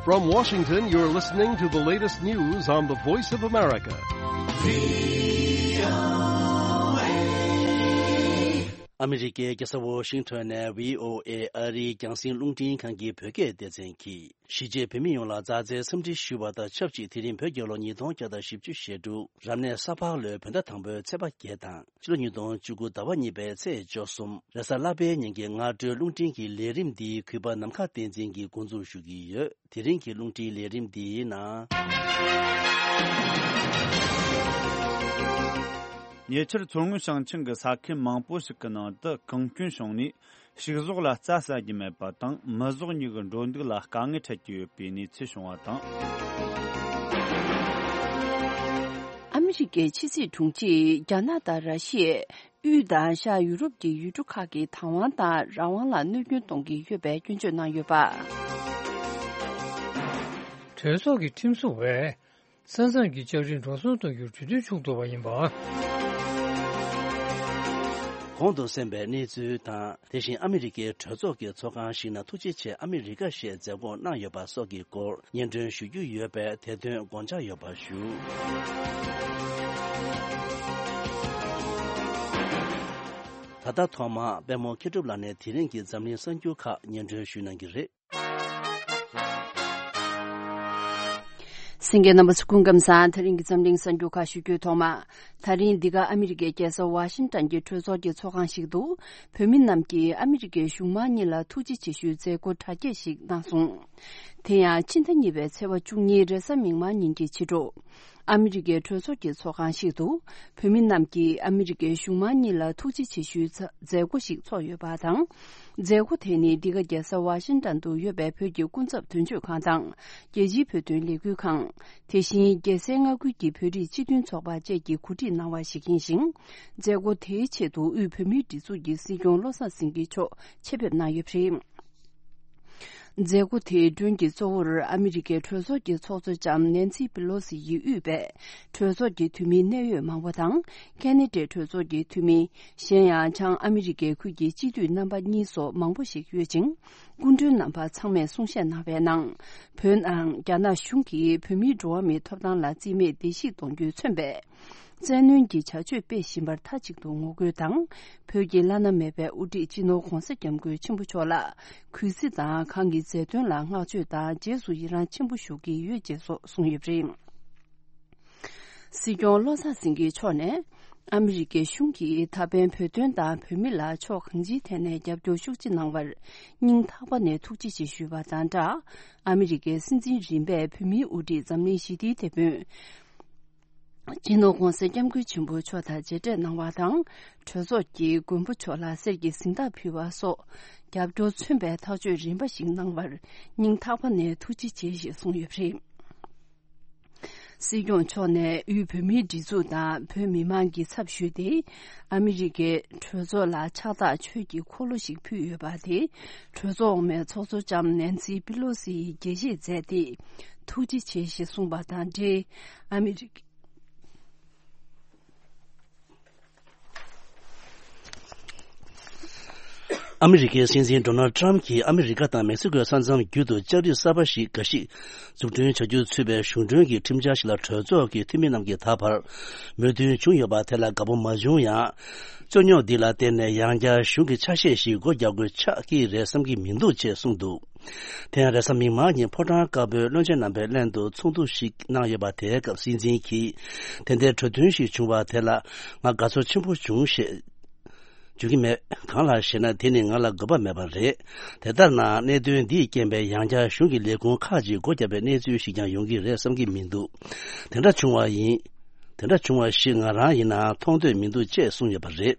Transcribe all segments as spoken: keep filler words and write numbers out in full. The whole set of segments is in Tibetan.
From Washington, you're listening to the latest news on the Voice of America. ཨ་མི་རི་ཀའི་རྒྱལ་ས་ཝོ་ཤིང་ཊོན་ནས་བྷི་ཨོ་ཨེ་ཨ་རིའི་རྒྱང་སྲིང་རླུང་འཕྲིན་ཁང་གི་བོད་སྐད་སྡེ་ཚན་གྱིས། གཞིས་བྱེས་བོད་མི་ཡོངས་ལ་མཛའ་བརྩེའི་འཚམས་འདྲི་ཞུ་བ་དང་ཆབས་ཅིག་དེ་རིང་བོད་རྒྱལ་ལོ་ཉིས་སྟོང་བརྒྱ་དང་བཞི་བཅུ་ཞེ་དྲུག་རབ་གནས་ས་ཕག་ལོའི་བོད་ཟླ་དང་པོའི་ཚེས་པ་བརྒྱད་དང་ཕྱི་ལོ་ཉིས་སྟོང་བཅུ་དགུ་ཟླ་བ་གཉིས་པའི་ཚེས་བཅུ་གསུམ་རེས་གཟའ་ལྷག་པའི་ཉིན་གྱི་སྔ་དྲོའི་རླུང་འཕྲིན་གྱི་ལས་རིམ་འདི་གུས་པ་ནམ་མཁའ་བསྟན་འཛིན་གྱིས་འགོ་འཛུགས་ཞུ་གི་ཡོད། དེ་རིང་གི་རླུང་འཕྲིན་ལས་རིམ་འདིའི་ནང་། ཉེ་ཆར་མཚོ་སྔོན་ཞིང་ཆེན་གྱི་ས་ཁུལ་མང་པོ་ཞིག་གི་ནང་དུ་གངས་སྐྱོན་བྱུང་ནས། ཕྱུགས་ཟོག་ལ་རྩྭ་ཟ་རྒྱུ་མེད་པ་དང་། མི་ཟོག་གཉིས་ཀྱི་འགྲོ་འདུག་ལ་དཀའ་ངལ་འཕྲད་ཀྱི་ཡོད་པའི་གནས་ཚུལ་བྱུང་བ་དང་། ཨ་མི་རི་ཀའི་ཕྱི་སྲིད་དྲུང་ཆེས་རྒྱ་ནག་དང་ར་ཤི་ཡས་དབུས་དང་ཤར་ཡུ་རོབ་ཀྱི་ཡུལ་གྲུ་ཁག་གིས་བདག་དབང་དང་རང་དབང་ལ་གནོད་སྐྱོན་གཏོང་གི་ཡོད་པའི་སྐྱོན་བརྗོད་གནང་ཡོད་པ། གྲོས་ཚོགས་ཀྱི་ཁྲིམས་སྲུང་བས། ས་མཚམས་ཀྱི་ལྕགས་རིའི་འགྲོ་སོང་གཏོང་རྒྱུར་གྲོས་མཐུན་བྱུང་ཐུབ་པ་ཡིན་པ། གོང་དུ་གསན་པའི་གནས་ཚུལ་དང་། དེ་བཞིན་ཨ་མི་རི་ཀའི་གྲོས་ཚོགས་ཀྱི་ཚོགས་ཁང་ཞིག་ནང་ཐུགས་རྗེ་ཆེ་ཨ་མི་རི་ཀ་ཞེས་མཛད་སྒོ་གནང་ཡོད་པ་སོགས་ཀྱི་སྐོར་སྙན་སྒྲོན་ཞུ་རྒྱུ་ཡོད་པས་དེ་དོན་དགོངས་འཇགས་ཡོད་པ་ཞུ། ད་ལྟ་ཐོག་མར་པད་མོ་མཁས་གྲུབ་ལགས་ནས་དེ་རིང་གི་འཛམ་གླིང་གསར་འགྱུར་ཁག་སྙན་སྒྲོན་ཞུ་གནང་གི་རེད། གསན་མཁན་རྣམ་པ་ཚོ་སྐུ་ཁམས་བཟང་། དེ་རིང་གི་འཛམ་གླིང་གསར་འགྱུར་ཁག་ཞུ་རྒྱུའི་ཐོག་མ། ད་རིང་འདི་ག་ཨ་མི་རི་ཀའི་རྒྱལ་ས་ཝ་ཤིང་ཏན་གྱི་གྲོས་ཚོགས་ཀྱི་ཚོགས་ཁང་ཞིག་ཏུ། བོད་མི་རྣམས་ཀྱིས་ཨ་མི་རི་ཀའི་གཞུང་མང་གཉིས་ལ་ཐུགས་རྗེ་ཆེ་ཞུའི་མཛད་སྒོ་གྲ་རྒྱས་ཤིག་གནང་སོང་། དེ་ཡང་ཕྱི་ཟླ་གཉིས་པའི་ཚེས་པ་བཅུ་གཉིས་རེས་གཟའ་མིག་དམར་ཉིན་གྱི་ཕྱི་དྲོ། ཨ་མི་རི་ཀའི་གྲོས་ཚོགས་ཀྱི་ཚོགས་ཁང་ཞིག་ཏུ། བོད་མི་རྣམས་ཀྱིས་ཨ་མི་རི་ཀའི་གཞུང་མང་གཉིས་ལ་ཐུགས་རྗེ་ཆེ་ཞུའི་མཛད་སྒོ་ཞིག་ཚོགས་ཡོད་པ་དང་། མཛད་སྒོ་དེ་ནི་འདི་ག་རྒྱལ་ས་ཝ་ཤིང་ཏན་དུ་ཡོད་པའི་བོད་ཀྱི་སྐུ་ཚབ་དོན་གཅོད་ཁང་དང་། རྒྱལ་སྤྱིའི་བོད་དོན་ལས་འགུལ་ཁང་། དེ་བཞིན་རྒྱལ་སའི་མངའ་ཁུལ་གྱི་བོད་རིགས་སྤྱི་མཐུན་ཚོགས་པ་བཅས་ཀྱིས་གོ་སྒྲིག་གནང་བ་ཞིག་ཡིན་ཞིང་། མཛད་སྒོ་དེའི་ཆེད་དུ་དབུས་བོད་མིའི་སྒྲིག་འཛུགས་ཀྱི་སྲིད་སྐྱོང་བློ་བཟང་སེང་གེ་མཆོག་ཆེད་ཕེབས་གནང་ཡོད་པ་རེད། མཛད་སྒོ་དེའི་མགྲོན་གྱི་གཙོ་བོར་ཨ་མི་རི་ཀའི་གྲོས་ཚོགས་ཀྱི་ཚོགས་གཙོ་ལྕམ་ནེན་སི་པི་ལོ་སི་ཡིས་དབུས་པའི་གྲོས་ཚོགས་ཀྱི་འཐུས་མི་གནད་ཡོད་མང་པོ་དང་། ཁེ་ན་ཌའི་གྲོས་ཚོགས་ཀྱི་འཐུས་མི། གཞན་ཡང་བྱང་ཨ་མི་རི་ཀའི་ཁུལ་གྱི་སྤྱི་འཐུས་རྣམ་པ་གཉིས་སོགས་མང་པོ་ཞིག་ཡོད་ཅིང་། སྐུ་མགྲོན་རྣམ་པ་ཚང་མས་གསུང་བཤད་གནང་བའི་ནང་། བོད་ནང་རྒྱ་ནག་གཞུང་གིས་བོད་མིའི་འགྲོ་བ་མིའི་ཐོབ་ཐང་ལ་རྩིས་མེད་བརྡལ་བཤིག་གཏོང་རྒྱུས་མཚོན་པའི། བཙན་གནོན་གྱི་བྱ་སྤྱོད་སྤེལ་བཞིན་པར་མཐའ་གཅིག་ཏུ་ངོ་རྒོལ་དང་། བོད་ཀྱི་བླ་ན་མེད་པའི་དབུ་ཁྲིད་སྤྱི་ནོར་༸གོང་ས་༸སྐྱབས་མགོན་ཆེན་པོ་མཆོག་ལ་གུས་བརྩི་དང་། ཁོང་གི་མཛད་དོན་ལ་བསྔགས་བརྗོད་དང་། རྗེས་སུ་ཡི་རང་ཆེན་པོ་ཞུ་གི་ཡོད་ཅེས་སོགས་གསུངས་ཡོད་པ་རེད། སྲིད་སྐྱོང་བློ་བཟང་སེང་གེ་མཆོག་ནས། ཨ་མི་རི་ཀའི་གཞུང་གིས་ད་ཕན་བོད་དོན་དང་བོད་མི་ལ་ཕྱོགས་གང་ཅིའི་ཐད་ནས་རྒྱབ་སྐྱོར་ཤུགས་ཆེ་གནང་བར་སྙིང་ཐག་པ་ནས་ཐུགས་རྗེ་ཆེ་ཞུས་པ་དང་སྦྲགས། ཨ་མི་རི་ཀའི་སྲིད་འཛིན་རིམ་པས་བོད་མིའི་དབུ་ཁྲིད་འཛམ་གླིང་ཞི་བདེའི་དེད་དཔོན། སྤྱི་ནོར་༸གོང་ས་༸སྐྱབས་མགོན་ཆེན་པོ་མཆོག་དང་མཇལ་འཕྲད་གནང་བ་དང་། གྲོས་ཚོགས་ཀྱི་མགོན་པོ་མཆོག་ལ་གསེར་གྱི་གཟེངས་རྟགས་ཕུལ་བ་སོགས། རྒྱབ་སྐྱོར་མཚོན་པའི་ཐག་གཅོད་རིམ་པ་ཞིག་གནང་བར་སྙིང་ཐག་པ་ནས་ཐུགས་རྗེ་ཆེ་ཞེས་གསུངས་ཡོད་པ་རེད། སྲིད་སྐྱོང་མཆོག་ནས་དབུས་བོད་མིའི་སྒྲིག་འཛུགས་དང་བོད་མི་མང་གི་ཚབ་ཞུས་ཏེ། ཨ་མི་རི་ཀའི་གྲོས་ཚོགས་ལ་ཕྱག་རྟགས་ཆོས་ཀྱི་འཁོར་ལོ་ཞིག་ཕུལ་ཡོད་པ་དེ། གྲོས་ཚོགས་འོག་མའི་ཚོགས་གཙོ་ལྕམ་ནེན་སི་པི་ལོ་སི་ཡིས་དགྱེས་བཞེས་མཛད་དེ། ཐུགས་རྗེ་ཆེ་ཞེས་གསུངས་པ་དང་འབྲེལ། ཨ་མི་རི་ཀ་ཨ་མི་རི་ཀའི་སྲིད་འཛིན་ཌོ་ནལ་ཌི་ཊརམ་ཕི་གྱིས་ཨ་མི་རི་ཀ་དང་མེག་སི་ཀོའི་ས་མཚམས་བརྒྱུད་དུ་ལྕགས་རིགས་གསར་པ་ཞིག་འགའ་ཞིག་འཛུགས་སྐྲུན་བྱ་རྒྱུ་ཚུད་པའི་གཞུང་གྲོན་གྱི་ཁྲིམས་འཆར་ཞིག་ལ་གྲོས་ཚོགས་ཀྱི་འཐུས་མི་རྣམས་ཀྱིས་ད་བར་མོས་མཐུན་བྱུང་ཡོད་པ་དེ་ལ་དགའ་པོ་མ་བྱུང་ཡང་། རྩོད་རྙོག་འདི་ལ་བརྟེན་ནས་ཡང་བསྐྱར་གཞུང་གི་ཆ་ཤས་ཤིག་སྒོ་རྒྱག་དགོས་ཆགས་ཀྱི་རེད་བསམ་གྱི་མི་འདུག་ཅེས་གསུངས་འདུག་དེ་ཡང་རེས་གཟའ་མིག་དམར་ཉིན་ཕོ་བྲང་དཀར་པོའི་བློན་ཆེན་རྣམ་པའི་ལྷན་དུ་ཚོགས་འདུ་ཞིག་གནང་ཡོད་པ་དེའི་སྐབས་སྲིད་འཛིན་གྱིས། དེ་འདྲའི་གྲོས་མཐུན་ཞིག་བྱུང་བ་དེ་ལ་ང་དགའ་ཚོར་ཆེན་པོ་བྱུང་ཞེས་བརྗོད་ཀྱི་མེད། གང་ལགས་ཞེ་ན། དེ་ནི་ང་ལ་དགོས་པ་མེད་པ་རེད། དེ་ལྟར་ན་གནད་དོན་འདིས་རྐྱེན་པས་ཡང་བསྐྱར་གཞུང་གི་ལས་ཁུངས་ཁག་ཅིག་སྒོ་བརྒྱབ་པའི་གནས་ཚུལ་ཞིག་ཀྱང་ཡོང་གི་རེད་བསམ་གྱི་མི་འདུག་དེ་འདྲ་བྱུང་བ་ཡིན། དེ་འདྲ་བྱུང་བ་ཞིག་ང་རང་ཡིན་ནའང་མཐོང་འདོད་མི་འདུག་ཅེས་གསུངས་ཡོད་པ་རེད།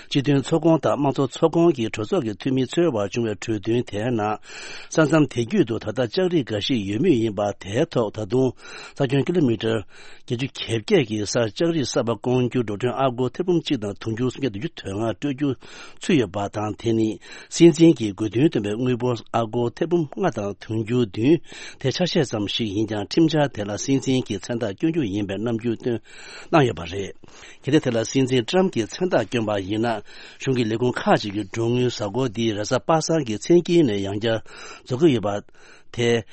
སྤྱི་མཐུན་ཚོགས་ཁོངས་དང་དམངས་གཙོ་ཚོགས་ཁོངས་ཀྱི་གྲོས་ཚོགས་ཀྱི་འཐུས་མི་ཚོའི་བར་བྱུང་བའི་གྲོས་མཐུན་དེའི་ནང་། ས་མཚམས་དེ་བརྒྱུད་དུ་ད་ལྟ་ལྕགས་རིགས་འགའ་ཞིག་ཡོད་མུས་ཡིན་པ་དེའི་ཐོག་ད་དུང་ས་ཁྱོན་ཀི་ལོ་མི་ཊར་བརྒྱད་ཅུ་གྱ་བརྒྱད་ཀྱི་སར་ལྕགས་རིགས་གསར་པ་སྐོང་རྒྱུར་འགྲོ་གྲོན་ཨ་སྒོར་ཐེར་འབུམ་གཅིག་དང་དུང་ཕྱུར་སུམ་བརྒྱ་བདུན་ཅུ་དོན་ལྔ་སྤྲོད་རྒྱུ་ཚུད་ཡོད་པ་དང་། དེ་ནི་སྲིད་འཛིན་གྱིས་དགོས་འདུན་བཏོན་པའི་དངུལ་འབོར་ཨ་སྒོར་ཐེར་འབུམ་ལྔ་དང་དུང་ཕྱུར་བདུན་དེ་ཆ་ཤས་ཙམ་ཞིག་ཡིན་ཀྱང་། ཁྲིམས་འཆར་དེ་ལ་སྲིད་འཛིན་གྱིས་མཚན་རྟགས་བསྐྱོན་རྒྱུ་ཡིན་པའི་རྣམ་འགྱུར་སྟོན་གནང་ཡོད་པ་རེད། གལ་ཏེ་དེ་ལ་སྲིད་འཛིན་ཊརམ་གྱིས་མཚན་རྟགས་བསྐྱོན་པ་ཡིན་ན། གཞུང་གི་ལས་ཁུངས་ཁག་ཅིག་གི་འགྲོ་དངུལ་གཟའ་འཁོར་འདིའི་རེས་གཟའ་པ་སངས་ཀྱི་མཚན་དཀྱིལ་ནས་ཡང་བསྐྱར་རྫོགས་ཀྱི་ཡོད་པ་དེ།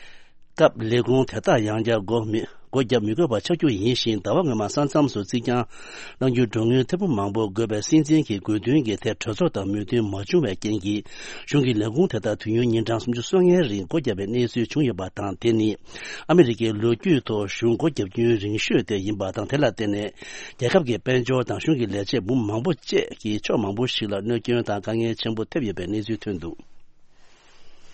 སྐབས་ལས་ཁུངས་དེ་དག་ཡང་བསྐྱར་སྒོ་མི་སྒོ་བརྒྱབ་མི་དགོས་པ་ཆགས་རྒྱུ་ཡིན་ཞིང་། ཟླ་བ་སྔོན་མ་ས་མཚམས་སུ་རྩིག་གྱང་བསླང་རྒྱུའི་མགྲོན་དངུལ་ཐེར་འབུམ་མང་པོ་དགོས་པའི་སྲིད་འཛིན་གྱི་དགོས་འདུན་གྱི་ཐད་གྲོས་ཚོགས་དང་མོས་མཐུན་མ་བྱུང་བའི་རྐྱེན་གྱིས། གཞུང་གི་ལས་ཁུངས་དེ་དག་དུས་ཡུན་ཉིན་གྲངས་སུམ་ཅུ་སོ་ལྔའི་རིང་སྒོ་བརྒྱབ་པའི་གནས་ཚུལ་བྱུང་ཡོད་པ་དང་། དེ་ནི་ཨ་མི་རི་ཀའི་ལོ་རྒྱུས་ཐོག་གཞུང་སྒོ་བརྒྱབ་རྒྱུན་རིང་ཤོས་དེ་ཡིན་པ་དང་། དེ་ལ་བརྟེན་ནས་རྒྱལ་ཁབ་ཀྱི་དཔལ་འབྱོར་དང་གཞུང་གི་ལས་བྱེད་འབུམ་མང་པོ་བཅས་ཀྱི་ཕྱོགས་མང་པོ་ཞིག་ལ་གནོད་སྐྱོན་དང་དཀའ་ངལ་ཆེན་པོ་ཐེབས་ཡོད་པའི་གནས་ཚུལ་ཐོན་འདུག།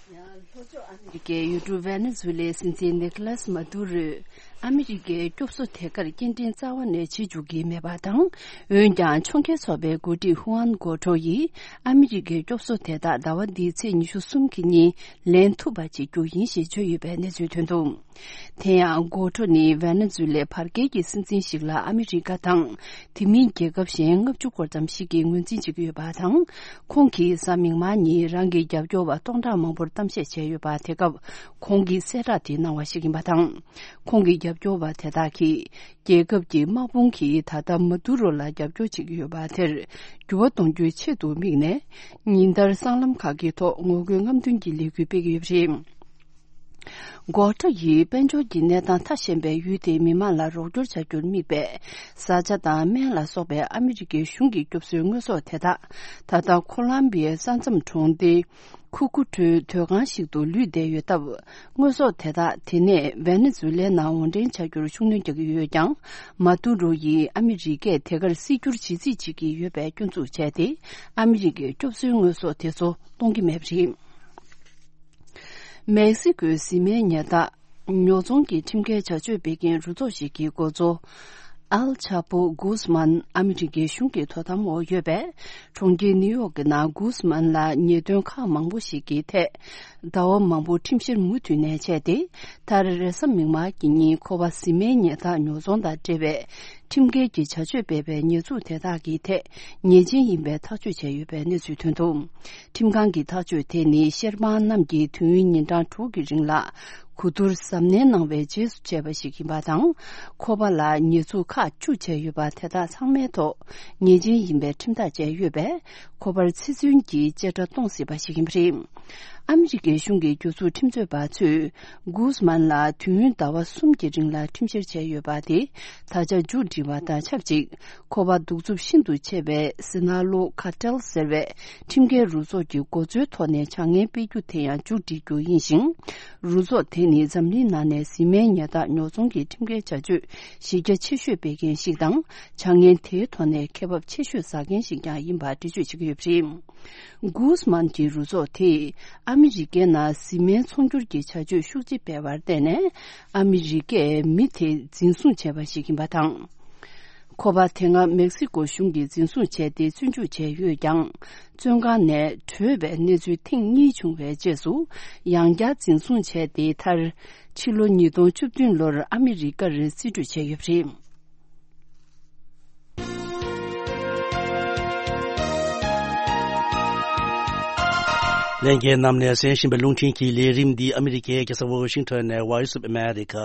ཡང་ལྷོ་ཕྱོགས་ཨ་མི་རི་ཀའི་ཡུལ་གྲུ་ཝེ་ནེ་ཛུ་ལའི་སྲིད་འཛིན་ནི་ཀོ་ལཱས་མ་དུ་རོས་ཨ་མི་རི་ཀའི་སྐྱོབ་གསོ་དེ་གར་སྐྱེལ་འདྲེན་རྩ་བ་ནས་བྱེད་འཇུག་གི་མེད་པ་དང་། འོན་ཀྱང་ཕྱོགས་འགལ་ཚོགས་པའི་འགོ་ཁྲིད་ཧུའན་གོ་ཁྲོ་ཡིས་ཨ་མི་རི་ཀའི་སྐྱོབ་གསོ་དེ་དག་ཟླ་བ་འདིའི་ཚེས་ཉི་ཤུ་གསུམ་གྱི་ཉིན་ལེན་ཐུབ་པ་བྱེད་རྒྱུ་ཡིན་ཞེས་བརྗོད་ཡོད་པའི་གནས་ཚུལ་ཐོན་འདུག། དེ་ཡང་གོ་ཁྲོ་ནི་ཝེ་ནེ་ཛུ་ལའི་བར་བརྒལ་གྱི་སྲིད་འཛིན་ཞིག་ལ་ཨ་མི་རི་ཀ་དང་དེ་མིན་རྒྱལ་ཁབ་གཞན་ལྔ་བཅུ་སྐོར་ཙམ་ཞིག་གིས་ངོས་འཛིན་བྱེད་ཀྱི་ཡོད་པ་དང་། ཁོང་གིས་གཟའ་མིག་དམར་ཉིན་རང་གི་རྒྱབ་སྐྱོར་བ་སྟོང་ཕྲག་མང་པོར་གཏམ་བཤད་བྱས་ཡོད་པ། དེ་སྐབས་ཁོང་གིས་གསལ་བསྒྲགས་དེ་གནང་བ་ཞིག་ཡིན་པ་དང་། ཁོང་གི་རྒྱབ་སྐྱོར་བ་དེ་དག་གིས་རྒྱལ་ཁབ་ཀྱི་དམག་དཔུང་གིས་ད་ལྟ་མ་དུ་རོ་ལ་རྒྱབ་སྐྱོར་བྱེད་ཀྱི་ཡོད་པ་དེར་འགྱུར་བ་གཏོང་རྒྱུའི་ཆེད་དུ་དམིགས་ནས། ཉིན་ལྟར་སྲང་ལམ་ཁག་གི་ཐོག་ངོ་རྒོལ་རྔམ་སྟོན་གྱི་ལས་འགུལ་སྤེལ་གྱི་ཡོད་པ་རེད། གོ་ཁྲོ་ཡིས་དཔལ་འབྱོར་གྱི་གནས་སྟངས་ཐ་ཞན་པའི་ཡུལ་དེའི་མི་མང་ལ་རོགས་སྐྱོར་བྱ་རྒྱུར་དམིགས་པའི་བཟའ་བཅའ་དང་སྨན་ལ་སོགས་པའི་ཨ་མི་རི་ཀའི་གཞུང་གི་སྐྱོབ་གསོའི་དངོས་ཟོག་དེ་དག་ད་ལྟ་ཁོ་ལམ་བི་ཡའི་ས་མཚམས་གྲོང་སྡེ་ཁུ་ཁུ་ཁྲོའི་སྡོད་ཁང་ཞིག་ཏུ་ལུས་བསྡད་ཡོད་སྟབས། དངོས་ཟོག་དེ་དག་དེ་ནས་ཝེ་ནེ་ཛུ་ལའི་ནང་འོར་འདྲེན་བྱ་རྒྱུར་ཤུགས་སྣོན་རྒྱག་གི་ཡོད་ཀྱང་། མ་ཏུ་རོ་ཡིས་ཨ་མི་རི་ཀས་དེ་གར་སྲིད་སྒྱུར་བྱེད་རྩིས་བྱེད་ཀྱི་ཡོད་པའི་སྐྱོན་འཛུགས་བྱས་ཏེ། ཨ་མི་རི་ཀའི་སྐྱོབ་གསོའི་དངོས་ཟོག་དེ་ཚོ་གཏོང་གི་མེད་པ་རེད། མེག་སི་ཀོའི་བཟི་སྨན་ཉལ་ཐ་ཉོ་ཚོང་གི་ཁྲིམས་འགལ་བྱ་སྤྱོད་སྤེལ་མཁན་རུ་ཚོགས་ཤིག་གི་འགོ་གཙོ་ཨལ་ཆ་པོ་གུས་མན་ཨ་མི་རི་ཀའི་གཞུང་གི་དོ་དམ་འོག་ཡོད་པའི་གྲོང་ཁྱེར་ནིའུ་ཡོག་གི་ནང་གུས་མན་ལ་ཉེས་དོན་ཁག་མང་པོ་ཞིག་གི་ཐད་ཟླ་བ་མང་པོ་ཁྲིམས་བཤེར་མུ་མཐུད་ནས་བྱས་ཏེ། མཐར་རེས་གཟའ་མིག་དམར་གྱི་ཉིན་ཁོ་པ་བཟི་སྨན་ཉལ་ཐ་ཉོ་ཚོང་དང་འབྲེལ་བའི་ཁྲིམས་འགལ་གྱི་བྱ་སྤྱོད་སྤེལ་བའི་ཉེས་འཛུགས་དེ་དག་གི་ཐད་ཉེས་ཅན་ཡིན་པའི་ཐག་གཅོད་བྱས་ཡོད་པའི་གནས་ཚུལ་ཐོན་འདུག། ཁྲིམས་ཁང་གི་ཐག་གཅོད་དེ་ནི་བཤེར་དཔང་རྣམས་ཀྱིས་དུས་ཡུན་ཉིན་གྲངས་དྲུག་གི་རིང་ལ་གོ་བསྡུར་གཟབ་ནན་གནང་བའི་རྗེས་སུ་བྱས་པ་ཞིག་ཡིན་པ་དང་། ཁོ་པ་ལ་ཉེས་འཛུགས་ཁག་བཅུ་བྱས་ཡོད་པ་དེ་དག་ཚང་མའི་ཐོག་ཉེས་ཅན་ཡིན་པའི་ཁྲིམས་ཐག་བཅད་ཡོད་པས། ཁོ་པར་ཚེ་བཙོན་གྱི་བཅད་ཁྲ་གཏོང་སྲིད་པ་ཞིག་ཡིན་པ་རེད། ཨ་མི་རི་ཀའི་གཞུང་གི་རྒྱུ་ཚོགས་ཁྲིམས་རྩོད་པ་ཚོས་གུས་མན་ལ་དུས་ཡུན་ཟླ་བ་གསུམ་གྱི་རིང་ལ་ཁྲིམས་བཤེར་བྱས་ཡོད་པ་དེ་ད་ཆ་མཇུག་སྒྲིལ་བ་དང་ཆབས་ཅིག། ཁོ་པ་གདུག་རྩུབ་ཤིན་ཏུ་ཆེ་བའི་སི་ན་ལོ་ཁ་ཏེལ་ཟེར་བའི་ཁྲིམས་འགལ་རུ་ཚོགས་ཀྱི་འགོ་གཙོའི་ཐོག་ནས་བྱ་ངན་སྤེལ་རྒྱུ་དེ་ཡང་མཇུག་སྒྲིལ་རྒྱུ་ཡིན་ཞིང་། རུ་ཚོགས་དེ་ནི་འཛམ་གླིང་ནང་ནས་བཟི་སྨན་ཉལ་ཐ་ཉོ་ཚོང་གི་ཁྲིམས་འགལ་བྱ་སྤྱོད་གཞི་རྒྱ་ཆེ་ཤོས་སྤེལ་མཁན་ཞིག་དང་། བྱ་ངན་དེའི་ཐོག་ནས་ཁེ་བབ་ཆེ་ཤོས་ཟ་མཁན་ཞིག་ཀྱང་ཡིན་པ་འགྲེལ་བརྗོད་བྱེད་ཀྱི་ཡོད་པ་རེད། གུས་མན་གྱི་རུ་ཚོགས་དེས་ཨ་མི་རི་ཀའི་ནང་བཟི་སྨན་ཚོང་སྒྱུར་གྱི་བྱ་སྤྱོད་ཤུགས་ཆེ་སྤེལ་བར་བརྟེན་ནས་ཨ་མི་རི་ཀས་མི་དེ་འཛིན་བཟུང་བྱས་པ་ཞིག་ཡིན་པ་དང་། ཁོ་པ་དེ་སྔ་མེག་སི་ཀོ་གཞུང་གིས་འཛིན་བཟུང་བྱས་ཏེ་བཙོན་འཇུག་བྱས་ཡོད་ཀྱང་། བཙོན་ཁང་ནས་བྲོས་པའི་གནས་ཚུལ་ཐེངས་གཉིས་བྱུང་བའི་རྗེས་སུ། ཡང་བསྐྱར་འཛིན་བཟུང་བྱས་ཏེ། མཐར་ཕྱི་ལོ་ཉིས་སྟོང་བཅུ་བདུན་ལོར་ཨ་མི་རི་ཀར་རྩིས་སྤྲོད་བྱས་ཡོད་པ་རེད། ལྷན་རྒྱས་རྣམས་ནས་གསན་བཞིན་པའི་རླུང་འཕྲིན་གྱི་ལས་རིམ་འདི་ཨ་མི་རི་ཀའི་རྒྱལ་ས་ཝོ་ཤིང་ཊོན་ནས་Voice of America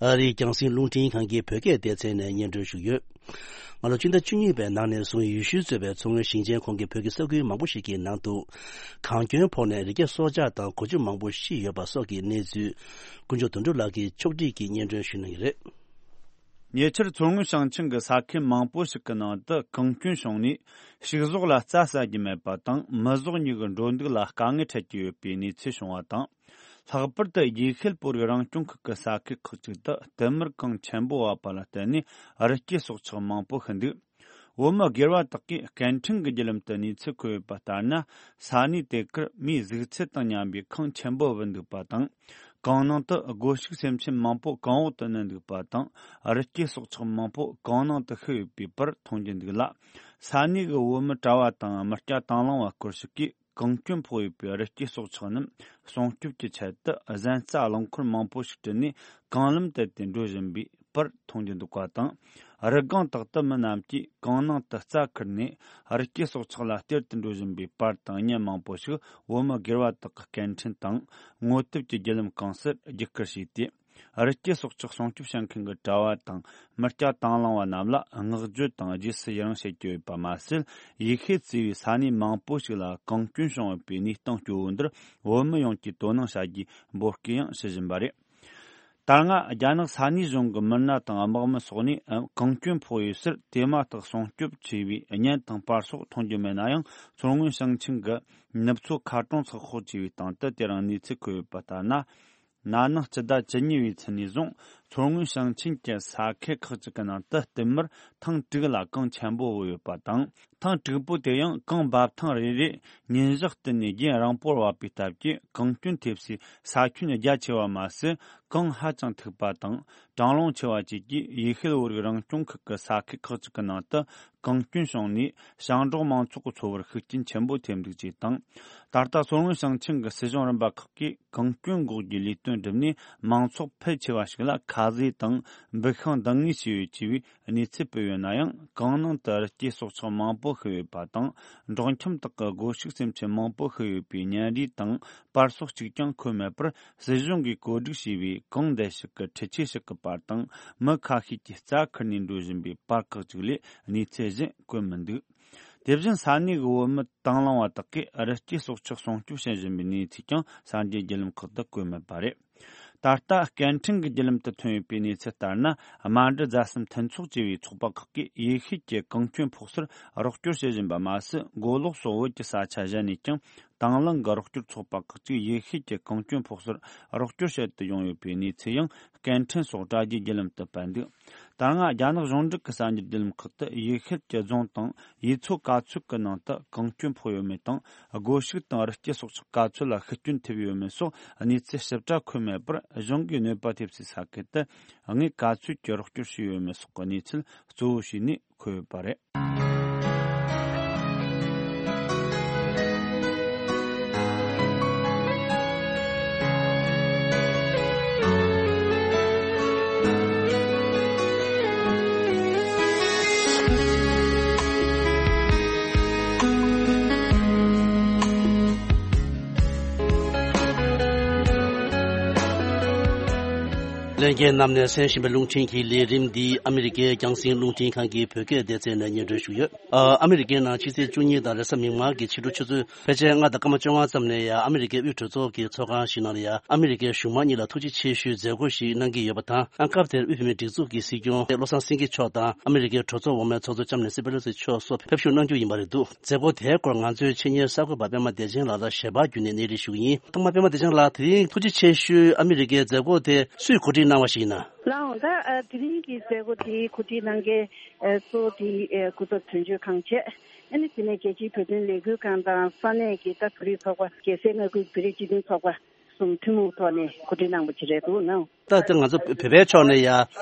ཨ་རིའི་རྒྱང་སྲིང་རླུང་འཕྲིན་ཁང་གི་བོད་སྐད་སྡེ་ཚན་ནས་སྙན་སྒྲོན་ཞུས་ཡོད། སྔ་ལོ་སྤྱི་ཟླ་བཅུ་གཉིས་པའི་ནང་ནས་བཟུང་ཡུལ་ཤུལ་གཙོས་པའི་མཚོ་སྔོན་ཞིང་ཆེན་ཁོངས་ཀྱི་བོད་ཀྱི་ས་ཁུལ་མང་པོ་ཞིག་གི་ནང་དུ་གངས་སྐྱོན་ཕོག་ནས་རི་སྐྱེས་སྲོག་ཆགས་དང་གོ་ཆུ་མང་པོ་ཤི་ཡོད་པ་སོགས་ཀྱི་གནས་ཚུལ་དཀོན་མཆོག་དོན་གྲུབ་ལགས་ཀྱིས་ཕྱོགས་སྒྲིག་གིས་སྙན་སྒྲོན་ཞུ་གནང་གི་རེད། ཉེ་ཆར་མཚོ་སྔོན་ཞིང་ཆེན་གྱི་ས་ཁུལ་མང་པོ་ཞིག་གི་ནང་དུ་གངས་སྐྱོན་བྱུང་ནས་ཕྱུགས་ཟོག་ལ་རྩྭ་ཟ་རྒྱུ་མེད་པ་དང་། མི་ཟོག་གཉིས་ཀྱི་འགྲོ་འདུག་ལ་དཀའ་ངལ་འཕྲད་ཀྱི་ཡོད་པའི་གནས་ཚུལ་བྱུང་བ་དང་། ལྷག་པར་དུ་རྒྱས་ཤེལ་པོ་རིགས་རང་སྐྱོང་ཁུལ་གྱི་ས་ཁུལ་ཁག་ཅིག་ཏུ་བསྟུད་མར་གངས་ཆེན་པོ་བབས་པ་ལ་བརྟེན་ནས་རི་སྐྱེས་སྲོག་ཆགས་མང་པོ་ཤི་འདུག། བོད་མི་སྒེར་བ་དག་གིས་སྐད་འཕྲིན་གྱི་བརྒྱུད་ལམ་དུ་གནས་ཚུལ་འཁོད་ཡོད་པ་ལྟར་ན། ས་གནས་དེ་གར་མིའི་གཟུགས་ཚད་དང་མཉམ་པའི་གངས་ཆེན་པོ་བབས་འདུག་པ་དང་། གངས་ནང་དུ་སྒོ་ཕྱུགས་སེམས་ཅན་མང་པོ་གངས་འོག་ཏུ་བསྣུན་འདུག་པ་དང་། རི་སྐྱེས་སྲོག་ཆགས་མང་པོ་གངས་ནང་དུ་ཤི་ཡོད་པའི་པར་མཐོང་རྒྱུ་འདུག་ལ། ས་གནས་ཀྱི་བོད་མི་གྲྭ་བ་དང་མི་སྐྱ་དང་བླངས་པ་སྐོར་ཞིག་གིས། གངས་སྐྱོན་ཕོག་ཡོད་པའི་རི་སྐྱེས་སྲོག་ཆགས་རྣམས་སྲུང་སྐྱོབ་ཀྱི་ཆེད་དུ། གཟན་རྩྭ་རླངས་འཁོར་མང་པོ་ཞིག་བསྐྲུན་ནས་གངས་ལམ་དེད་དེ་འགྲོ་བཞིན་པའི་པར་མཐོང་རྒྱུ་འདུག་པ་དང་། རི་སྒང་དག་ཏུ་མི་རྣམས་ཀྱིས་གངས་ནང་དུ་རྩྭ་ཁུར་ནས་རི་སྐྱེས་སྲོག་ཆགས་ལ་སྟེར་དུ་འགྲོ་བཞིན་པའི་པར་དང་བརྙན་མང་པོ་ཞིག་བོད་མི་སྒེར་བ་དག་གི་སྐད་འཕྲིན་དང་ངོ་དེབ་ཀྱི་བརྒྱུད་ལམ་གང་སར་བརྒྱུད་བསྐུར་བྱས་ཏེ། རི་སྐྱེས་སྲོག་ཆགས་སྲུང་སྐྱོབ་བྱེད་མཁན་གྱི་གྲྭ་བ་དང་མི་སྐྱ་དང་བླངས་པ་རྣམས་ལ་བསྔགས་བརྗོད་དང་རྗེས་སུ་ཡི་རང་བྱེད་ཀྱི་ཡོད་པ་མ་ཟད། ཡེ་ཤུ་གཙོས་པའི་ས་གནས་མང་པོ་ཞིག་ལ་གངས་སྐྱོན་བྱུང་ཡོད་པའི་གནས་སྟངས་སྐྱོ་བོ་འདིར་བོད་མི་ཡོངས་ཀྱིས་དོ་སྣང་བྱ་རྒྱུའི་འབོད་སྐུལ་ཡང་ཞུ་བཞིན་པ་རེད། ད་སྔ་རྒྱ་ནག་ས་གནས་གཞུང་གི་མི་སྣ་དང་དམག་མི་སོགས་ནས་ཨ་གངས་སྐྱོན་ཕོག་ཡོད་སར་དེ་མ་ཐག་སྲུང་སྐྱོབ་བྱས་པའི་བརྙན་དང་པར་སོགས་མཐོང་རྒྱུ་མེད་ན་ཡང་། མཚོ་སྔོན་ཞིང་ཆེན་གྱི་ནུབ་མཚོ་མཁར་གྲོང་ཚགས་ཁོག་ཅེས་པའི་སྟེང་དུ་དེ་རིང་གནས་ཚུལ་འཁོད་ཡོད་པ་ལྟར་ན། ན་ནིང་སྤྱི་ཟླ་བཅུ་གཉིས་པའི་ཚེས་ནས་བཟུང་མཚོ་སྔོན་ཞིང་ཆེན་གྱི་ས་ཁུལ་ཁག་ཅིག་གི་ནང་དུ་བསྟུད་མར་ཐེངས་དྲུག་ལ་གངས་ཆེན་པོ་བབས་ཡོད་པ་དང་། ཐེངས་དྲུག་པོ་དེ་ཡང་གངས་འབབ་ཐེངས་རེ་རེར་ཉིན་ཞག་བསྟུད་ནས་རྒྱུན་རིང་པོར་བབས་པའི་སྟབས་ཀྱིས་གངས་སྐྱོན་ཐེབས་སའི་ས་ཁྱོན་རྒྱ་ཆེ་བ་མ་ཟད། གངས་ཧ་ཅང་མཐུག་པ་དང་གྲང་རླུང་ཆེ་བ་བཅས་ཀྱིས་ཡེ་ཤུ་བོད་རིགས་རང་སྐྱོང་ཁུལ་གྱི་ས་ཁུལ་ཁག་ཅིག་གི་ནང་དུ་གངས་སྐྱོན་བྱུང་ནས། ཞིང་འབྲོག་མང་ཚོགས་ཀྱི་འཚོ་བར་ཤུགས་རྐྱེན་ཆེན་པོ་ཐེབས་འདུག་ཅེས་དང་། ད་ལྟ་མཚོ་སྔོན་ཞིང་ཆེན་གྱི་སྲིད་གཞུང་རིམ་པ་ཁག་གིས་གངས་སྐྱོན་འགོག་རྒྱུའི་ལས་དོན་བསྒྲུབས་ནས། མང་ཚོགས་ཕལ་ཆེ་བ་ཞིག་ལ་ཁ་ཟས་དང་འབུ་ཤིང་འདང་ངེས་བྱས་ཡོད་ཅེས་པའི་གནས་ཚུལ་སྤེལ་ཡོད་ན་ཡང་། གངས་ནང་དུ་རི་སྐྱེས་སྲོག་ཆགས་མང་པོ་ཤི་ཡོད་པ་དང་། འབྲོག་ཁྱིམ་དག་གི་སྒོ་ཕྱུགས་སེམས་ཅན་མང་པོ་ཤི་ཡོད་པའི་བརྙན་རིས་དང་པར་སོགས་གཅིག་ཀྱང་འཁོད་མེད་པར། སྲིད་གཞུང་གིས་བཀོད་སྒྲིག་བྱས་པའི་གངས་འདྲེན་ཞིག་གི་འཕྲུལ་ཆས་ཞིག་གི་པར་དང་། མི་ཁ་ཤས་ཀྱིས་རྩྭ་ཁུར་ནས་འགྲོ་བཞིན་པའི་པར་ཁག་ཅིག་ལས་གནས་ཚུལ་གཞན་བཀོད་མི་འདུག། དེ་བཞིན་ས་གནས་ཀྱི་བོད་མི་དང་བླངས་པ་དག་གིས་རི་སྐྱེས་སྲོག་ཆགས་སྲུང་སྐྱོབ་བྱེད་བཞིན་པའི་གནས་ཚུལ་ཀྱང་གསར་འགྱུར་བརྒྱུད་ལམ་ཁག་ཏུ་བཀོད་མེད་པ་རེད། ད་ལྟ་སྐད་འཕྲིན་གྱི་བརྒྱུད་ལམ་དུ་ཐོན་ཡོད་པའི་གནས་ཚུལ་ལྟར་ན། རྨ་འབྲི་རྫ་གསུམ་མཐུན་ཚོགས་ཅེས་པའི་ཚོགས་པ་ཁག་གིས་ཡེ་ཤུ་གྱི་གངས་སྐྱོན་ཕོག་སར་རོགས་སྐྱོར་བྱེད་བཞིན་པ་མ་ཟད། མགོ་ལོག་སོགས་བོད་ཀྱི་ས་ཆ་གཞན་ནས་ཀྱང་དང་བླངས་ཀྱི་རོགས་སྐྱོར་ཚོགས་པ་ཁག་ཅིག་ཡེ་ཤུ་གྱི་གངས་སྐྱོན་ཕོག་སར་རོགས་སྐྱོར་བྱེད་དུ་ཡོང་ཡོད་པའི་གནས་ཚུལ་ཡང་སྐད་འཕྲིན་སོགས་དྲ་རྒྱའི་བརྒྱུད་ལམ་དུ་སྤེལ་འདུག། ད་སྔ་རྒྱ་ནག་གཞུང་འབྲེལ་གྱི་གསར་འགྱུར་བརྒྱུད་ལམ་ཁག་ཏུ་ཡེ་ཤུ་གྱི་རྫོང་དང་ཡུལ་ཚོ་ག་ཚོད་ཀྱི་ནང་དུ་གངས་སྐྱོན་ཕོག་ཡོད་མེད་དང་། སྒོ་ཕྱུགས་དང་རི་སྐྱེས་སྲོག་ཆགས་ག་ཚོད་ལ་ཤི་སྐྱོན་ཐེབས་ཡོད་མེད་སོགས་གནས་ཚུལ་ཞིབ་ཕྲ་འཁོད་མེད་པར། གཞུང་གིས་གནོད་པ་ཐེབས་སའི་ས་ཁུལ་དུ་དངུལ་ག་ཚོད་ཀྱི་རོགས་སྐྱོར་ཞུས་ཡོད་མེད་སོགས་ཀྱི་གནས་ཚུལ་གཙོ་བོ་བྱས་ནས་འཁོད་ཡོད་པ་རེད། ལྷན་རྒྱས་རྣམས་ནས་གསན་བཞིན་པའི་རླུང་འཕྲིན་གྱི་ལས་རིམ་འདི་ཨ་མི་རི་ཀའི་རྒྱང་སྲིང་རླུང་འཕྲིན་ཁང་གི་བོད་སྐད་སྡེ་ཚན་ནས་སྙན་སྒྲོན་ཞུ་ཡོད། ཨ་ཨ་མི་རི་ཀའི་ནང་ཕྱི་ཚེས་བཅུ་གཉིས་དང་རེས་གཟའ་མིག་དམར་གྱི་ཕྱི་དྲོ་ཆུ་ཚོད་ཕལ་ཆེར་ལྔ་དང་སྐར་མ་བཅོ་ལྔ་ཙམ་ནས་ཡང་ཨ་མི་རི་ཀའི་དབུས་གྲོས་ཚོགས་ཀྱི་ཚོགས་ཁང་ཞིག་ནང་ལ་ཡང་ཨ་མི་རི་ཀའི་གཞུང་མང་གཉིས་ལ་ཐུགས་རྗེ་ཆེ་ཞུའི་མཛད་སྒོ་ཞིག་གནང་གི་ཡོད་པ་དང་། ཨ་སྐབས་དེར་དབུས་བོད་མིའི་སྒྲིག་འཛུགས་ཀྱི་སྲིད་སྐྱོང་བློ་བཟང་སེང་གེ་མཆོག་དང་ཨ་མི་རི་ཀའི་གྲོས་ཚོགས་འོག་མའི་ཚོགས་གཙོ་ལྕམ་ནེན་སི་པེ་ལོ་སི་མཆོག་སོགས་ཕེབས་ཞུགས་གནང་རྒྱུ་ཡིན་པ་རེད་འདུག། མཛད་སྒོ་དེའི་སྐོར་ང་ཚོའི་ཆེད་གཉེར་གསར་འགོད་པ་པད་མ་བདེ་ཆེན་ལགས་ལ་ཞལ་པར་བརྒྱུད་ནས་གནས་རིམ་ཞུ་གི་ཡིན། ཐོག་མར་པད་མ་བདེ་ཆེན་ལགས། དེ་རིང་ཐུགས་རྗེ་ཆེ་ཞུའི་ཨ་མི་རི་ཀའི་མཛད་སྒོ་དེ་སུས་གོ་སྒྲིག་གནང་བ་ཞིག་ཡིན་ན། ལགས་འོང་། ད་ཨ་དེ་རིང་གི་མཛད་སྒོ་དེ་གོ་སྒྲིག་གནང་མཁན་ཨ་གཙོ་བོ་དེ་ཨ་སྐུ་ཚབ་དོན་གཅོད་ཁང་བྱས། ཨ་ནི་དེ་ནས་རྒྱལ་སྤྱིའི་བོད་དོན་ལས་འགུལ་ཁང་དང་ས་གནས་ཀྱི་ད་བོད་རིགས་ཚོགས་པ། རྒྱལ་སའི་མངའ་ཁུལ་བོད་རིགས་སྤྱི་མཐུན་ཚོགས་པ་གསུམ་ཐུན་མོང་ཐོག་ནས་གོ་སྒྲིག་གནང་བ་ཅིག་རེད་འདུག་ན། ད་ལྟ་ང་ཚོ་བོད་པའི་ཕྱོགས་ནས་ཡ་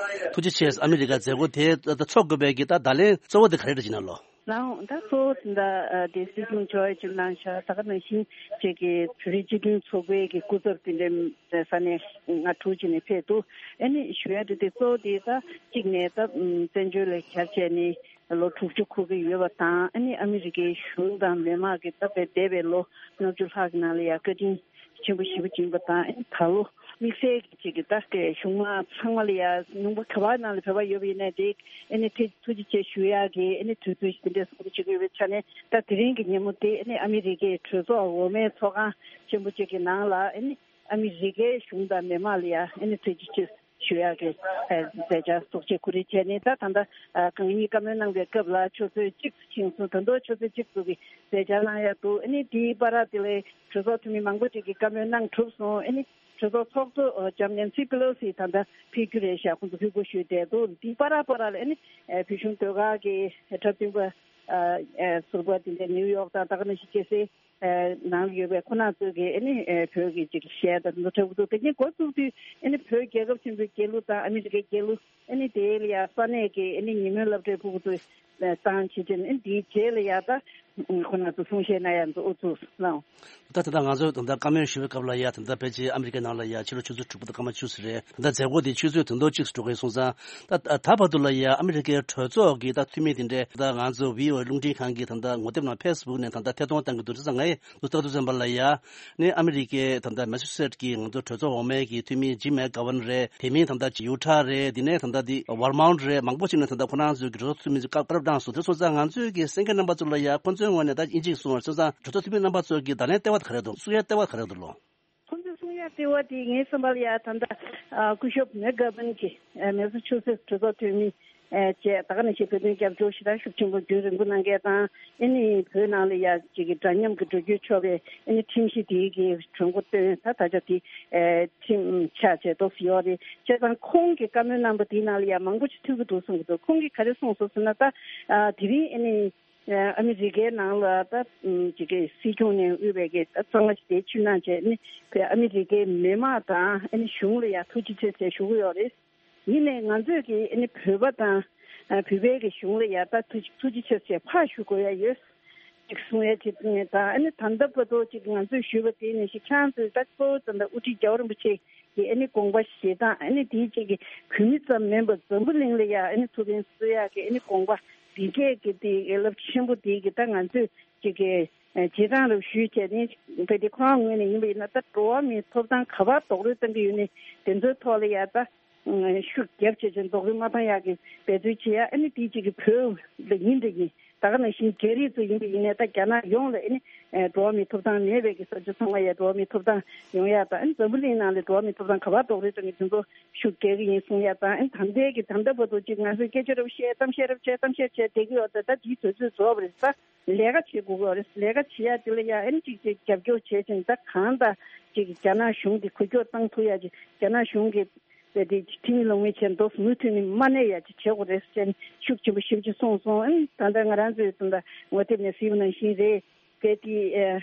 ཐུགས་རྗེ་ཆེ། ཨ་མི་རི་ཀ་མཛད་སྒོ་དེ་ད་ཚོགས་དགོས་པའི་གི་ད་བརྡ་ལན་གཙོ་བོ་དེ་ག་རེ་རེད་ཅེ་ན་ལོ། ལགས་འོང་། ད་གཙོ་བོ་དེ་འདྲ་ཨ་དེ་སྲིད་སྐྱོང་མཆོག་ཡ་ཅིག་གནང་ཤག། ད་ག་ནང་བཞིན་ཁྱེད་ཀྱི་བོད་རིགས་སྤྱི་མཐུན་ཚོགས་པའི་གི་སྐུ་ཚབ་དེ་འདྲའི་ས་གནས་ལྔ་དྲུག་ཅིག་ནས་ཕེབས་འདུག། ཨ་ནི་ཞུ་ཡ་དེ་དེ་གཙོ་བོ་དེ་ད་གཅིག་ནས་ད་བཙན་བྱོལ་ལ་གྱར་བྱས་ནས་ལོ་དྲུག་ཅུ་འཁོར་གྱི་ཡོད་པ་དང་། ཨ་ནི་ཨ་མི་རི་ཀའི་གཞུང་དང་མི་དམངས་ཀྱིས་ད་བས་འདས་པའི་ལོ་ལྔ་བཅུ་ལྷག་གི་ནང་ལ་ཡ་བཀའ་དྲིན་ཆེན་པོ་ཞེ་པོ་ཅིག་ཡིན་པ་དང་། ཨ་ནི་ད་ལོ་དམིགས་བསལ་གྱི་ཅིག་གི་ད་གཞུང་མང་ཚང་མ་ལ་ཡ་ཉུང་པ་ག་བ་ནང་ལ་བོད་པ་ཡོད་པ་ཡིན་ནའི་དེ་ཨ་ནི་དེ་ཐུགས་རྗེ་ཆེ་ཞུ་ཡག་གི་ཨ་ནི་དུས་ཚོད་ཅིག་དེ་འདྲ་བཟོ་འདྲ་བྱེད་ཀྱི་ཡོད་པའི་ཆ་ནས། ད་དེ་རིང་གི་ཉིན་མོ་དེ་ཨ་ནི་ཨ་མི་རི་ཀའི་གྲོས་ཚོགས་འོག་མའི་ཚོགས་ཁང་ཆེན་པོ་ཅིག་གི་ནང་ལ་ཨ་ནི་ཨ་མི་རི་ཀའི་གཞུང་དང་མི་དམངས་ལ་ཡ་ཨ་ནི་ཐུགས་རྗེ་ཆེ་ཞུ་ཡག་གི་ཨ་མཛད་འཆར་གཙོ་ཆེ་གོ་སྒྲིག་བྱས་ནས། ད་ད་ལྟ་ཨ་གང་ཉིད་བཀའ་མོལ་གནང་བའི་སྐབས་ལ་ཆུ་ཚོད་གཅིག་ཙམ་ཕྱིན་སོང་། ད་དུང་ཆུ་ཚོད་གཅིག་ཙམ་གྱི་མཛད་འཆར་གནང་ཡག་འདུག། ཨ་ནི་དེའི་བར་དེ་ལ་གྲོས་ཚོགས་འཐུས་མི་མང་པོ་ཅིག་གིས་བཀའ་མོལ་གནང་གྲུབ་སོང་། ཨ་ནི་གྲོས་ཚོགས་ཚོགས་གཙོ་ལྕམ་ནེན་སི་པེ་ལོ་སི་ད་ལྟ་ཕེབས་རྒྱུ་རེད་ཤག། ཁོང་ཚོ་ཕེབས་དགོས་ཞུས་བསྡད་འདུག། དེའི་བར་བར་ལ་ཨ་ནི་ཨ་བོད་གཞུང་ཟློས་གར་གྱི་འཁྲབ་སྟོན་པ་ཨ་ཟུར་པ་དེ་འདྲ་ནིའུ་ཡོག་དང་ད་ག་ནང་བཞིན་རྒྱལ་སའི་ནང་ལ་ཡོད་པའི་ཁོང་རྣམ་ཚོ་གིས་ཨ་ནི་ཨ་བོད་ཀྱི་ཅིག་གཞས་དང་དེ་ཚོ་འཁྲབ་ཀྱི་འདུག། དེ་ནས་འགོ་བཙུགས་དུས་ཨ་ནི་བོད་རྒྱལ་ཁབ་ཆེན་པོའི་རྒྱལ་གླུ་དང་ཨ་མི་རི་ཀའི་རྒྱལ་གླུ། ཨ་ནི་དེ་ལ་ཡ་ས་གནས་ཀྱི་ཨ་ནི་ཉི་མའི་སློབ་གྲྭའི་ཕྲུ་གུ་ཚོས་བཏང་བྱེད་ཅིང་། ཨ་ནི་དེའི་རྗེས་ལ་ཡ་ད་ཁོང་རྣམ་ཚོ་གསུང་བཤད་གནང་ཡ་འདུག། ཨུ་ཚུགས་གནང་། ད་ད་ལྟ་ང་ཚོས་ད་ལྟ་བཀའ་མོལ་ཞུ་བའི་སྐབས་ལ་ཡ་ད་ལྟ་ཕལ་ཆེར་ཨ་མི་རི་ཀའི་ནང་ལ་ཡ་ཕྱི་ལོ་ཆུ་ཚོད་དྲུག་པ་དང་སྐར་མ་བཅུ་ཙམ་རེད། ད་ལྟ་མཛད་སྒོ་དེ་ཆུ་ཚོད་དོན་ཐོག་གཅིག་ཙམ་འགྲོ་གི་ཡོད་སོང་ཙང་། ད་ད་བར་དུ་ལ་ཡ་ཨ་མི་རི་ཀའི་གྲོས་ཚོགས་ཀྱི་ད་འཐུས་མི་དེ་འདྲས་ད་ང་ཚོ་བྷི་ཨོ་ཨེ་རླུང་འཕྲིན་ཁང་གི་ད་ལྟ་ངོ་དེབ་ནང་ཕེ་སི་བུག་ནས་ད་ལྟ་ཐད་གཏོང་གཏང་གི་འདུག། བྱས་ཙང་ངས་འདུག་ལྟ་དུས་ཙམ་པ་ལ་ཡ་ནི་ཨ་མི་རི་ཀའི་ད་ལྟ་མེ་སི་ཆུ་སེཊ་ཀྱི་ང་ཚོ་གྲོས་ཚོགས་འོག་མའི་གི་འཐུས་མི་ཇིམ་མེག་གྷ་ཝན་རེད། དེ་མིན་ད་ལྟ་ཡུ་ཐ་རེད། དེ་ནས་ད་ལྟ་དེ་ཝར་མོན་ཊི་རེད། མང་པོ་ཞིག་ནས་ད་ལྟ་ཁོ་རང་ཚོའི་གི་གྲོས་ཚོགས་འཐུས་མི་ཚོ་སྐབས་སྐབས་བཏང་སོང་། དེ་སོང་ཙང་ང་ཚོའི་གི་གསན་མཁན་རྣམ་པ་ཚོ་ལ་ཡ་ཁོ་ཚོའི་ངོས་ནས་ད་དབྱིན་ཇི་གསུང་བ་སོང་ཙང་གྲོས་ཚོགས་འཐུས་མི་རྣམ་པ་ཚོའི་གི་བརྡ་ལན་ལྟེ་བ་ག་རེ་འདུག། གསུང་ཡ་ལྟེ་བ་ག་རེ་འདུག་ལོ། ཁོ་ཚོས་གསུང་ ཡ་ལྟེ་བ་དེ་ངའི་བསམ་པར་ཡ་ད་ལྟ་ཨ་སྐུ་ཞབས་མེག་གྷར་བན་གྱི་ཨ་མེ་སི་ཆུ་སེ་གྲོས་ཚོགས་འཐུས་མི་ཨ་བཅས་ད་ག་ནང་བཞིན་བོད་དོན་རྒྱབ་སྐྱོར་ཞེ་དྲག་ཤུགས་ཆེན་པོ་རྒྱུན་རིང་པོ་གནང་མཁན་དང་། ཨ་ནི་བོད་ནང་ལ་ཡ་གཅིག་གི་འདྲ་མཉམ་གྱི་འགྲོ་རྒྱུ་ཆོག་པའི་ཨ་ནི་ཁྲིམས་གཞི་དེའི་གི་གྲོས་འགོ་བཏོན། ད་ད་ཆ་དེ་ཨ་ཁྲིམས་ཆགས་བྱས་ཏོག་ཙམ་ཡོད་རེད། བྱས་ཙང་ཁོང་གི་བཀའ་མོལ་གནང་པ་དེའི་ནང་ལ་ཡ་མང་པོ་ཞིག་ཐུག་གི་འདུག་བསམ་གྱི་འདུག་ཁོང་གིས་ག་རེ་གསུངས་སོང་ཟེར་ན། ད་ཨ་དེ་རིང་ཨ་ནི། ཨ་མི་རི་ཀའི་ནང་ལ་ད་ཅིག་གི་སྲིད་སྐྱོང་ནས་དབུས་པའི་གི་ད་གཙང་མ་ཞིག་དེ་ཕྱིར་གནང་བྱས་ནི་བོད་ཨ་མི་རི་ཀའི་མི་མང་དང་ཨ་ནི་གཞུང་ལ་ཡང་ཐུགས་རྗེ་ཆེ་ཟེར་ཞུ་གི་ཡོད་རེད། ཡིན་ནའི་ང་ཚོས་ཀྱི་ཨ་ནི་བོད་པ་དང་ཨ་བོད་པའི་གི་གཞུང་ལ་ཡང་ད་ཐུགས་ཐུགས་རྗེ་ཆེ་ཟེར་ཕར་ཞུ་དགོས་ཡ་ཡོད། ཅིག་གསུང་ཡ་ཅིག་ད་ཨ་ནི་ད་ལྟ་བར་དུ་ཅིག་ང་ཚོས་ཞུས་པ་དེ་ནི་ཞིག་ཁྱེད་རང་ཚོས་ད་གཙོ་བོ་ད་ལྟ་དབུ་ཁྲིད་རྒྱལ་བ་རིན་པོ་ཆེ་གི་ཨ་ནི་དགོངས་པ་བཞེས་སྟངས། ཨ་ནི་དེའི་ཅིག་གི་བོད་མི་ཙམ་མིན་པར་འཛམ་བུ་གླིང་ལ་ཡ་ཨ་ནི་ཐུགས་ཕན་གསོས་ཡག་གི་ཨ་ནི་དགོངས་པ་འདི་སྐད་ཀྱི་དེ་རླབས་ཆེན་པོ་དེ་གི་ད་ང་ཚོས་ཅིག་གི་བྱེད་སྟངས་རུ་ཞུས་བྱས་ནས་བོད་དེ་ཁོ་རང་ངོས་ནས་ཡིན་པ་ཡིན་ན། ད་འགྲོ་བ་མིའི་ཐོབ་ཐང་ག་པར་རྡོག་རོལ་བཏང་གི་ཡོད་ནས་དེ་ཚོའི་ཐོག་ལ་ཡ་ད་ཤུགས་རྒྱབ་བྱས་བྱས་རྡོག་རོལ་མ་བཏང་ཡག་གི་འབད་རྩོལ་བྱེད་ཡ། ཨ་ནི་དེའི་ཅིག་གི་བོད་ལ་ཡིན་འདྲ་ཡིན། ད་ག་ནང་བཞིན་རྒྱ་རིགས་ཚོ་ཡིན་པ་ཡིན་ནའི་ད་རྒྱ་ནག་ཡོངས་ལ་ཨ་ནི་ཨེ་འགྲོ་བ་མིའི་ཐོབ་ཐང་མེད་པའི་གི་ས་ཆ་ཚང་མ་ཡ་འགྲོ་བ་མིའི་ཐོབ་ཐང་ཡོང་ཡ་དང་། ཨ་ནི་འཛམ་བུ་གླིང་ནང་ལ་འགྲོ་བ་མིའི་ཐོབ་ཐང་ག་པར་རྡོག་རོལ་བཏང་གི་དེ་ཚོ་ཤུགས་རྒྱག་གི་ཡིན་གསུང་ཡ་དང་། ཨ་ནི་ད་ལྟའི་གི་ད་ལྟ་བར་དུ་ཅིག་ང་ཚོས་སྐད་ཆ་རབ་བཤད་གཏམ་བཤད་རབ་བྱས་གཏམ་བཤད་བྱས་བསྡད་ཀྱི་ཡོད། ད་ད་དེའི་དུས་ཚོད་རྫོགས་པ་རེད། ད་ལས་ཀ་བྱེད་དགོས་ཀྱི་ཡོད་རེད། ལས་ཀ་བྱེད་ཡ་དེ་ལ་ཡ་ཨ་ནི་ཅིག་ཅིག་རྒྱབ་སྐྱོར་བྱས་ཅིང་། ད་གང་ལྟར་ཅིག་རྒྱ་ནག་གཞུང་གི་འགུལ་སྐྱོད་བཏང་ཐུབ་ཡ་ཅིག་རྒྱ་ནག་གཞུང་གི་དེ་དེ་ཁྲིམས་ལུགས་མི་བྱེད་མདོག་མུ་མཐུད་ནས་མ་གནས་ཡ་ཅིག་བྱེད་དགོས་རེད་ཟེར་ནས་ཤུགས་ཆེན་པོ་ཞེ་པོ་ཅིག་གསུངས་སོང་། ཨ་ནི་ད་ལྟ་ང་རང་ཚོའི་ད་ལྟ་ངོ་དེབ་ནས་གཟིགས་པ་ནང་བཞིན་རེད། དེ་དེ་ཨ་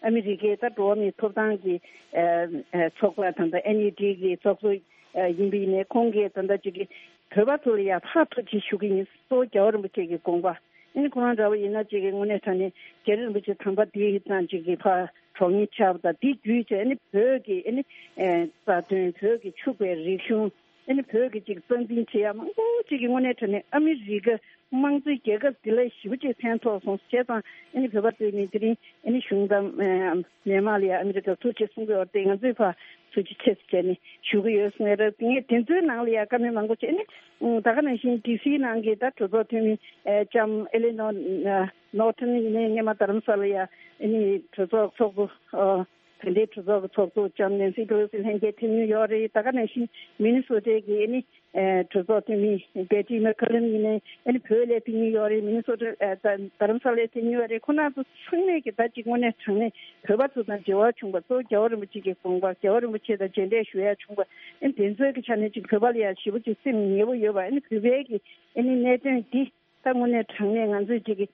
ཨ་མི་རི་ཀའི་ད་འགྲོ་བ་མིའི་ཐོབ་ཐང་གི་ཨ་ཨ་ཚོགས་པ་ད་ལྟ་ཨེན་ཡུ་ཌི་གི་ཚོགས་གཙོ་ཨ་ཡིན་པ་ཡིན་ནའི་ཁོང་གིས་ད་ལྟ་ཅིག་གི་བོད་པ་ཚོ་ལ་ཡ་ཕར་ཐུགས་རྗེ་ཆེ་ཞུ་གི་ཡིན། གཙོ་བོ་རྒྱལ་བ་རིན་པོ་ཆེ་གི་དགོངས་པ། ཨ་ནི་ཁོ་རང་འདྲ་བོ་ཡིན་ན་ཅིག་གི་དངོས་གནས་དྲང་གནས་རྒྱལ་བ་རིན་པོ་ཆེ་དམ་པ་འདི་ཡི་དང་ཅིག་གི་ཕར་གྲོགས་ཉེ་ཆགས་པ་དང་། འདི་བརྒྱུད་བྱས་ཨ་ནི་བོད་ཀྱི་ཨ་ནི་ཨེ་རྩ་དོན། བོད་ཀྱི་ཕྱུག་པའི་རིག་གཞུང་། ཨ་ནི་བོད་ཀྱི་ཅིག་རྩ་འཛིན་བྱེད་ཡ་མང་པོ་ཅིག་གི་དངོས་གནས་དྲང་གནས་ཨ་མི་རི་ཀ་དམངས་གཙོའི་རྒྱལ་ཁབ་འདི་ལ་ཞེ་པོ་ཅིག་ཕན་ཐོགས་སོང་། བྱས་ཙང་ཨ་ནི་བོད་པ་ཚོས་ནི་དེ་རིང་ཨ་ནི་གཞུང་དང་ཨེ་མི་མང་ལ་ཡ་ཨ་མི་རི་ཀར་ཐུགས་རྗེ་ཆེ་གསུང་གི་ཡོད་རེད། ང་ཚོས་ཕར་ཐུགས་རྗེ་ཆེ་ཟེར་ནས་ཞུ་གི་ཡོད་གསུང་ཡ་རེད། ངས་དེ་ཚོའི་ནང་ལ་ཡ་བཀའ་མོལ་མང་པོ་བྱས་ནས། ཨུ། ད་ག་ནང་བཞིན་ཌི་སི་ནང་གི་ད་གྲོས་ཚོགས་འཐུས་མི་ཨེ་ལྕམ་ཨེ་ལི་ནོར་ཨ་ནོར་ཊོན་ཡིན་ནའི་སྔོན་མ་རྡ་རམ་ས་ལ་ཡ་ཨ་ནི་གྲོས་ཚོགས་ཚོགས་གཙོ། ཨ་དེ་འདྲའི་གྲོས་ཚོགས་ཀྱི་ཚོགས་གཙོ་ལྕམ་ནེན་སི་པེ་ལོ་སི་ལྷན་རྒྱས་ཕེབས་མྱོང་ཡོད་རེད། ད་ག་ནང་བཞིན་མི་ནི་སོ་ཊའི་གི་ཨ་ནི་ཨེ་གྲོས་ཚོགས་འཐུས་མི་བེ་ཊི་མེག་ཀར་ལིན་ཡིན་ནའི་ཨ་ནི་བོད་ལ་ཕེབས་མྱོང་ཡོད་རེད། མི་ནི་སོ་ཊ་ཨ་ད་རྡ་རམ་ས་ལ་ཕེབས་མྱོང་ཡོད་རེད། ཁོ་རང་ཚོ་ཚང་མས་ཀྱི་ད་ཅིག་དངོས་གནས་དྲང་གནས་བོད་པ་ཚོ་དང་འབྲེལ་བ་བྱུང་བ། གཙོ་བོ་རྒྱལ་བ་རིན་པོ་ཆེ་གི་དགོངས་པ། རྒྱལ་བ་རིན་པོ་ཆེ་དང་མཇལ་འཕྲད་ཞུ་ཡ་བྱུང་བ། ཨ་ནི་དེ་ཚོའི་གི་ཆ་ནས་ཅིག་བོད་པ་ལ་ཡ་ཞེ་པོ་ཅིག་སེམས་ཉེ་པོ་ཡོད་པ། ཨ་ནི་བོད་པའི་གི་ཨ་ནི་གནད་དོན་འདི་ད་དངོས་གནས་དྲང་གནས་ང་ཚོས་ཅིག་གི་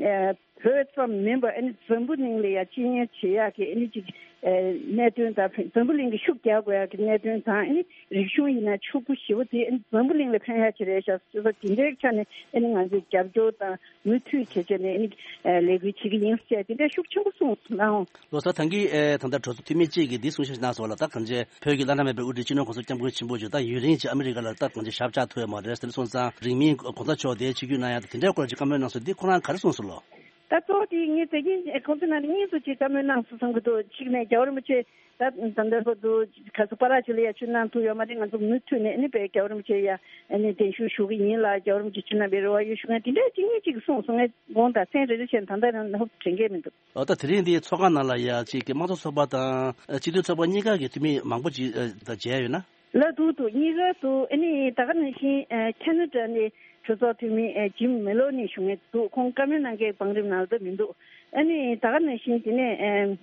ཨ་བོད་ཙམ་མིན་པར་ཨ་ནི་འཛམ་བུ་གླིང་ལ་ཡ་སྤྱི་ཉེན་བྱེད་ཡག་གི་ཨ་ནི་ཅིག་ཨ་གནད་དོན་དང་། འཛམ་བུ་གླིང་གི་ཤུགས་རྒྱག་དགོས་ཡག་གི་གནད་དོན་དང་། ཨ་ནི་རིག་གཞུང་ཡིན་ན་ཕྱུག་པོ་ཞེ་པོ་དེ་ཨ་ནི་འཛམ་བུ་གླིང་ལ་ཕན་ཡག་ཅིག་རེད་ཤག་ཟེར་བ་དེ་འདྲའི་ཆ་ནས་ཨ་ནི་ང་ཚོས་རྒྱབ་སྐྱོར་དང་མུ་མཐུད་བྱས་བྱས་ནས་ཨ་ནི་ཨ་ལས་འགུལ་བྱེད་ཀྱི་ཡིན་ཟེར་དེ་འདྲའི་ཤུགས་ཆེན་པོ་གསུངས་གནང་། ལོ་གསར་ཐང་གིས་ཨེ་ད་ལྟ་གྲོས་ཚོགས་འཐུས་མི་གཅིག་གིས་འདི་གསུང་བཤད་གནང་སོང་ལ། ད་གང་ཅི་བོད་ཀྱི་བླ་ན་མེད་པའི་དབུ་ཁྲིད་སྤྱི་ནོར་གོང་ས་སྐྱབས་མགོན་ཆེན་པོ་མཆོག་ད་ཡུན་རིང་ཅིག་ཨ་མི་རི་ཀ་ལ་ད་གང་ཅི་ཞབས་བཅགས་ཐུབ་ཡོད་མ་རེད། དེ་སོང་ཙང་རིང་མིན་གོང་ས་མཆོག་དེ་ཆིབས་བསྒྱུར་གནང་ཡ་དེ་འདྲའི་སྐོར་ཅིག་བཀའ་མོལ་གནང་སོང་། འདི་ཁོ་རང་ག་རེ་གསུངས་སོང་ལོ། ད་གཙོ་བོ་དེ་ངས་དེ་གིན་གོང་ས་ནང་གཉིས་སུ་ཅིག་བཀའ་མོལ་གནང་སོང་བསམ་གྱི་འདུག་གཅིག་ནས་རྒྱལ་བ་རིན་པོ་ཆེ་ད་ད་ལྟ་བར་དུ་ག་ཚོད་པ་ར་ཅིག་ལ་ཡ་ཆིབས་གནང་ཐུབ་ཡོད་མ་རེད། ང་ཚོ་མུ་མཐུད་ནས་ཨ་ནི་བའི་རྒྱལ་བ་རིན་པོ་ཆེ་ཡ་ཨ་ནི་གདན་ཞུ་ཞུ་གི་ཡིན་ལ། རྒྱལ་བ་རིན་པོ་ཆེ་ཆིབས་གནང་བའི་རེ་བ་ཡོད་ཞུ་མཁན་དེ་འདྲ་གཅིག་གཉིས་གཅིག་གསུངས་སོང་། ངས་དགོངས་དག་མཚན་རེ་རེ་བྱས་ད་ལྟ་རང་ཧོབ་དྲན་གྱི་མི་འདུག་ཨོ། ད་དེ་རིང་འདི་ཚོགས་ཁང་ནང་ལ་ཡ་ཅིག་གི་དམངས་གཙོ་ཚོགས་པ་དང་སྤྱི་མཐུན་ཚོགས་པ་གཉིས་ཀ་གི་འཐུས་མི་མང་པོ་ཅིག་ད་མཇལ་ཡོད་ན། ལ་འདུག་འདུག་གཉིས་ཀ་འདུག་ཨ་ནི་ད་ག་ནང་བཞིན་ཨ་ཁ་ན་ཌ་ནས་གྲོས་ཚོགས་འཐུས་མི་ཨ་ཇིམ་མེ་ལོ་ནི་ཞུ་མཁན་འདུག་ཁོང་བཀའ་མོལ་གནང་མཁན་བང་རིམ་ནང་ལ་ད་མི་འདུག་ཨ་ནི་ད་ག་ནང་བཞིན་དེ་ནས་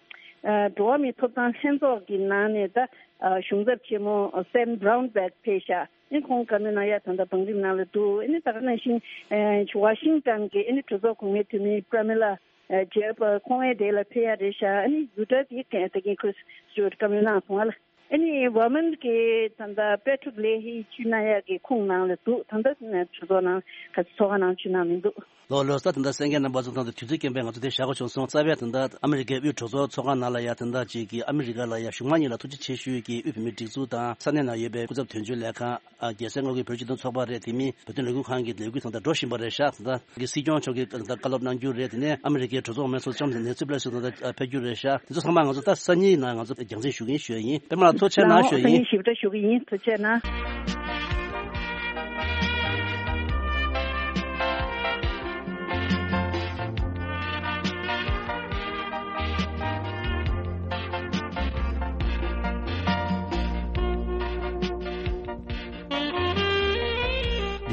ཨ་ཨ་འགྲོ་བ་མིའི་ཐོབ་ཐང་ལྷན་ཚོགས་ཀྱི་ནང་ནས་ད་ཨ་གཞུང་ཚབ་ཆེན་མོ་སེམ་བྷ་རའུན་བྷེག་ཕེབས་ཤག་ཨ་ནི་ཁོང་བཀའ་མོལ་གནང་ཡ་ད་ལྟ་བང་རིམ་ནང་ལ་འདུག་ཨ་ནི་ད་ག་ནང་བཞིན་ཨ་ཝ་ཤིང་ཊོན་གྱི་ཨ་ནི་གྲོས་ཚོགས་གོང་མའི་འཐུས་མི་པྲ་མི་ལ་ཨ་ཇེབ་ཁོང་ཨེ་དེ་ལ་ཕེབས་ཡ་རེད་ཤག་ཨ་ནི་ཡུ་ཊ་དེ་ད་གིན་ཁྲིས་སི་ཊི་བཀའ་མོལ་གནང་སོང་ཨ་ལ། ཨ་ནི་ཝར་མན་གྱི་ད་ལྟ་པེ་ཊྲིག་ལེ་ཧི་ཆིབས་གནང་ཡག་གི་ཁོངས་ནང་ལ་འདུག་ད་ལྟ་གྲོས་ཚོགས་ནང་ག་ཚོད་ཚོགས་ཁང་ནང་ཆིབས་གནང་མི་འདུག་ལོ་ལོ་ས་ད་ལྟ་གསན་མཁན་རྣམ་པ་ཚོ་དང་དུས་ཚོད་རྐྱེན་པས་ང་ཚོ་དེ་བཞག་དགོས་བྱུང་སོང་། རྩ་བའི་ད་ལྟ་ཨ་མི་རི་ཀའི་དབུས་གྲོས་ཚོགས་ཚོགས་ཁང་ནང་ལ་ཡ་ད་ལྟ་ཅིག་གི་ཨ་མི་རི་ཀ་ལ་ཡ་གཞུང་མང་གཉིས་ལ་ཐུགས་རྗེ་ཆེ་ཞུ་ཡས་ཀྱི་དབུས་བོད་མིའི་སྒྲིག་འཛུགས་དང་ས་གནས་ནང་ཡོད་པའི་སྐུ་ཚབ་དོན་གཅོད་ལས་ཁང་། ཨ་རྒྱལ་སའི་དངོས་ཀྱི་བོད་སྤྱི་མཐུན་ཚོགས་པ་རེད། དེ་མིན་བོད་དོན་ལས་འགུལ་ཁང་གི་ལས་འགུལ་དང་ད་འགྲོ་བཞིན་པ་རེད་ཤག་ད་ལྟ་གི་སྲིད་སྐྱོང་མཆོག་གིས་ད་ལྟ་བཀའ་སློབ་གནང་རྒྱུ་རེད། དེ་ནས་ཨ་མི་རི་ཀའི་གྲོས་ཚོགས་མང་ཚོགས་ལྕམ་ནེན་སི་པེ་ལོ་སི་ད་ལྟ་ཕེབས་རྒྱུ་རེད་ཤག་དེ་ཚོ་ཚང་མ་ང་ཚོ་ད་སང་ཉིན་ནང་ང་ཚོ་རྒྱང་སྲིང་ཞུ་གིན་ཞུ་ཡ་ཡིན། པད་མ་ལགས་ཐུགས་རྗེ་གནང་ཞུ་ཡ་ཡིན། སང་ཉིན་ཞིབ་ཕྲ་ཞུ་གི་ཡིན། ཐུགས་རྗེ་གནང་།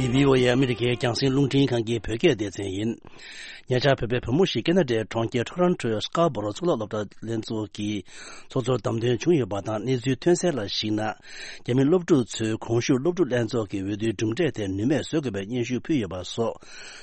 འདི་བྷི་ཨོ་ཨེ་ཨ་མི་རི་ཀའི་རྒྱང་སྲིང་རླུང་འཕྲིན་ཁང་གི་བོད་སྐད་སྡེ་ཚན་ཡིན། ཉེ་ཆར་བོད་པའི་བུ་མོ་ཞིག་ཁེ་ན་ཌའི་གྲོང་ཁྱེར་ཊོ་རོན་ཊོའི་སྐར་བོ་རོ་གཙུག་ལག་སློབ་གྲྭ་ལྷན་ཚོགས་ཀྱི་ཚོགས་གཙོར་བདམས་ཐོན་བྱུང་ཡོད་པ་དང་། གནས་ཚུལ་ཐོན་གསལ་ལ་གཞིགས་ན། རྒྱ་མི་སློབ་ཕྲུག་ཚོས་གོང་ཞུས་སློབ་ཕྲུག་ལྷན་ཚོགས་ཀྱི་འོས་བསྡུའི་གྲུབ་འབྲས་དེ་ནུས་མེད་བཟོ་དགོས་པའི་སྙན་ཞུ་ཕུལ་ཡོད་པ་སོགས།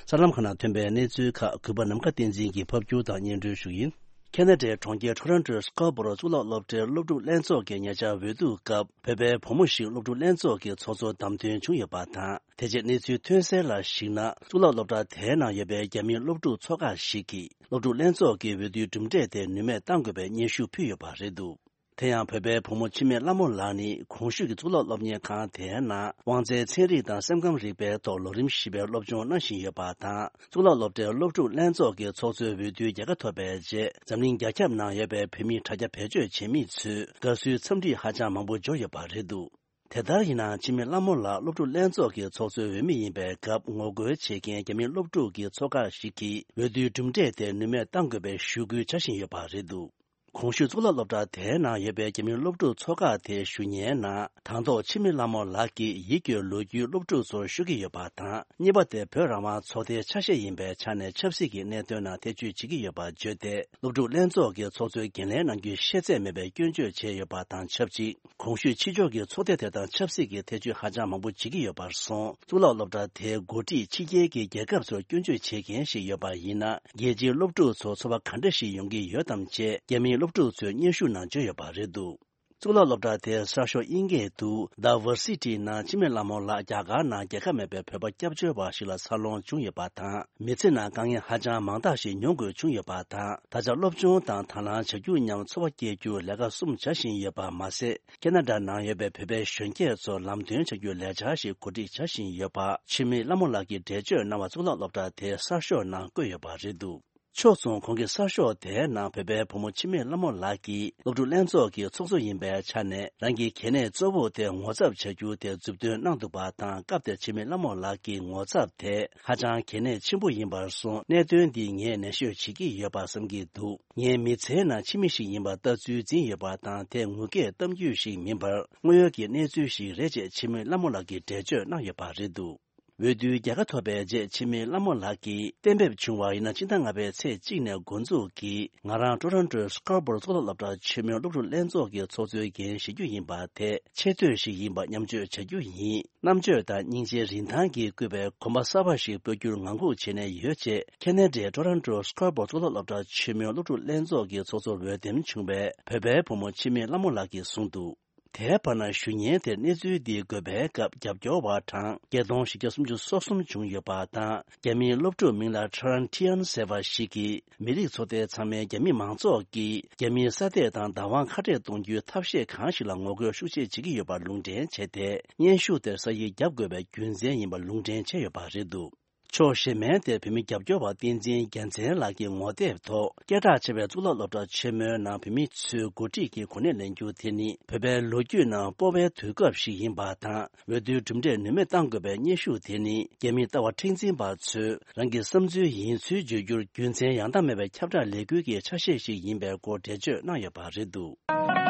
གསར་ལམ་ཁག་ནང་ཐོན་པའི་གནས་ཚུལ་ཁག་གུས་པ་ནམ་མཁའ་བསྟན་འཛིན་གྱིས་ཕབ་སྒྱུར་དང་སྙན་སྒྲོན་ཞུ་ཡིན། ཁེ་ན་ཌའི་གྲོང་ཁྱེར་ཊོ་རོན་ཊོའི་སྐར་བོ་རོ་གཙུག་ལག་སློབ་གྲྭའི་སློབ་ཕྲུག་ལྷན་ཚོགས་ཀྱི་ཉེ་ཆར་འོས་བསྡུ་སྐབས། བོད་པའི་བུ་མོ་ཞིག་སློབ་ཕྲུག་ལྷན་ཚོགས་ཀྱི་ཚོགས་གཙོར་བདམས་ཐོན་བྱུང་ཡོད་པ་དང་། དེ་རྗེས་གནས་ཚུལ་ཐོན་གསལ་ལ་གཞིགས་ན། གཙུག་ལག་སློབ་གྲྭ་དེའི་ནང་ཡོད་པའི་རྒྱ་མིའི་སློབ་ཕྲུག་ཚོགས་ཁག་ཞིག་གིས། སློབ་ཕྲུག་ལྷན་ཚོགས་ཀྱི་འོས་བསྡུའི་གྲུབ་འབྲས་དེ་ནུས་མེད་གཏང་དགོས་པའི་སྙན་ཞུ་ཕུལ་ཡོད་པ་རེད་འདུག་དེ་ཡང་བོད་པའི་བུ་མོ་འཆི་མེད་ལྷ་མོ་ལགས་ནི། གོང་ཞུས་ཀྱི་གཙུག་ལག་སློབ་གཉེར་ཁང་དེའི་ནང་། དབང་རྩའི་ཚན་རིག་དང་སེམས་ཁམས་རིག་པའི་ཐོག་ལོ་རིམ་བཞི་པའི་སློབ་སྦྱོང་གནང་བཞིན་ཡོད་པ་དང་། གཙུག་ལག་སློབ་གྲྭའི་སློབ་ཕྲུག་ལྷན་ཚོགས་ཀྱི་ཚོགས་གཙོའི་འོས་བསྡུའི་རྒྱལ་ཁ་ཐོབ་པའི་རྗེས། འཛམ་གླིང་རྒྱ་ཁྱབ་ནང་ཡོད་པའི་བོད་མི་དྲ་རྒྱ་བེད་སྤྱོད་བྱེད་མི་ཚོས་དགའ་བསུའི་འཚམས་འདྲི་ཧ་ཅང་མང་པོ་འབྱོར་ཡོད་པ་རེད་འདུག་དེ་ལྟར་ཡིན་ནའང་། འཆི་མེད་ལྷ་མོ་ལགས་སློབ་ཕྲུག་ལྷན་ཚོགས་ཀྱི་ཚོགས་གཙོའི་འོས་མི་ཡིན་པའི་སྐབས། ངོ་རྒོལ་བྱེད་མཁན་རྒྱ་མིའི་སློབ་ཕྲུག་གི་ཚོགས་ཁག་ཞིག་གིས། འོས་བསྡུའི་གྲུབ་འབྲས་དེ་ནུས་མེད་གཏང་དགོས་པའི་ཞུ་སྐུལ་བྱ་བཞིན་ཡོད་པ་རེད་འདུག་གོང་ཞུས་གཙུག་ལག་སློབ་གྲྭ་དེའི་ནང་ཡོད་པའི་རྒྱ་མིའི་སློབ་ཕྲུག་ཚོགས་ཁག་དེའི་ཞུ་སྙན་ནང་། དང་ཐོག་འཆི་མེད་ལྷ་མོ་ལགས་ཀྱིས་ཡིད་སྐྱོའི་ལོ་རྒྱུས་སློབ་ཕྲུག་ཚོར་ཞུ་གི་ཡོད་པ་དང་། གཉིས་པ་དེ་བོད་རང་དབང་ཚོགས་སྡེའི་ཆ་ཤས་ཡིན་པའི་ཆ་ནས་ཆབ་སྲིད་ཀྱི་གནད་དོན་ནང་ཐེ་བྱུས་བྱེད་ཀྱི་ཡོད་པ་བརྗོད་དེ། སློབ་ཕྲུག་ལྷན་ཚོགས་ཀྱི་ཚོགས་གཙོའི་འགན་ལེན་གནང་རྒྱུའི་ཤེས་ཚད་མེད་པའི་སྐྱོན་བརྗོད་བྱས་ཡོད་པ་དང་ཆབས་ཅིག་གོང་ཞུས་ཕྱི་ཕྱོགས་ཀྱི་ཚོགས་སྡེ་དེ་དང་ཆབ་སྲིད་ཀྱི་ཐེ་བྱུས་ཧ་ཅང་མང་པོ་བྱེད་ཀྱི་ཡོད་པར་སོང་། གཙུག་ལག་སློབ་གྲྭ་དེའི་འགོ་ཁྲིད་ཕྱི་རྒྱལ་གྱི་རྒྱལ་ཁབ་ཚོར་སྐྱོན་བརྗོད་བྱེད་མཁན་ཞིག་ཡོད་པ་ཡིན་ན། རྒྱལ་སྤྱིའི་སློབ་ཕྲུག་ཚོར་ཚོར་བ་ག་འདྲ་ཞིག་ཡོང་གི་ཡོད་དམ་ཅེས། རྒྱ་མིའི་སློབ་ཕྲུག་ཚོས་སྙན་ཞུ་ནང་བརྗོད་ཡོད་པ་རེད་འདུག་གཙུག་ལག་སློབ་གྲྭ་དེའི་གསར་ཤོག་དབྱིན་སྐད་དུ། The Varsity ནང་འཆི་མེད་ལྷ་མོ་ལགས་རྒྱ་གར་ནང་རྒྱལ་ཁ་མེད་པའི་བོད་པ་སྐྱབས་བཅོལ་བ་ཞིག་ལ་འཚར་ལོངས་བྱུང་ཡོད་པ་དང་། མི་ཚེ་ནང་དཀའ་ངལ་ཧ་ཅང་མང་དག་ཞིག་མྱོང་དགོས་བྱུང་ཡོད་པ་དང་། ད་ཆ་སློབ་སྦྱོང་དང་དང་བླངས་བྱ་རྒྱུ་མཉམ་འཚོ་བ་སྐྱེལ་རྒྱུར་ལས་ཀ་གསུམ་བྱ་བཞིན་ཡོད་པ་མ་ཟད། ཁེ་ན་ཌ་ནང་ཡོད་པའི་བོད་པའི་གཞོན་སྐྱེས་ཚོར་ལམ་སྟོན་བྱ་རྒྱུའི་ལས་འཆར་ཞིག་གོ་སྒྲིག་བྱ་བཞིན་ཡོད་པ། འཆི་མེད་ལྷ་མོ་ལགས་ཀྱིས་འགྲེལ་བརྗོད་གནང་བ་གཙུག་ལག་སློབ་གྲྭ་དེའི་གསར་ཤོག་ནང་བཀོད་ཡོད་པ་རེད་འདུག་ཕྱོགས་མཚུངས། གོང་གི་གསར་ཤོག་དེའི་ནང་བོད་པའི་བུ་མོ་འཆི་མེད་ལྷ་མོ་ལགས་ཀྱིས། སློབ་ཕྲུག་ལྷན་ཚོགས་ཀྱི་ཚོགས་གཙོ་ཡིན་པའི་ཆ་ནས། རང་གི་གལ་གནད་གཙོ་བོ་དེ་ངོ་ཚབ་བྱ་རྒྱུ་དེ་མཛུབ་སྟོན་གནང་འདུག་པ་དང་། སྐབས་དེར་འཆི་མེད་ལྷ་མོ་ལགས་ཀྱིས། ངོ་ཚབ་དེ་ཧ་ཅང་གལ་གནད་ཆེན་པོ་ཡིན་པར་སོང་། གནད་དོན་འདི་ངས་ནན་ཤོས་བྱེད་ཀྱི་ཡོད་པ་བསམ་གྱི་འདུག་ངའི་མི་ཚེའི་ནང་འཆི་མེད་ཞིག་ཡིན་པར་ལྟ་ཚུལ་འཛིན་ཡོད་པ་དང་། དེ་ངུ་སྐད་གཏམ་རྒྱུད་ཞིག་མིན་པར། དངོས་ཡོད་ཀྱི་གནས་ཚུལ་ཞིག་རེད་ཅེས་འཆི་མེད་ལྷ་མོ་ལགས་ཀྱིས་འགྲེལ་བརྗོད་གནང་ཡོད་པ་རེད་འདུག་འོས་བསྡུའི་རྒྱལ་ཁ་ཐོབ་པའི་རྗེས། འཆི་མེད་ལྷ་མོ་ལགས་ཀྱིས། གཏན་འབེབས་བྱུང་བ་ཡིན་ན། སྤྱི་ཟླ་ལྔ་པའི་ཚེས་གཅིག་ནས་འགོ་འཛུགས་ཀྱིས། ང་རང་ཊོ་རོན་ཊོའི་སྐར་བོར་གཙུག་ལག་སློབ་གྲྭ་ཆེན་མོའི་སློབ་ཕྲུག་ལྷན་ཚོགས་ཀྱི་ཚོགས་གཙོའི་འགན་བཞེས་རྒྱུ་ཡིན་པ་དེ་ཆེ་བསྟོད་ཞིག་ཡིན་པ་མཉམ་སྤྱོད་བྱ་རྒྱུ་ཡིན། རྣམ་དཔྱོད་དང་སྙིང་རྗེའི་རིན་ཐང་གིས་བསྐུལ་བའི་གོམ་པ་གསར་པ་ཞིག་སྤོ་རྒྱུར་ངང་སྒུག་བྱས་ནས་ཡོད་ཅེས། ཁེ་ན་ཌའི་ཊོ་རོན་ཊོ་སྐར་བོར་གཙུག་ལག་སློབ་གྲྭ་ཆེན་མོའི་སློབ་ཕྲུག་ལྷན་ཚོགས་ཀྱི་ཚོགས་གཙོར་འོས་འདེམས་བྱུང་བའི་བོད་པའི་བུ་མོ་འཆི་མེད་ལྷ་མོ་ལགས་ཀྱིས་གསུངས་འདུག་དེའི་བར་ན། ཞུ་སྙན་དེར་གནས་ཚུལ་འདི་འགོད་པའི་སྐབས། རྒྱབ་སྐྱོར་བ་གྲངས་བརྒྱད་སྟོང་བཞི་བརྒྱ་སུམ་ཅུ་སོ་གསུམ་བྱུང་ཡོད་པ་དང་། རྒྱ་མིའི་སློབ་ཕྲུག་མིང་ལ་ཊྲན་ཊི་ཡན་ཟེར་བ་ཞིག་གིས། མི་རིགས་ཚོགས་སྡེ་ཚང་མས་རྒྱ་མི་མང་ཚོགས་ཀྱིས་རྒྱ་མིའི་ས་སྟེགས་དང་བདག་དབང་ཁ་བྲལ་གཏོང་རྒྱུའི་ཐབས་ཤེས་གང་ཞིག་ལ་ངོ་རྒོལ་ཤུགས་ཆེ་བྱེད་ཀྱི་ཡོད་པར་ལུང་འདྲེན་བྱས་ཏེ། སྙན་ཞུ་དེར་ས་ཡིག་བརྒྱབ་དགོས་པའི་རྒྱུ་མཚན་ཡིན་པ་ལུང་འདྲེན་བྱས་ཡོད་པ་རེད་འདུག་ཕྱོགས་གཞན་མའི་ཐད། བོད་མི་རྒྱབ་སྐྱོར་བ་བསྟན་འཛིན་རྒྱལ་མཚན་ལགས་ཀྱི་ངོ་དེབ་ཐོག་སྐད་གྲགས་ཆེ་བའི་གཙུག་ལག་སློབ་གྲྭ་ཆེན་མོའི་ནང་བོད་མི་ཚོས་འགོ་ཁྲིད་ཀྱི་གོ་གནས་ལེན་རྒྱུ་དེ་ནི། བོད་པའི་ལོ་རྒྱུས་ནང་སྤོ་བའི་དུས་སྐབས་ཤིག་ཡིན་པ་དང་། འོས་བསྡུའི་གྲུབ་འབྲས་ནུས་མེད་གཏང་དགོས་པའི་སྙན་ཞུ་དེ་ནི། རྒྱ་མིའི་ལྟ་བ་མཁྲེགས་འཛིན་པ་ཚོས་རང་གི་བསམ་ཚུལ་ཡིན་ཚུལ་བརྗོད་རྒྱུར་རྒྱུ་མཚན་ཡང་དག་མེད་པའི་ཁྱབ་བསྒྲགས་ལས་འགུལ་གྱི་ཆ་ཤས་ཤིག་ཡིན་པའི་སྐོར་འགྲེལ་བརྗོད་གནང་ཡོད་པ་རེད་འདུག་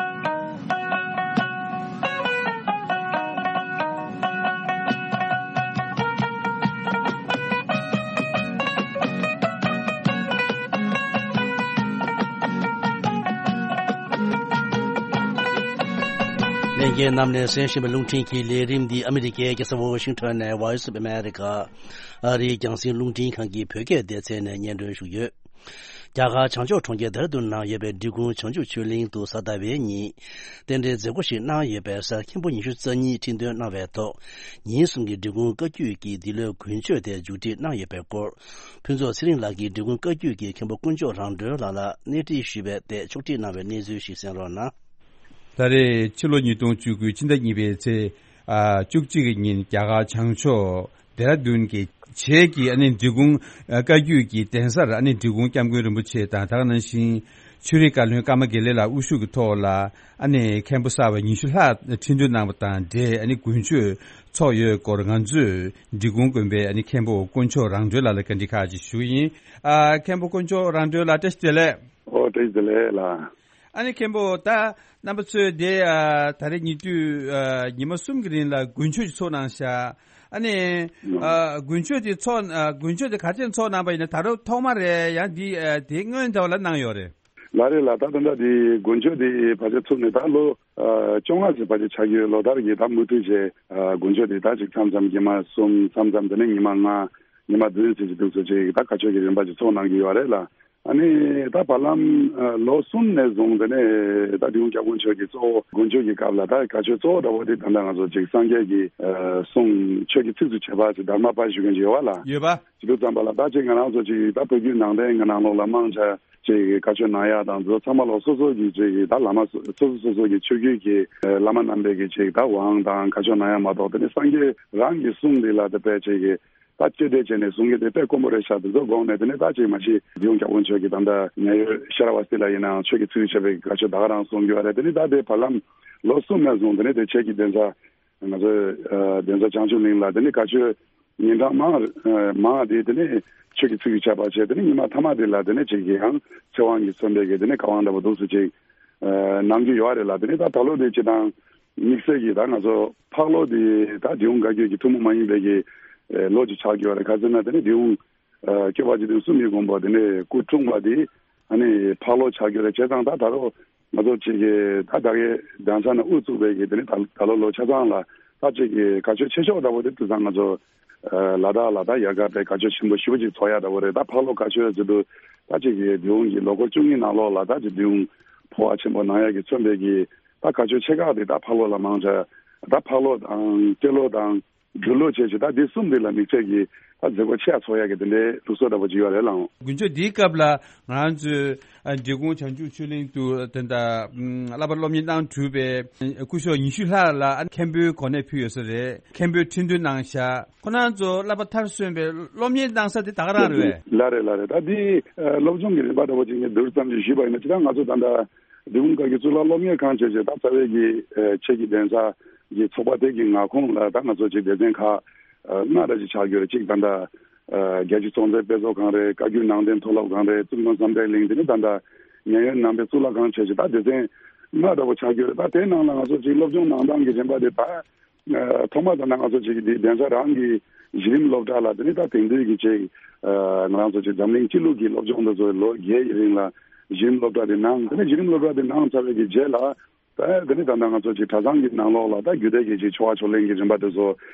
ལྷན་རྒྱས་རྣམས་ནས་གསན་བཞིན་པའི་རླུང་འཕྲིན་གྱི་ལས་རིམ་འདི་ཨ་མི་རི་ཀའི་རྒྱལ་ས་ཝ་ཤིང་ཊོན་ནས་Voice of America ཨ་རིའི་རྒྱང་སྲིང་རླུང་འཕྲིན་ཁང་གི་བོད་སྐད་སྡེ་ཚན་ནས་སྙན་སྒྲོན་ཞུ་གི་ཡོད། རྒྱ་གར་བྱང་ཕྱོགས་གྲོང་ཁྱེར་ལྡེ་ར་ལྡུན་ནང་ཡོད་པའི་འབྲི་གུང་བྱང་ཆུབ་ཆོས་གླིང་དུ་གཟའ་ཟླ་བའི་ཉིན། རྟེན་འབྲེལ་མཛད་སྒོ་ཞིག་གནང་ཡོད་པའི་སར་མཁན་པོ་ཉི་ཤུ་རྩ་གཉིས་ཁྲི་འདོན་གནང་བའི་ཐོག་ཉིན་གསུམ་གྱི་འབྲི་གུང་བཀའ་བརྒྱུད་ཀྱི་འདི་ལོའི་དགུན་ཆོས་དེ་མཇུག་སྒྲིལ་གནང་ཡོད་པའི་སྐོར། ཕུན་ཚོགས་ཚེ་རིང་ལགས་ཀྱིས་འབྲི་གུང་བཀའ་བརྒྱུད་ཀྱི་མཁན་པོ་དཀོན་མཆོག་རང་གྲོལ་ལགས་ལ་གནས་འདྲི་ཞུས་པའི་ཐད་ཕྱོགས་སྒྲིག་གནང་བའི་གནས་ཚུལ་ཞིག་གསན་རོགས་གནང་། ད་རེས་ཕྱི་ལོ་ཉིས་སྟོང་བཅུ་དགུ་ཕྱི་ཟླ་གཉིས་པའི་ཚེས་ཨ་བཅུ་གཅིག་གི་ཉིན་རྒྱ་གར་བྱང་ཕྱོགས་ལྡེ་ར་ལྡུན་གྱི་བྱེས་ཀྱི་ཨ་ནི་འབྲི་གུང་ཨ་བཀའ་བརྒྱུད་ཀྱི་གདན་སར་ཨ་ནི་འབྲི་གུང་སྐྱབས་མགོན་རིན་པོ་ཆེ་དང་། ད་ག་ནང་བཞིན་ཆོས་རིག་བཀའ་བློན་ཀརྨ་དགེ་ལེགས་ལགས་དབུ་བཞུགས་ཀྱི་ཐོག་ལ་ཨ་ནི་མཁན་པོ་གསར་པ་ཉི་ཤུ་ལྷག་ཁྲི་འདོན་གནང་བ་དང་འབྲེལ་ཨ་ནི་དགུན་ཆོས་ཚོགས་ཡོད་སྐོར་ང་ཚོས་འབྲི་གུང་དགོན་པའི་ཨ་ནི་མཁན་པོ་དཀོན་མཆོག་རང་གྲོལ་ལགས་ལ་བཀའ་འདྲི་ཁག་ཅིག་ཞུ་གི་ཡིན། ཨ་མཁན་པོ་དཀོན་མཆོག་རང་གྲོལ་ལགས་བཀྲ་ཤིས་བདེ་ལེགས། ཨོ་བཀྲ་ཤིས་བདེ་ལེགས་ལགས། ཨ་ནི་མཁན་པོ་ད་རྣམ་པ་ཚོས་དེ་ཨ་ད་རེས་ཉེ་དུས་ཨ་ཉི་མ་གསུམ་གྱི་རིང་ལ་དགུན་ཆོས་ཅིག་ཚོགས་གནང་ཤག་ཨ་ནི་ཨ་དགུན་ཆོས་དེ་ཚོགས་ཨ་དགུན་ཆོས་དེ་ག་ཚོད་ཚོགས་གནང་པ་ཡིན་ན། ད་རུང་ཐོག་མ་རེད། ཡང་འདི་ཨ་དེ་སྔོན་དེ་བ་ལ་གནང་ཡོད་རེད། ལགས་རེད་ལགས། ད་ད་ལྟ་དེ་དགུན་ཆོས་དེ་ཕལ་ཆེར་ཚུགས་ནས་ད་ལོ་ཨ་བཅོ་ལྔ་ཙམ་ཕལ་ཆེར་ཆགས་ཀྱི་ཡོད། ལོ་ལྟར་གྱི་ད་མུ་མཐུད་བྱས་ཨ་དགུན་ཆོས་དེ་ད་ཅིག་མཚམས་མཚམས་ཉི་མ་གསུམ། མཚམས་མཚམས་དེ་ནས་ཉི་མ་ལྔ། ཉི་མ་བདུན་ཙམ་ཅིག་འདུག་སེ་ཅིག་ད་བཀའ་ཆོས་ཀྱི་རིམ་པ་ཅིག་ཚོགས་གནང་གི་ཡོད་རེད་ལགས། ཨ་ནི་ད་བར་ལམ་ཨ་ལོ་གསུམ་ནས་བཟུང་དེ་ནས་ད་འབྲི་གུང་སྐྱབས་མགོན་མཆོག་གིས་གཙོ་བོ་དགུན་ཆོས་ཀྱི་སྐབས་ལ་ད་བཀའ་ཆོས་གཙོ་བོ་འདྲ་བོ་དེ་ད་ལྟ་ང་ཚོ་ཅིག་སངས་རྒྱས་ཀྱི་ཨ་གསུང་ཆོས་ཀྱི་ཚིགས་སུ་བཅད་པ་ཅིག་དྷརྨ་པ་ཞུ་མཁན་ཅིག་ཡོད་པ་ལགས། ཡོད་པ། ཅི་འདུག་ཙམ་པ་ལ་ད་ཅིག་ང་རང་ཚོ་ཅིག་ད་བོད་བརྒྱུད་ནང་བསྟན་གྱི་ནང་ལོགས་ལ་མང་ཆེ་ཅིག་བཀའ་ཆོས་གནང་ཡག་དང་འདི་ཚོ་ཚང་མ་ལོ་སོ་སོ་གི་ཅིག་ད་བླ་མ་སོ་སོ་སོ་སོ་གི་ཆོས་བརྒྱུད་ཀྱི་ཨ་བླ་མ་རྣམ་པས་ཀྱི་ཅིག་ད་དབང་དང་བཀའ་ཆོས་གནང་ཡག་མ་གཏོགས། དེ་ནས་སངས་རྒྱས་རང་གི་གསུང་འདི་ལ་དེ་དཔེ་ཅིག་གི་ད་བཅོས་ཐབས་བྱས་ནས་གསུང་གི་དེ་དཔེ་དཀོན་པོ་རེད་ཤག་དེ་ཚོ་དགོངས་ནས། དེ་ནས་ད་ཅིག་མ་གཞི་འབྲི་གུང་སྐྱབས་མགོན་མཆོག་གིས་ད་ལྟ་ཉེ་ཡོད་ཤེས་རབ་དབང་སྲིད་ལ་ཡིན་ནའང་ཆོས་ཀྱི་ཚིགས་སུ་བཅད་པའི་བཀའ་ཆོས་ད་ག་རང་གསུང་གི་ཡོད་རེད། དེ་ནས་ད་དེ་བར་ལམ་ལོ་གསུམ་ནས་བཟུང་དེ་ནས་དེ་ཆོས་ཀྱི་གདན་ས་ང་ཚོའི་ཨ་གདན་ས་བྱང་ཆུབ་གླིང་ལ་དེ་ནས་བཀའ་ཆོས་ཉིན་གྲངས་མང་ཨ་མང་དེ་དེ་ནས་ཆོས་ཀྱི་ཚིགས་སུ་བཅད་པ་བྱས། དེ་ནས་ཉི་མ་མཐའ་མ་དེ་ལ་དེ་ནས་ཅིག་གི་ཡང་ཚེ་དབང་གིས་མཚོན་པའི་གི་དེ་ནས་བཀའ་དབང་འདྲ་པོ་འདུག་སེ་ཅིག་ཨ་གནང་རྒྱུ་ཡོད་རེད་ལགས། དེ་ནས་ད་ད་ལོ་དེ་སྤྱིར་བཏང་དམིགས་བསལ་གྱི་ད་ང་ཚོ་ཕག་ལོ་དེ་ད་འབྲི་གུང་བཀའ་བརྒྱུད་ཀྱི་ཐུན་མོང་མ་ཡིན་པའི་གི་ཨ་ལོ་ཅིག་ཆགས་ཀྱི་ཡོད་རེད། ག་ཟེར་ན་དེ་ནས་འབྲི་གུང་ཨ་སྐྱོབ་པ་འཇིག་རྟེན་གསུམ་གྱི་མགོན་པོ་དེ་ནས་སྐུ་འཁྲུངས་པ་དེ་ཨ་ནི་ཕག་ལོ་ཆགས་ཀྱི་རེད། བྱས་ཙང་ད་ད་རུང་ང་ཚོ་ཅིག་གི་ད་ད་གའི་གདན་ས་ནས་དབུ་བཙུགས་པའི་གི་དེ་ནི་ད་ད་ལོ་ལོ་ཆ་ཚང་ལ་ད་ཅིག་གི་བཀའ་ཆོས་ཆེ་ཤོས་འདྲ་པོ་དེ་དུས་ཚང་ང་ཚོ་ཨ་ལ་དྭགས་ལ་ད་ཡལ་ག་པའི་བཀའ་ཆོས་ཆེན་པོ་ཞེ་པོ་ཅིག་ཚོགས་ཡག་འདྲ་པོ་རེད། ད་ཕག་ལོ་བཀའ་ཆོས་ཟེར་དུས་ད་ཅིག་གི་འབྲི་གུང་གི་ལོ་འཁོར་བཅུ་གཉིས་ནང་ལོགས་ལ་ད་ཅིག་འབྲི་གུང་འཕོ་བ་ཆེན་པོ་གནང་ཡག་གི་མཚོན་པའི་གི་ད་བཀའ་ཆོས་ཆེ་ཁག་དེ་ད་ཕག་ལོ་ལ་མང་ཆེ་ད་ཕག་ལོ་དང་སྤྲེལ་ལོ་དང་། སྦྲུལ་ལོ་བཅས་ཀྱི་ད་འདི་གསུམ་འདི་ལ་དམིགས་བསལ་གྱི་ད་མཛད་སྒོ་ཆེ་ཡ་ཚོགས་ཡ་གི་དེ་འདྲའི་ལུགས་སྲོལ་འདྲ་པོ་ཅིག་ཡོད་རེད་ལགས། དགུན་ཆོས་འདིའི་སྐབས་ལ་ང་རང་ཚོའི་ཨ་འབྲི་གུང་བྱང་ཆུབ་ཆོས་གླིང་དུ་ད་ལྟ་ཨམ་བསླབ་པ་སློབ་གཉེར་གནང་གྲུབ་པའི་སྐུ་ཞབས་ཉི་ཤུ་ལྷག་ལ་ཨ་མཁན་པོའི་གོ་གནས་ཕུལ་ཡོད་ས་རེད། མཁན་པོའི་ཁྲི་འདོན་གནང་བཞག་ཁོང་རྣམ་ཚོ་བསླབ་པ་མཐར་སོན་པའི་སློབ་གཉེར་གནང་ས་དེ་ད་ག་རང་རེད་པས། ལགས་རེད་ལགས་རེད། ད་འདི་ཨ་སློབ་སྦྱོང་གི་རིམ་པ་འདྲ་པོ་ཅིག་ངས་བསྡུར་ཙམ་ཅིག་ཞུས་པ་ཡིན་ན། ཅི་ད་ང་ཚོ་ད་ལྟ་འབྲི་གུང་བཀའ་བརྒྱུད་གཙུག་ལག་སློབ་གཉེར་ཁང་བཅས་ཀྱི་ད་རྩ་བའི་གི་ཨ་ཆོས་ཀྱི་གདན་ས་གི་ཚོགས་པ་དེ་གི་མངའ་ཁོངས་ལ་ད་ང་ཚོ་ཅིག་སྡེ་ཚན་ཁག་ཨ་ལྔ་འདྲ་ཅིག་ཆགས་ཡོད་རེད། གཅིག་ད་ལྟ་ཨ་རྒྱལ་སྤྱིའི་ཚོང་རྫས་དཔེ་ཚོགས་ཁང་རེད། བཀའ་བརྒྱུད་ནང་བསྟན་མཐོ་སློབ་ཁང་རེད། གཙུག་ལག་བསམ་གཏན་གླིང་། དེ་ནས་ད་ལྟ་ཉེ་ཡོད་ནང་པའི་གཙུག་ལག་ཁང་བཅས་ཀྱི་ད་སྡེ་ཚན་ལྔ་འདྲ་པོ་ཆགས་ཡོད་རེད། ད་དེའི་ནང་ལ་ང་ཚོ་ཅིག་སློབ་སྦྱོང་གནང་སྟངས་ཀྱི་རིམ་པ་དེ་ད་ཨ་ཐོག་མ་དང་ང་ཚོ་ཅིག་འདི་གདན་ས་རང་གི་གཞི་རིམ་སློབ་གྲྭ་ལ་དེ་ནས་ད་དེང་དུས་ཀྱི་ཅིག་ཨ་ང་རང་ཚོ་ཅིག་འཛམ་གླིང་སྤྱི་ལུགས་ཀྱི་སློབ་སྦྱོང་འདི་ཚོ་ལོ་བརྒྱད་ཀྱི་རིང་ལ་གཞི་རིམ་སློབ་གྲྭ་དེ་གནང་། དེ་ནས་གཞི་རིམ་སློབ་གྲྭ་དེ་གནང་ཚར་བའི་གི་རྗེས་ལ་ད་དེ་ནས་ད་ལྟ་ང་ཚོ་ཅིག་གྲྭ་ཚང་གི་ནང་ལོགས་ལ་ད་རྒྱུད་སྡེ་གི་ཅིག་ཆོ་ག་ཕྱག་ལེན་གྱི་རིམ་པ་དེ་ཚོ་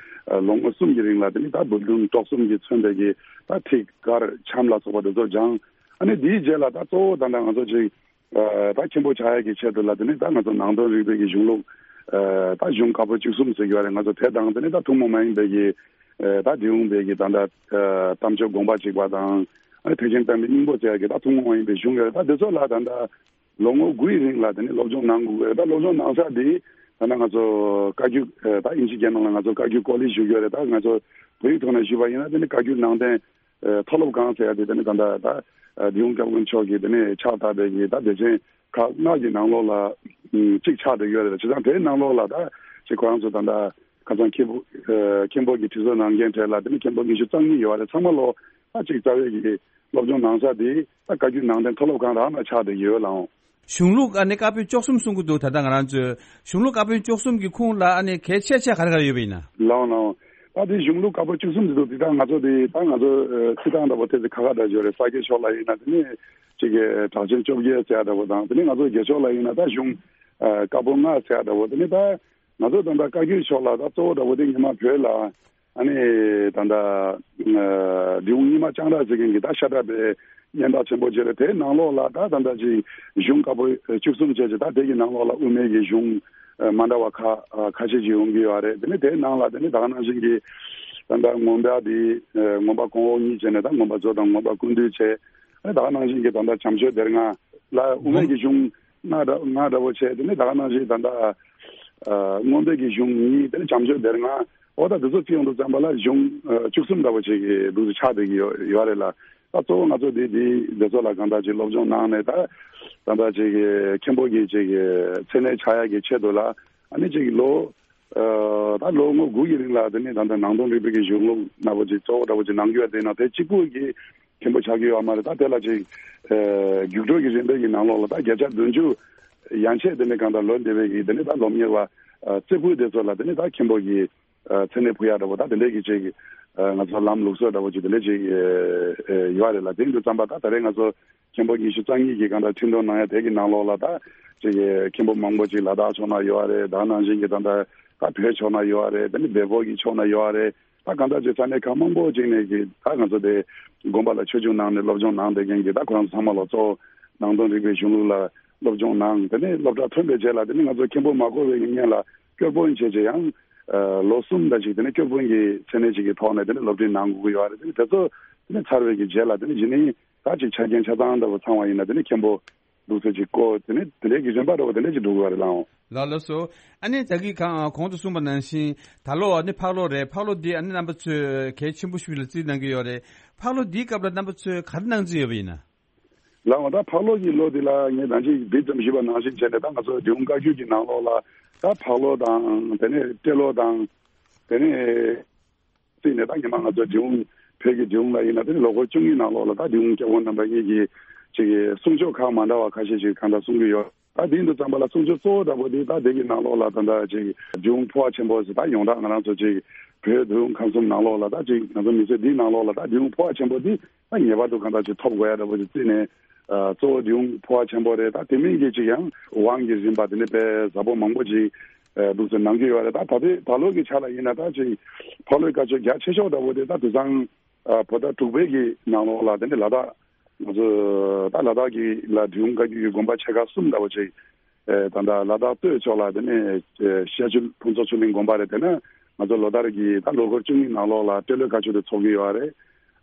ཨ་ལོ་ངོ་གསུམ་གྱི་རིང་ལ་དེ་ནས་ད་འབུམ་སྡོམ་གྲོགས་གསུམ་གྱིས་མཚོན་པའི་གི་ད་ཐིག་དཀར་འཆམ་ལ་སོགས་པ་དེ་ཚོ་སྦྱངས། ཨ་ནི་དེའི་རྗེས་ལ་ད་གཙོ་བོ་ད་ལྟ་ང་ཚོ་ཅིག་ཨ་ད་མཁན་པོ་ཆགས་ཡག་གི་ཆེད་དུ་ལ་དེ་ནས་ད་ང་ཚོ་ནང་དོན་རིག་པའི་གི་གཞུང་ལུགས་ཨ་ད་གཞུང་བཀའ་པོད་བཅུ་གསུམ་ཟེར་གྱི་ཡོད་རེད། ང་ཚོ་དེ་དང་དེ་ནས་ད་ཐུན་མོང་མ་ཡིན་པའི་གི་ཨ་ད་འབྲི་གུང་པའི་གི་ད་ལྟ་ཨ་དམ་ཆོས་དགོངས་པ་གཅིག་པ་དང་ཨ་ཐེག་ཆེན་བསྟན་པའི་སྙིང་པོ་ཟེར་ཡག་གི་ད་ཐུན་མོང་མ་ཡིན་པའི་གཞུང་ཡོད་རེད། ད་དེ་ཚོ་ལ་ད་ལྟ་ལོ་ངོ་དགུའི་རིང་ལ་དེ་ནས་སློབ་སྦྱོང་གནང་དགོས་ཀྱི་རེད། ད་སློབ་སྦྱོང་གནང་ས་དེ་ད་ལྟ་ང་ཚོ་བཀའ་བརྒྱུད་ཨ་ད་དབྱིན་ཇི་སྐད་ནང་ལ་ང་ཚོ་བཀའ་བརྒྱུད་ཀོ་ལེཇ་ཞུ་གི་ཡོད་རེད། ད་ང་ཚོ་བོད་ཡིག་ཐོག་ནས་ཞུས་པ་ཡིན་ན་དེ་ནི་བཀའ་བརྒྱུད་ནང་བསྟན་ཨ་མཐོ་སློབ་ཁང་ཟེར་ཡ་དེ་དེ་ནི་ད་ལྟ་ད་ཨ་འབྲི་གུང་སྐྱབས་མགོན་མཆོག་གིས་དེ་ནི་ཕྱག་བཏབ་པའི་གི་ད་སྡེ་ཚན་ཁག་ལྔ་གི་ནང་ལོགས་ལ་ཨ་གཅིག་ཆགས་བསྡད་ཡོད་རེད། བྱས་ཙང་དེའི་ནང་ལོགས་ལ་ད་ཅིག་ཁོ་རང་ཚོ་ད་ལྟ་ཁ་སང་མཁན་པོ་ཨ་མཁན་པོ་གིས་དྲི་བཟོ་གནང་མཁན་གྲས་ལ་དེ་ནི་མཁན་པོ་ཉི་ཤུ་རྩ་གཉིས་ཡོད་རེད། ཚང་མ་ལོ་ད་ཅིག་རྩ་བའི་གི་སློབ་སྦྱོང་གནང་ས་དེ་ད་བཀའ་བརྒྱུད་ནང་བསྟན་མཐོ་སློབ་ཁང་རང་ལ་ཆགས་བསྡད་ཡོད་ལགས། གཞུང་ལུགས་ཨ་ནི་བཀའ་པོད་བཅུ་གསུམ་གསུང་གི་འདུག་ད་ལྟ་ང་རང་ཚོའི་གཞུང་ལུགས་བཀའ་པོད་བཅུ་གསུམ་གྱི་ཁུངས་ལ་ཨ་ནི་གལ་ཆེ་ཆེ་ག་རེ་ག་རེ་ཡོད་པ་ཡིན་ན། ལགས་ལགས། ད་དེ་གཞུང་ལུགས་བཀའ་པོད་བཅུ་གསུམ་ཟེར་དུས་དེ་ད་ང་ཚོ་དེ་ད་ང་ཚོ་ཨ་ཚིག་ཐག་འདྲ་པོ་ཐེ་ཚེ་ཁ་ཁ་འདྲ་ཡོད་རེད། ས་སྐྱའི་ཕྱོགས་ལ་ཡིན་ན་དེ་ནི་ཅིག་གི་གྲགས་ཆེན་བཅོ་བརྒྱད་ཟེར་ཡ་འདྲ་པོ་དང་། དེ་ནི་ང་ཚོ་རྒྱལ་ཕྱོགས་ལ་ཡིན་ན་ད་གཞུང་ཨ་བཀའ་པོད་ལྔ་ཟེར་ཡ་འདྲ་པོ། དེ་ནི་ད་ང་ཚོ་ད་ལྟ་བཀའ་བརྒྱུད་ཕྱོགས་ལ་ད་གཙོ་བོ་འདྲ་པོ་དེ་ཉི་མ་བོད་ལ་ཨ་ནི་ད་ལྟ་ཨ་འབྲི་གུང་རྙིང་མ་ལྕང་སྦྲ་ཟེར་མཁན་གྱི་ད་ཤ་ཁྲག་པའི་སྙན་གྲགས་ཆེན་པོ་ཅིག་རེད། དེའི་ནང་ལོགས་ལ་ད་ད་ལྟ་ཅིག་གཞུང་བཀའ་པོད་བཅུ་གསུམ་བཅས་ཀྱི་ད་དེ་གི་ནང་ལོགས་ལ་དབུ་མའི་གི་གཞུང་ཨ་མ་འདྲ་བ་ཁ་ཨ་ཁ་ཤས་ཅིག་ཡོང་གི་ཡོད་རེད། དེ་ནས་དེའི་ནང་ལ་དེ་ནས་ད་ག་ནང་བཞིན་གྱི་ད་ལྟ་མངོན་པ་དེ་ཨ་མངོན་པ་གོང་འོག་གཉིས་བྱས་ནས་ད་མངོན་པ་མཛོད་དང་མངོན་པ་ཀུན་བཏུས་བྱས། ཨ་ནི་ད་ག་ནང་བཞིན་གྱི་ད་ལྟ་བྱམས་ཆོས་སྡེ་ལྔ་ལ་དབུ་མའི་གི་གཞུང་ལྔ་འདྲ་ལྔ་འདྲ་པོ་བྱས། དེ་ནས་ད་ག་ནང་བཞིན་ད་ལྟ་ཨ་མངོན་པའི་གི་གཞུང་གཉིས། དེ་ནས་བྱམས་ཆོས་སྡེ་ལྔ། འོ་ད་དེ་ཚོ་བརྩི་ཡོང་དུས་ཙམ་པ་ལ་གཞུང་ཨ་བཅུ་གསུམ་འདྲ་པོ་ཅིག་གི་འདུག་སེ་ཆགས་བསྡད་ཀྱི་ཡོད་ཡོད་རེད་ལ། ད་གཙོ་བོ་ང་ཚོ་འདི་འདི་འདི་ཚོ་ལ་གང་ལྟར་ཅིག་སློབ་སྦྱོང་གནང་ནས་ད་གང་ལྟར་ཅིག་གི་མཁན་པོ་གི་ཅིག་གི་མཚན་གནས་ཆགས་ཡག་གི་ཆེད་དུ་ལ་ཨ་ནི་ཅིག་ལོ་ཨ་ད་ལོ་ངོ་དགུ་ཡི་རིང་ལ་དེ་ནི་ད་ལྟ་ནང་དོན་རིག་པའི་གི་གཞུང་ལུགས་འདྲ་པོ་ཅིག་གཙོ་བོ་འདྲ་པོ་ཅིག་གནང་རྒྱུ་ཡོད། དེ་ན་དེ་གཅིག་པུ་གི་མཁན་པོ་ཆགས་ཀྱི་ཡོད་མ་རེད། ད་དེ་ལ་ཅིག་ཨ་རྒྱུགས་སྤྲོད་ཀྱི་རིམ་པའི་གི་ནང་ལོགས་ལ་ད་བརྒྱ་ཆ་བདུན་ཅུ་ཡན་ཆད་དེ་ནི་གང་ལྟར་ལོ་འདས་པའི་གི་དེ་ནི་ད་སློབ་གཉེར་བ་ཨ་རྩེ་ཕུད་དེ་ཚོ་ལ་དེ་ནི་ད་མཁན་པོ་གི་ མཚན་གནས་ཕུལ་ཡག་འདྲ་པོ་ད་དེ་འདྲའི་གི་ཅིག་ང་ཚོ་ལམ་ལུགས་སྲོལ་འདྲ་པོ་ཅིག་དེ་འདྲའི་ཅིག་ཡོད་རེད་ལ། དེ་ཡིན་དུས་ཙམ་པ་ད་ད་རེས་ང་ཚོ་མཁན་པོ་ཉི་ཤུ་རྩ་གཉིས་ཀྱི་གང་ལྟར་ཁྲི་འདོན་གནང་ཡ་དེ་གི་ནང་ལོགས་ལ་ད་ཅིག་མཁན་པོ་མང་པོ་ཅིག་ལ་དྭགས་ཕྱོགས་ན་ཡོད་རེད། ད་ནང་བཞིན་གྱི་ད་ལྟ་ད་བོད་ཕྱོགས་ན་ཡོད་རེད། དེ་ནི་བལ་པོ་གི་ཕྱོགས་ན་ཡོད་རེད། ད་གང་ལྟར་ཅིག་ས་གནས་ཁག་མང་པོ་ཅིག་ནས་ཀྱི་ད་ང་ཚོ་དེ་དགོན་པ་ལ་ཆོས་ཞུགས་གནང་ནས་སློབ་སྦྱོང་གནང་བསྡད་མཁན་གྱི་ད་ཁོ་རང་ཚོ་ཚང་མ་ལ་གཙོ་བོ་ནང་དོན་རིག་པའི་གཞུང་ལུགས་ལ་སློབ་སྦྱོང་གནང་། དེ་ནས་སློབ་གྲྭ་ཐོན་པའི་རྗེས་ལ་དེ་ནི་ང་ཚོ་མཁན་པོ་མ་གོ་བའི་གི་སྔོན་ལ་སྐྱོར་དཔོན་བྱས་བྱས་ཡང་ལོ་གསུམ་ད་ཅིག་དེ་ནི་སྐྱོར་དཔོན་གྱི་མཚན་གནས་ཅིག་གི་ཐོག་ནས་དེ་ནི་སློབ་ཁྲིད་གནང་དགོས་ཀྱི་ཡོད་རེད། དེ་ནི་དེ་ཚོ་དེ་ནི་ཚར་བའི་གི་རྗེས་ལ་དེ་ནི་གཞི་ནས་ད་ཅིག་ཆ་རྐྱེན་ཆ་ཚང་འདྲ་པོ་ཚང་བ་ཡིན་ན་དེ་ནི་མཁན་པོ་འདུག་ཟེར་ཅིག་བསྐོ། དེ་ནི་དེ་འདྲའི་གི་རིམ་པ་འདྲ་པོ་དེ་འདྲ་ཅིག་འགྲོ་གི་ཡོད་རེད་ལགས། ལགས་ལགས་སོ། ཨ་ནི་ད་གིན་གང་གོང་དུ་གསུངས་པ་ནང་བཞིན་ད་ལོ་ཨ་ནི་ཕག་ལོ་རེད། ཕག་ལོ་འདི་ཨ་ནི་རྣམ་པ་ཚོས་གལ་ཆེན་པོ་ཞིག་ལ་བརྩིས་གནང་གི་ཡོད་རེད། ཕག་ལོ་འདིའི་སྐབས་ལ་རྣམ་པ་ཚོས་ག་རེ་གནང་རྩིས་ཡོད་པ་ཡིན་ན། ལགས་འོང་། ད་ཕག་ལོ་གི་ལོ་འདི་ལ་ངས་ད་ཅིག་འདི་ཙམ་ཞུས་པ་ནང་བཞིན་བྱས་ནས་ད་ང་ཚོ་འབྲི་གུང་བཀའ་བརྒྱུད་ཀྱི་ནང་ལོགས་ལ་ད་ཕག་ལོ་དང་དེ་ནས་སྤྲེལ་ལོ་དང་དེ་ནས་བརྩིས་ནས་ད་ཉི་མ་ང་ཚོ་འབྲི་གུང་བོད་ཀྱི་འབྲི་གུང་ལ་ཡིན་ན་དེ་ནི་ལོ་འཁོར་བཅུ་གཉིས་ནང་ལོགས་ལ་ད་འབྲི་གུང་སྐྱབས་མགོན་རྣམ་པ་གཉིས་ཀྱིས་ཅིག་གསུང་ཆོས་ཁག་མ་འདྲ་བ་ཁ་ཤས་ཤིག་གང་འདྲ་གསུང་གི་ཡོད། ད་དེ་འདི་ཙམ་པ་ལ་གསུང་ཆོས་གཙོ་བོ་འདྲ་པོ་དེ་ད་དེ་གི་ནང་ལོགས་ལ་ད་ལྟ་ཅིག་འབྲི་གུང་ཕོ་བ་ཆེན་པོ་ཟེར་ད་ཡོངས་གྲགས་ང་རང་ཚོ་ཅིག་བོད་འབྲི་གུང་ཁམས་གསུམ་ནང་ལོགས་ལ་ད་ཅིག་ང་ཚོ་མི་ཚེ་འདིའི་ནང་ལོགས་ལ་ད་འབྲི་གུང་ཕོ་བ་ཆེན་པོ་འདི་ད་ངེས་པར་དུ་གང་འདྲ་ཅིག་ཐོབ་དགོས་ཡ་འདྲ་པོ་ཅིག་བརྩིས་ནས་གཙོ་བོ་འབྲི་གུང་ཕོ་བ་ཆེན་པོ་རེད། ད་དེ་མིན་གྱི་ཅིག་ཡང་དབང་གི་རིམ་པ་དེ་འདྲ་དཔེ་ཟབ་པོ་མང་པོ་ཅིག་འདུག་ཟེར་གནང་གི་ཡོད་རེད། ད་ད་ལྟའི་ད་ལོ་གི་ཆ་ལ་ཡིན་ན་ད་ཅིག་ཕག་ལོའི་བཀའ་ཆོས་རྒྱ་ཆེ་ཤོས་འདྲ་པོ་དེ་ད་དེང་སང་བོད་ཟླ་དྲུག་པའི་གི་ནང་ལོགས་ལ་དེ་ནས་ལ་དྭགས་ང་ཚོ་ད་ལ་དྭགས་ཀྱི་ལ་འབྲི་གུང་བཀའ་བརྒྱུད་ཀྱི་དགོན་པ་ཆེ་ཁག་གསུམ་འདྲ་པོ་ཅིག་ད་ལྟ་ལ་དྭགས་སྟོད་ཕྱོགས་ལ་དེ་ནས་ཤར་ཆུ་ཕུན་ཚོགས་ཆོས་གླིང་དགོན་པ་རེད། དེ་ནས་ང་ཚོ་ལོ་ལྟར་གྱི་ད་ལོ་འཁོར་བཅུ་གཉིས་ནང་ལོགས་ལ་སྤྲེལ་ལོའི་བཀའ་ཆོས་དེ་ཚོགས་ཀྱི་ཡོད་རེད།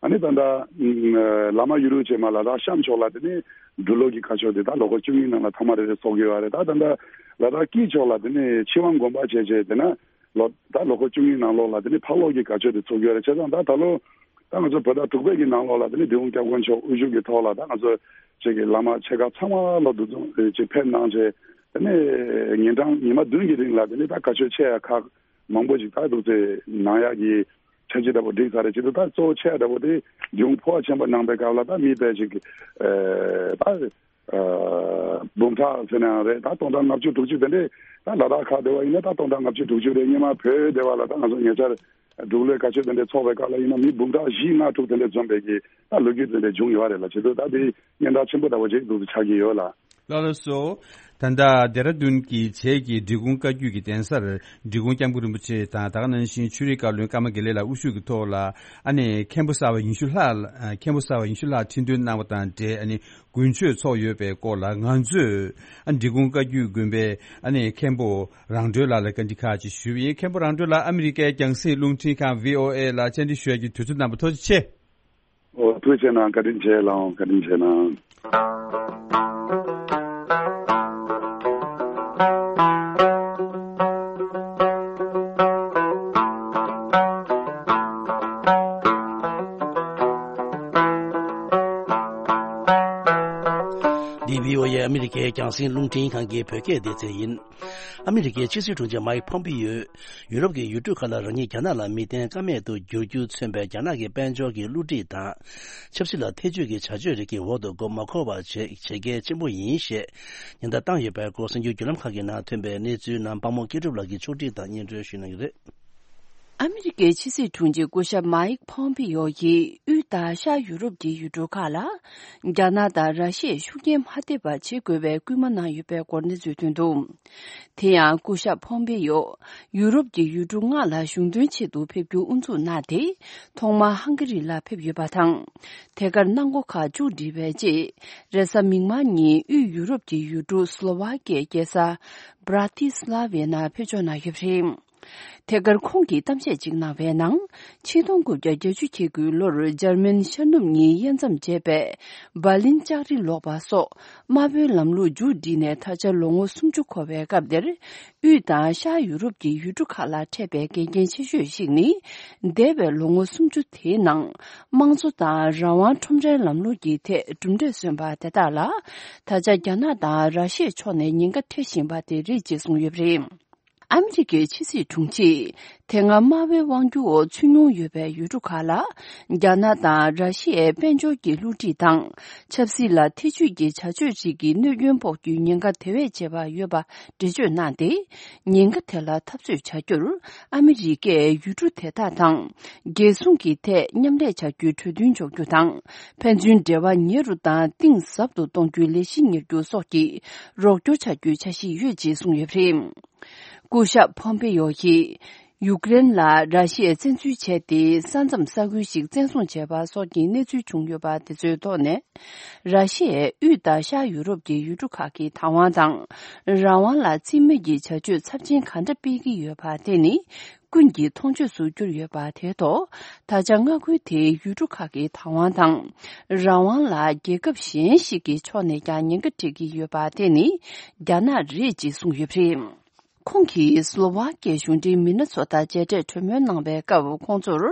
ཨ་ནི་ད་ལྟ་བླ་མ་ཡུ་རུ་བྱེ་མ་ལ་དྭགས་གཤམ་ཕྱོགས་ལ་དེ་ནས་འབྲི་ལོ་གི་བཀའ་ཆོས་དེ་ད་ལོ་འཁོར་བཅུ་གཉིས་ནང་ལ་ཐ་མ་རེ་རེ་ཚོགས་ཀྱི་ཡོད་རེད། ད་ད་ལྟ་ལ་དྭགས་དཀྱིལ་ཕྱོགས་ལ་དེ་ནས་ཆོས་དབང་དགོན་པ་བྱས་བྱས་དེ་ན། ལོ་ད་ལོ་འཁོར་བཅུ་གཉིས་ནང་ལོགས་ལ་དེ་ནི་ཕག་ལོ་གི་བཀའ་ཆོས་དེ་ཚོགས་ཡོད་རེད། བྱས་ཙང་ད་ད་ལོ་ད་ང་ཚོ་བོད་ཟླ་དྲུག་པའི་གི་ནང་ལོགས་ལ་དེ་ནི་འབྲི་གུང་སྐྱབས་མགོན་མཆོག་དབུ་བཞུགས་ཀྱི་ཐོག་ལ་ད་ང་ཚོ་ཅིག་གི་བླ་མ་ཆེ་ཁག་ཚང་མ་ལ་འདུ་འཛོམས་ཅིག་ཕེབས་གནང་བྱས་དེ་ནི་ཉིན་གྲངས་ཉི་མ་བདུན་གྱི་རིང་ལ་དེ་ནི་ད་བཀའ་ཆོས་ཆེ་ཡ་ཁག་མང་པོ་ཞིག་ད་འདུག་སེ་གནང་ཡག་གི་འཆར་གཞི་འདྲ་པོ་བསྒྲིགས་ཚར་རེད། བྱེད་དུས་ད་གཙོ་བོ་ཆེ་ཡ་འདྲ་པོ་དེ་འབྲི་གུང་ཕོ་བ་ཆེན་པོ་གནང་པའི་སྐབས་ལ་ད་མི་དཔེ་ཞིག་ད། འབུམ་ཕྲག་ཟེར་ན་ཡང་རེད། ད་སྟོང་ཕྲག་ལྔ་བཅུ་དྲུག་ཅུ་དེ་འདྲས་ད་ལ་དྭགས་ཁག་བསྡད་པ་ཡིན་ན་ད་སྟོང་ཕྲག་ལྔ་བཅུ་དྲུག་ཅུ་རེད། སྔོན་མ་བོད་བསྡད་པ་ལ་ད་ང་ཚོ་ཉེ་ཆར་འབྲུག་ལོའི་བཀའ་ཆོས་དེ་འདྲས་ཚོགས་པའི་སྐབས་ལ་ཡིན་ན་མི་འབུམ་ཕྲག་བཞི་ལྔ་དྲུག་དེ་འདྲས་འཛོམས་པའི་གི་ད་ལོ་རྒྱུས་དེ་འདྲས་བྱུང་ཡོད་རེད་ལ། བྱེད་དུས་ད་དེ་སྙན་གྲགས་ཆེན་པོ་འདྲ་བོ་ཅིག་འདུག་སེ་ཆགས་ཀྱི་ཡོད་ལ། ལགས་ལགས་སོ། ད་ལྟ་ལྡེ་ར་ལྡུན་གྱི་བྱེས་ཀྱི་འབྲི་གུང་བཀའ་བརྒྱུད་ཀྱི་གདན་སར་འབྲི་གུང་སྐྱབས་མགོན་རིན་པོ་ཆེ་དང་ད་ག་ནང་བཞིན་ཆོས་རིག་བཀའ་བློན་ཀརྨ་དགེ་ལེགས་ལགས་དབུ་བཞུགས་ཀྱི་ཐོག་ལ་ཨ་ནེ་མཁན་པོ་གསར་པ་ཉི་ཤུ་ལྷག་མཁན་པོ་གསར་པ་ཉི་ཤུ་ལྷག་ཁྲི་འདོན་གནང་བ་དང་འབྲེལ་ཨ་ནེ་དགུན་ཆོས་ཚོགས་ཡོད་པའི་སྐོར་ལ་ང་ཚོས་ཨ་འབྲི་གུང་བཀའ་བརྒྱུད་དགོན་པའི་ཨ་ནེ་མཁན་པོ་རང་གྲོལ་ལགས་ལ་བཀའ་འདྲི་ཁག་ཅིག་ཞུས་པ་ཡིན། མཁན་པོ་རང་གྲོལ་ལགས་ཨ་མི་རི་ཀའི་རྒྱང་སྲིང་རླུང་འཕྲིན་ཁང་བྷི་ཨོ་ཨེ་ལ་བཅར་འདྲི་ཞུ་ཡག་གི་དུས་ཚོད་གནང་བར་ཐུགས་རྗེ་ཆེ། ཨོ་ཐུགས་རྗེ་གནང་། བཀའ་དྲིན་ཆེ་ལགས། བཀའ་དྲིན་ཆེ་གནང་། འདི་བྷི་ཨོ་ཨེ་ཨ་མི་རི་ཀའི་རྒྱང་སྲིང་རླུང་འཕྲིན་ཁང་གི་བོད་སྐད་སྡེ་ཚན་ཡིན། ཨ་མི་རི་ཀའི་ཕྱི་སྲིད་དྲུང་ཆེ་མའིག་ཕོམ་པི་ཡོས། ཡུ་རོབ་ཀྱི་ཡུལ་གྲུ་ཁག་ལ་རང་ཉིད་རྒྱ་ནག་ལ་མི་བརྟེན་ཀ་མེད་དུ་འགྱུར་རྒྱུ་མཚོན་པའི་རྒྱ་ནག་གི་དཔལ་འབྱོར་གྱི་བསླུ་བྲིད་དང་། ཆབ་སྲིད་ལ་ཐེ་བྱུས་ཀྱི་བྱ་སྤྱོད་རིགས་ཀྱི་འོག་ཏུ་མགོ་མ་འཁོར་བ་བྱེད་བྱེད་གལ་ཆེན་པོ་ཡིན་ཞེས་ཉེན་བརྡ་བཏང་ཡོད་པའི་སྐོར་གསར་འགྱུར་བརྒྱུད་ལམ་ཁག་གི་ནང་ཐོན་པའི་གནས་ཚུལ་རྣམས་དཔང་མོ་སྐྱིད་གྲུབ་ལགས་ཀྱིས་ཕྱོགས་སྒྲིག་དང་སྙན་སྒྲོན་ཞུ་གནང་གི་རེད། ཨ་མི་རི་ཀའི་ཕྱི་སྲིད་དྲུང་ཆེ་སྐུ་ཞབས་མའིག་ཕོམ་པི་ཡོ་ཡིས་དབུས་དང་ཤར་ཡུ་རོབ་ཀྱི་ཡུལ་གྲུ་ཁག་ལ་རྒྱ་ནག་དང་ར་ཤི་ཡས་ཤུགས་རྐྱེན་མ་ཐེབས་པ་བྱེད་དགོས་པའི་སྐུལ་མ་གནང་ཡོད་པའི་སྐོར་གནས་ཚུལ་ཐོན་འདུག་དེ་ཡང་སྐུ་ཞབས་ཕོམ་པེ་ཡོ་ཡུ་རོབ་ཀྱི་ཡུལ་གྲུ་ལྔ་ལ་གཞུང་དོན་ཆེད་དུ་ཕེབས་རྒྱུ་དབུ་འཛུགས་གནང་སྟེ། ཐོག་མར་ཧང་ག་རི་ལ་ཕེབས་ཡོད་པ་དང་། དེ་གར་གནང་སྒོ་ཁག་མཇུག་བསྒྲིལ་བའི་རྗེས། རེས་གཟའ་མིག་དམར་ཉིན་དབུས་ཡུ་རོབ་ཀྱི་ཡུལ་གྲུ་སི་ལོ་ཝཱ་ཀི་ཡའི་རྒྱལ་ས་བྷ་ར་ཏི་སི་ལ་ཝའི་ནང་ཕེབས་འབྱོར་གནང་ཡོད་པ་རེད། དེ་གར་ཁོང་གིས་གཏམ་བཤད་ཅིག་གནང་བའི་ནང་། ཆིག་སྟོང་དགུ་བརྒྱ་བརྒྱད་ཅུ་གྱ་དགུའི་ལོར་འཇར་མན་ཤར་ནུབ་གཉིས་དབྱེ་མཚམས་བཅད་པའི་འབར་ལིན་ལྕགས་རི་ལོག་པ་སོགས་དམར་པོའི་ལམ་ལུགས་མཇུག་བསྒྲིལ་ནས་ད་ཆ་ལོ་ངོ་སུམ་ཅུ་འཁོར་བའི་སྐབས་འདིར། དབུས་དང་ཤར་ཡུ་རོབ་ཀྱི་ཡུལ་གྲུ་ཁག་ལ་འཕྲད་པའི་འགལ་རྐྱེན་ཆེ་ཤོས་ཤིག་ནི། འདས་པའི་ལོ་ངོ་སུམ་ཅུ་དེའི་ནང་། དམངས་གཙོ་དང་རང་དབང་ཁྲོམ་རའི་ལམ་ལུགས་ཀྱི་ཐད་གྲུབ་འབྲས་སོན་པ་དེ་དག་ལ། ད་ཆ་རྒྱ་ནག་དང་ར་ཤི་ཡའི་ཕྱོགས་ནས་ཉེན་ཁ་འཕྲད་བཞིན་པ་དེ་རེད་ཅེས་གསུངས་ཡོད་པ་རེད། ཨ་མི་རི་ཀའི་ཕྱི་སྲིད་དྲུང་ཆེས་དེ་སྔ་དམའ་བའི་དབང་སྒྱུར་འོག་ཚུད་མྱོང་ཡོད་པའི་ཡུལ་གྲུ་ཁག་ལ། རྒྱ་ནག་དང་ར་ཤི་ཡའི་དཔལ་འབྱོར་གྱི་བསླུ་བྲིད་དང་ཆབ་སྲིད་ལ་ཐེ་བྱུས་ཀྱི་བྱ་སྤྱོད་ཅིག་གིས་གནོད་སྐྱོན་ཕོག་རྒྱུའི་ཉེན་ཁ་དེ་བས་ཆེ་བ་ཡོད་པ་འགྲེལ་བརྗོད་གནང་སྟེ། ཉེན་ཁ་དེ་ལ་འཐབ་རྩོད་བྱ་རྒྱུར་ཨ་མི་རི་ཀས་ཡུལ་གྲུ་དེ་དག་དང་རྒྱལ་སྲུང་གི་ཐད་མཉམ་ལས་བྱ་རྒྱུའི་གྲོས་མཐུན་འཇོག་རྒྱུ་དང་། ཕན་ཚུན་འབྲེལ་བ་ཉེ་རུ་དང་གཏིང་ཟབ་ཏུ་གཏོང་རྒྱུའི་ལས་གཞི་གཉེར་རྒྱུ་སོགས་ཀྱི་རོགས་སྐྱོར་བྱ་རྒྱུའི་འཆར་གཞི་ཡོད་ཅེས་གསུངས་ཡོད་པ་རེད། སྐུ་ཞབས་ཕོམ་པེ་ཡོ་ཡིས་ཡུཀ་རེན་ལ་ར་ཤི་ཡས་བཙན་འཛུལ་བྱས་ཏེ། ས་མཚམས་ས་ཁུལ་ཞིག་བཙན་བཟུང་བྱས་པ་སོགས་ཀྱི་གནས་ཚུལ་བྱུང་ཡོད་པ་དེ་ཚོའི་ཐོག་ནས། ར་ཤི་ཡས་དབུས་དང་ཤར་ཡུ་རོབ་ཀྱི་ཡུལ་གྲུ་ཁག་གི་བདག་དབང་དང་། རང་དབང་ལ་རྩིས་མེད་ཀྱི་བྱ་སྤྱོད་ཚབས་ཆེན་ག་འདྲ་སྤེལ་གྱི་ཡོད་པ་དེ་ནི་ཀུན་གྱིས་མཐོང་ཆོས་སུ་གྱུར་ཡོད་པ་དེའི་ཐོག་ད་ཆ་མངའ་ཁུལ་དེའི་ཡུལ་གྲུ་ཁག་གི་བདག་དབང་དང་། རང་དབང་ལ་རྒྱལ་ཁབ་གཞན་ཞིག་གི་ཕྱོགས་ནས་ཀྱང་ཉེན་ཁ་འཕྲད་ཀྱི་ཡོད་པ་དེ་ནི་རྒྱ་ནག་རེད་ཅེས་གསུངས་ཡོད་པ་རེད། ཁོང་གིས་སློ་ཝཱ་ཀིའི་གཞུང་འབྲེལ་མི་སྣ་ཚོ་དང་མཇལ་འཕྲད་གྲོས་མོལ་གནང་བའི་སྐབས། ཁོང་ཚོར་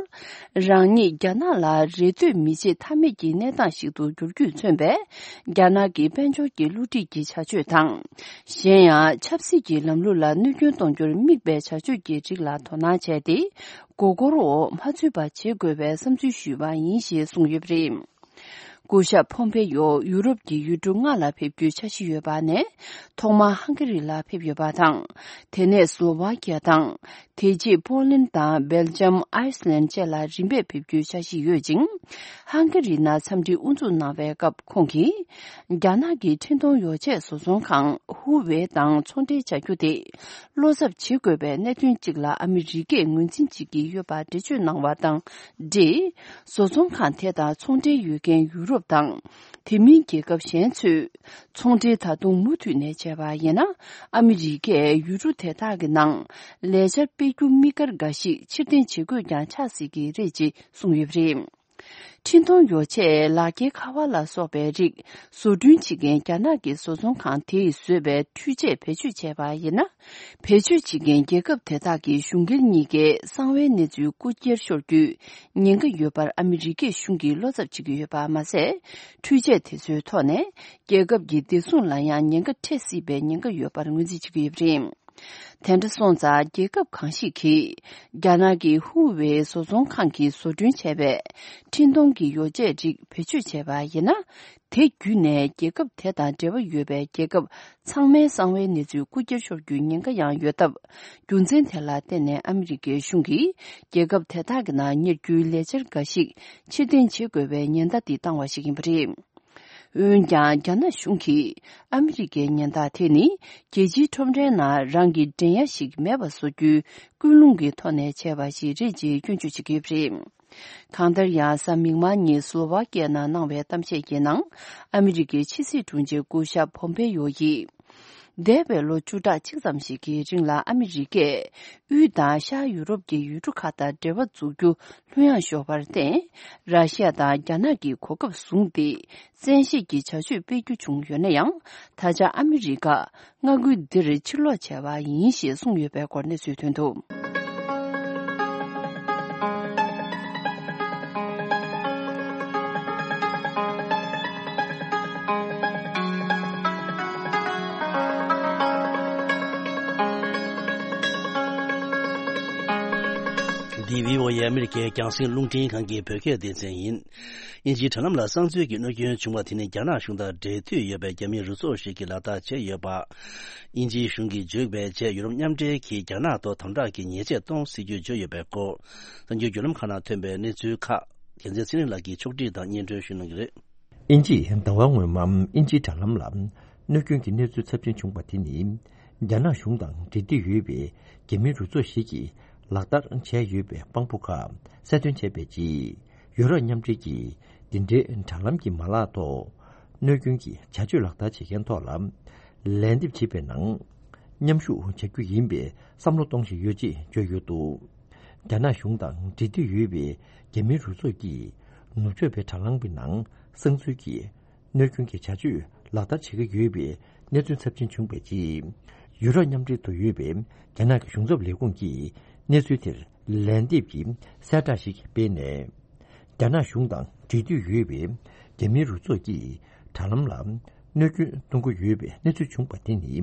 རང་ཉིད་རྒྱ་ནག་ལ་རེ་ལྟོས་མི་བྱེད་ཐབས་མེད་ཀྱི་གནས་སྟངས་ཤིག་ཏུ་འགྱུར་རྒྱུས་མཚོན་པའི་རྒྱ་ནག་གི་དཔལ་འབྱོར་གྱི་བསླུ་བྲིད་ཀྱི་བྱ་སྤྱོད་དང་། གཞན་ཡང་ཆབ་སྲིད་ཀྱི་ལམ་ལུགས་ལ་གནོད་སྐྱོན་གཏོང་རྒྱུར་དམིགས་པའི་བྱ་སྤྱོད་ཀྱི་རིགས་ལ་དོ་སྣང་བྱས་ཏེ། མགོ་སྐོར་འོག་མ་ཚུད་པ་བྱེད་དགོས་པའི་བསམ་ཚུལ་ཞུས་པ་ཡིན་ཞེས་གསུངས་ཡོད་པ་རེད། སྐུ་ཞབས་ཕོམ་པེ་ཡོ་ཡུ་རོབ་ཀྱི་ཡུལ་གྲུ་ལྔ་ལ་ཕེབས་རྒྱུའི་འཆར་གཞི་ཡོད་པ་ནས། ཐོག་མར་ཧང་ག་རི་ལ་ཕེབས་ཡོད་པ་དང་། དེ་ནས་སློ་ཝཱ་ཀི་ཡ་དང་། དེ་རྗེས་པོ་ལན་དང་སྦེལ་ཇམ། ཨའི་སི་ལན་བཅས་ལ་རིམ་པས་ཕེབས་རྒྱུའི་འཆར་གཞི་ཡོད་ཅིང་། ཧང་ག་རི་ནང་འཚམས་འདྲི་དབུ་འཛུགས་གནང་བའི་སྐབས། ཁོང་གིས་རྒྱ་ནག་གི་འཕྲིན་གཏོང་ཡོ་ཆས་བཟོ་ཚོང་ཁང་ཧུ་ཝེ་དང་ཚོང་འབྲེལ་བྱ་རྒྱུ་དེ་བློ་འཚབ་བྱེད་དགོས་པའི་གནད་དོན་གཅིག་ལ་ཨ་མི་རི་ཀས་ངོས་འཛིན་བྱེད་ཀྱི་ཡོད་པ་འགྲེལ་བརྗོད་གནང་བ་དང་འབྲེལ། བཟོ་ཚོང་ཁང་དེ་དང་ཚོང་འབྲེལ་ཡོད་མཁན་ཡུ་རོབ་དང་། དེ་མིན་རྒྱལ་ཁབ་གཞན་ཚོས་ཚོང་འབྲེལ་ད་དུང་མུ་མཐུད་ནས་བྱས་པ་ཡིན་ན། ཨ་མི་རི་ཀས་ཡུལ་གྲུ་དེ་དག་གི་ནང་ལས་འཆར་སྤེལ་རྒྱུ་དམིགས་བཀར་འགའ་ཞིག་ཕྱིར་འཐེན་བྱེད་དགོས་ཀྱང་ཆགས་སྲིད་ཀྱི་རེད་ཅེས་གསུངས་ཡོད་པ་རེད། འཕྲིན་གཏོང་ཡོ་ཆས། ལག་འཁྱེར་ཁ་པར་ལ་སོགས་པའི་རིགས་བཟོ་སྐྲུན་བྱེད་མཁན་རྒྱ་ནག་གི་བཟོ་ཚོང་ཁང་དེས་བཟོས་པའི་འཕྲུལ་ཆས་བེད་སྤྱོད་བྱས་པ་ཡིན་ན། བེད་སྤྱོད་བྱེད་མཁན་རྒྱལ་ཁབ་དེ་དག་གི་གཞུང་སྒེར་གཉིས་ཀའི་གསང་བའི་གནས་ཚུལ་རྐུ་འཁྱེར་ཤོར་རྒྱུའི་ཉེན་ཁ་ཡོད་པར་ཨ་མི་རི་ཀའི་གཞུང་གིས་བློ་འཚབ་བྱེད་ཀྱི་ཡོད་པ་མ་ཟད། འཕྲུལ་ཆས་དེ་ཚོའི་ཐོག་ནས་རྒྱལ་ཁབ་ཀྱི་བདེ་སྲུང་ལ་ཡང་ཉེན་ཁ་འཕྲད་སྲིད་པའི་ཉེན་ཁ་ཡོད་པར་ངོས་འཛིན་བྱེད་ཀྱི་ཡོད་པ་རེད། དེ་འདྲ་སོང་ཙང་རྒྱལ་ཁབ་གང་ཞིག་གིས་རྒྱ་ནག་གི་ཧུ་ཝེ་བཟོ་ཚོང་ཁང་གིས་བཟོ་སྐྲུན་བྱས་པའི་འཕྲིན་གཏོང་གི་ཡོ་ཆས་རིགས་བེད་སྤྱོད་བྱས་པ་ཡིན་ན། དེ་བརྒྱུད་ནས་རྒྱལ་ཁབ་དེ་དང་འབྲེལ་བ་ཡོད་པའི་རྒྱལ་ཁབ་ཚང་མའི་གསང་བའི་གནས་ཚུལ་རྐུ་འཁྱེར་ཤོར་རྒྱུའི་ཉེན་ཁ་ཡང་ཡོད་སྟབས། རྒྱུ་མཚན་དེ་ལ་བརྟེན་ནས་ཨ་མི་རི་ཀའི་གཞུང་གིས་རྒྱལ་ཁབ་དེ་དག་གི་ནང་གཉེར་རྒྱུའི་ལས་འཆར་འགའ་ཞིག་ཕྱིར་འཐེན་བྱེད་དགོས་པའི་ཉེན་བརྡ་དེ་བཏང་བ་ཞིག་ཡིན་པ་རེད། འོན་ཀྱང་། རྒྱ་ནག་གཞུང་གིས་ཨ་མི་རི་ཀའི་ཉེན་བརྡ་དེ་ནི་རྒྱལ་སྤྱིའི་ཁྲོམ་རའི་ནང་རང་གི་འགྲན་ཡ་ཞིག་མེད་པ་བཟོ་རྒྱུའི་ཀུན་སློང་གི་ཐོག་ནས་བྱས་པ་ཞིག་རེད་ཅེས་སྐྱོན་བརྗོད་བྱེད་ཀྱི་ཡོད་པ་རེད། གང་ལྟར་ཡང་། གཟའ་མིག་དམར་ཉིན་སློ་ཝཱ་ཀི་ཡ་ནང་གནང་བའི་གཏམ་བཤད་ཀྱི་ནང་། ཨ་མི་རི་ཀའི་ཕྱི་སྲིད་དྲུང་ཆེ་སྐུ་ཞབས་ཕོམ་པེ་ཡོ་ཡིས། འདས་པའི་ལོ་བཅུ་ཕྲག་གཅིག་ཙམ་ཞིག་གི་རིང་ལ་ཨ་མི་རི་ཀས་དབུས་དང་ཤར་ཡུ་རོབ་ཀྱི་ཡུལ་གྲུ་ཁག་དང་འབྲེལ་བ་འཛུགས་རྒྱུ་ལྷོད་ཡངས་ཤོར་བར་བརྟེན། ར་ཤི་ཡ་དང་རྒྱ་ནག་གིས་གོ་སྐབས་བཟུང་སྟེ། བཙན་ཤེད་ཀྱི་བྱ་སྤྱོད་སྤེལ་རྒྱུ་བྱུང་ཡོད་ན་ཡང་། ད་ཆ་ཨ་མི་རི་ཀ་མངའ་ཁུལ་འདིར་ཕྱིར་ལོག་བྱས་པ་ཡིན་ཞེས་གསུངས་ཡོད་པའི་སྐོར་གནས་ཚུལ་ཐོན་འདུག། འདི་བྷི་ཨོ་ཨེ་ཨ་མི་རི་ཀའི་རྒྱང་སྲིང་རླུང་འཕྲིན་ཁང་གི་བོད་སྐད་སྡེ་ཚན་ཡིན། དབྱིན་ཇིའི་དྲ་ལམ་ལ་གསང་འཛུལ་གྱི་གནོད་སྐྱོན་བྱུང་བ་དེ་ནི་རྒྱ་ནག་གཞུང་དང་འབྲེལ་མཐུད་ཡོད་པའི་རྒྱ་མིའི་རུ་ཚོགས་ཤིག་གིས་ལག་བསྟར་བྱས་ཡོད་པ། དབྱིན་ཇིའི་གཞུང་གིས་བརྗོད་པའི་རྗེས། ཡུ་རོབ་མཉམ་འབྲེལ་གྱིས་རྒྱ་ནག་ཐོག་དམ་དྲག་གི་ཉེས་ཆད་གཏོང་སྲིད་རྒྱུ་བརྗོད་ཡོད་པའི་སྐོར། གསར་འགྱུར་བརྒྱུད་ལམ་ཁག་ནང་ཐོན་པའི་གནས་ཚུལ་ཁག་རྒྱལ་མཚན་ཚེ་རིང་ལགས་ཀྱིས་ཕྱོགས་སྒྲིག་དང་སྙན་སྒྲོན་ཞུ་གནང་གི་རེད། དབྱིན་ཇིས་ཟླ་བ་སྔོན་མ་དབྱིན་ཇིའི་དྲ་ལམ་ལ་གནོད་སྐྱོན་གྱི་གནས་ཚུལ་ཚབས་ཆེན་བྱུང་བ་དེ་ནི། རྒྱ་ནག་གཞུང་དང་འབྲེལ་མཐུད་ཡོད་པའི་རྒྱ་མིའི་རུ་ཚོགས་ཤིག་གིས་ལག་བསྟར་བྱས་ཡོད་པའི་དཔང་པོ་ཁག་གསལ་སྟོན་བྱས་པའི་རྗེས། ཡུ་རོབ་མཉམ་འབྲེལ་གྱིས་འདི་འདྲའི་དྲ་ལམ་གྱི་མ་ལག་ཐོག་གནོད་སྐྱོན་གྱི་བྱ་སྤྱོད་ལག་བསྟར་བྱེད་མཁན་ཐོག་ལ་ལན་འདེབས་བྱེད་པའི་ནང་མཉམ་ཞུགས་བྱ་རྒྱུ་ཡིན་པའི་བསམ་བློ་གཏོང་བཞིན་ཡོད་ཅེས་བརྗོད་ཡོད་འདུག། རྒྱ་ནག་གཞུང་དང་འབྲེལ་མཐུད་ཡོད་པའི་རྒྱ་མིའི་རུ་ཚོགས་ཀྱིས་ནུབ་ཕྱོགས་པའི་དྲ་ལམ་གྱི་ནང་གསང་འཛུལ་གྱིས་གནོད་སྐྱོན་གྱི་བྱ་སྤྱོད་ལག་བསྟར་བྱེད་ཀྱི་ཡོད་པའི་གནས་ཚུལ་ཚབས་ཆེན་བྱུང་བའི་རྗེས། ཡུ་རོབ་མཉམ་འབྲེལ་དུ་ཡོད་པའི་རྒྱ་ནག་གི་གཞུང་ཚབ་ལས་ཁུངས་ཀྱིས་གནས་ཚུལ་དེར་ལན་འདེབས་ཀྱི་གསལ་བསྒྲགས་ཤིག་སྤེལ་ནས། རྒྱ་ནག་གཞུང་དང་འབྲེལ་མཐུད་ཡོད་པའི་རྒྱ་མིའི་རུ་ཚོགས་ཀྱིས་དྲ་ལམ་ལ་གནོད་སྐྱོན་གཏོང་གི་ཡོད་པའི་གནས་ཚུལ་བྱུང་བ་དེ་ནི་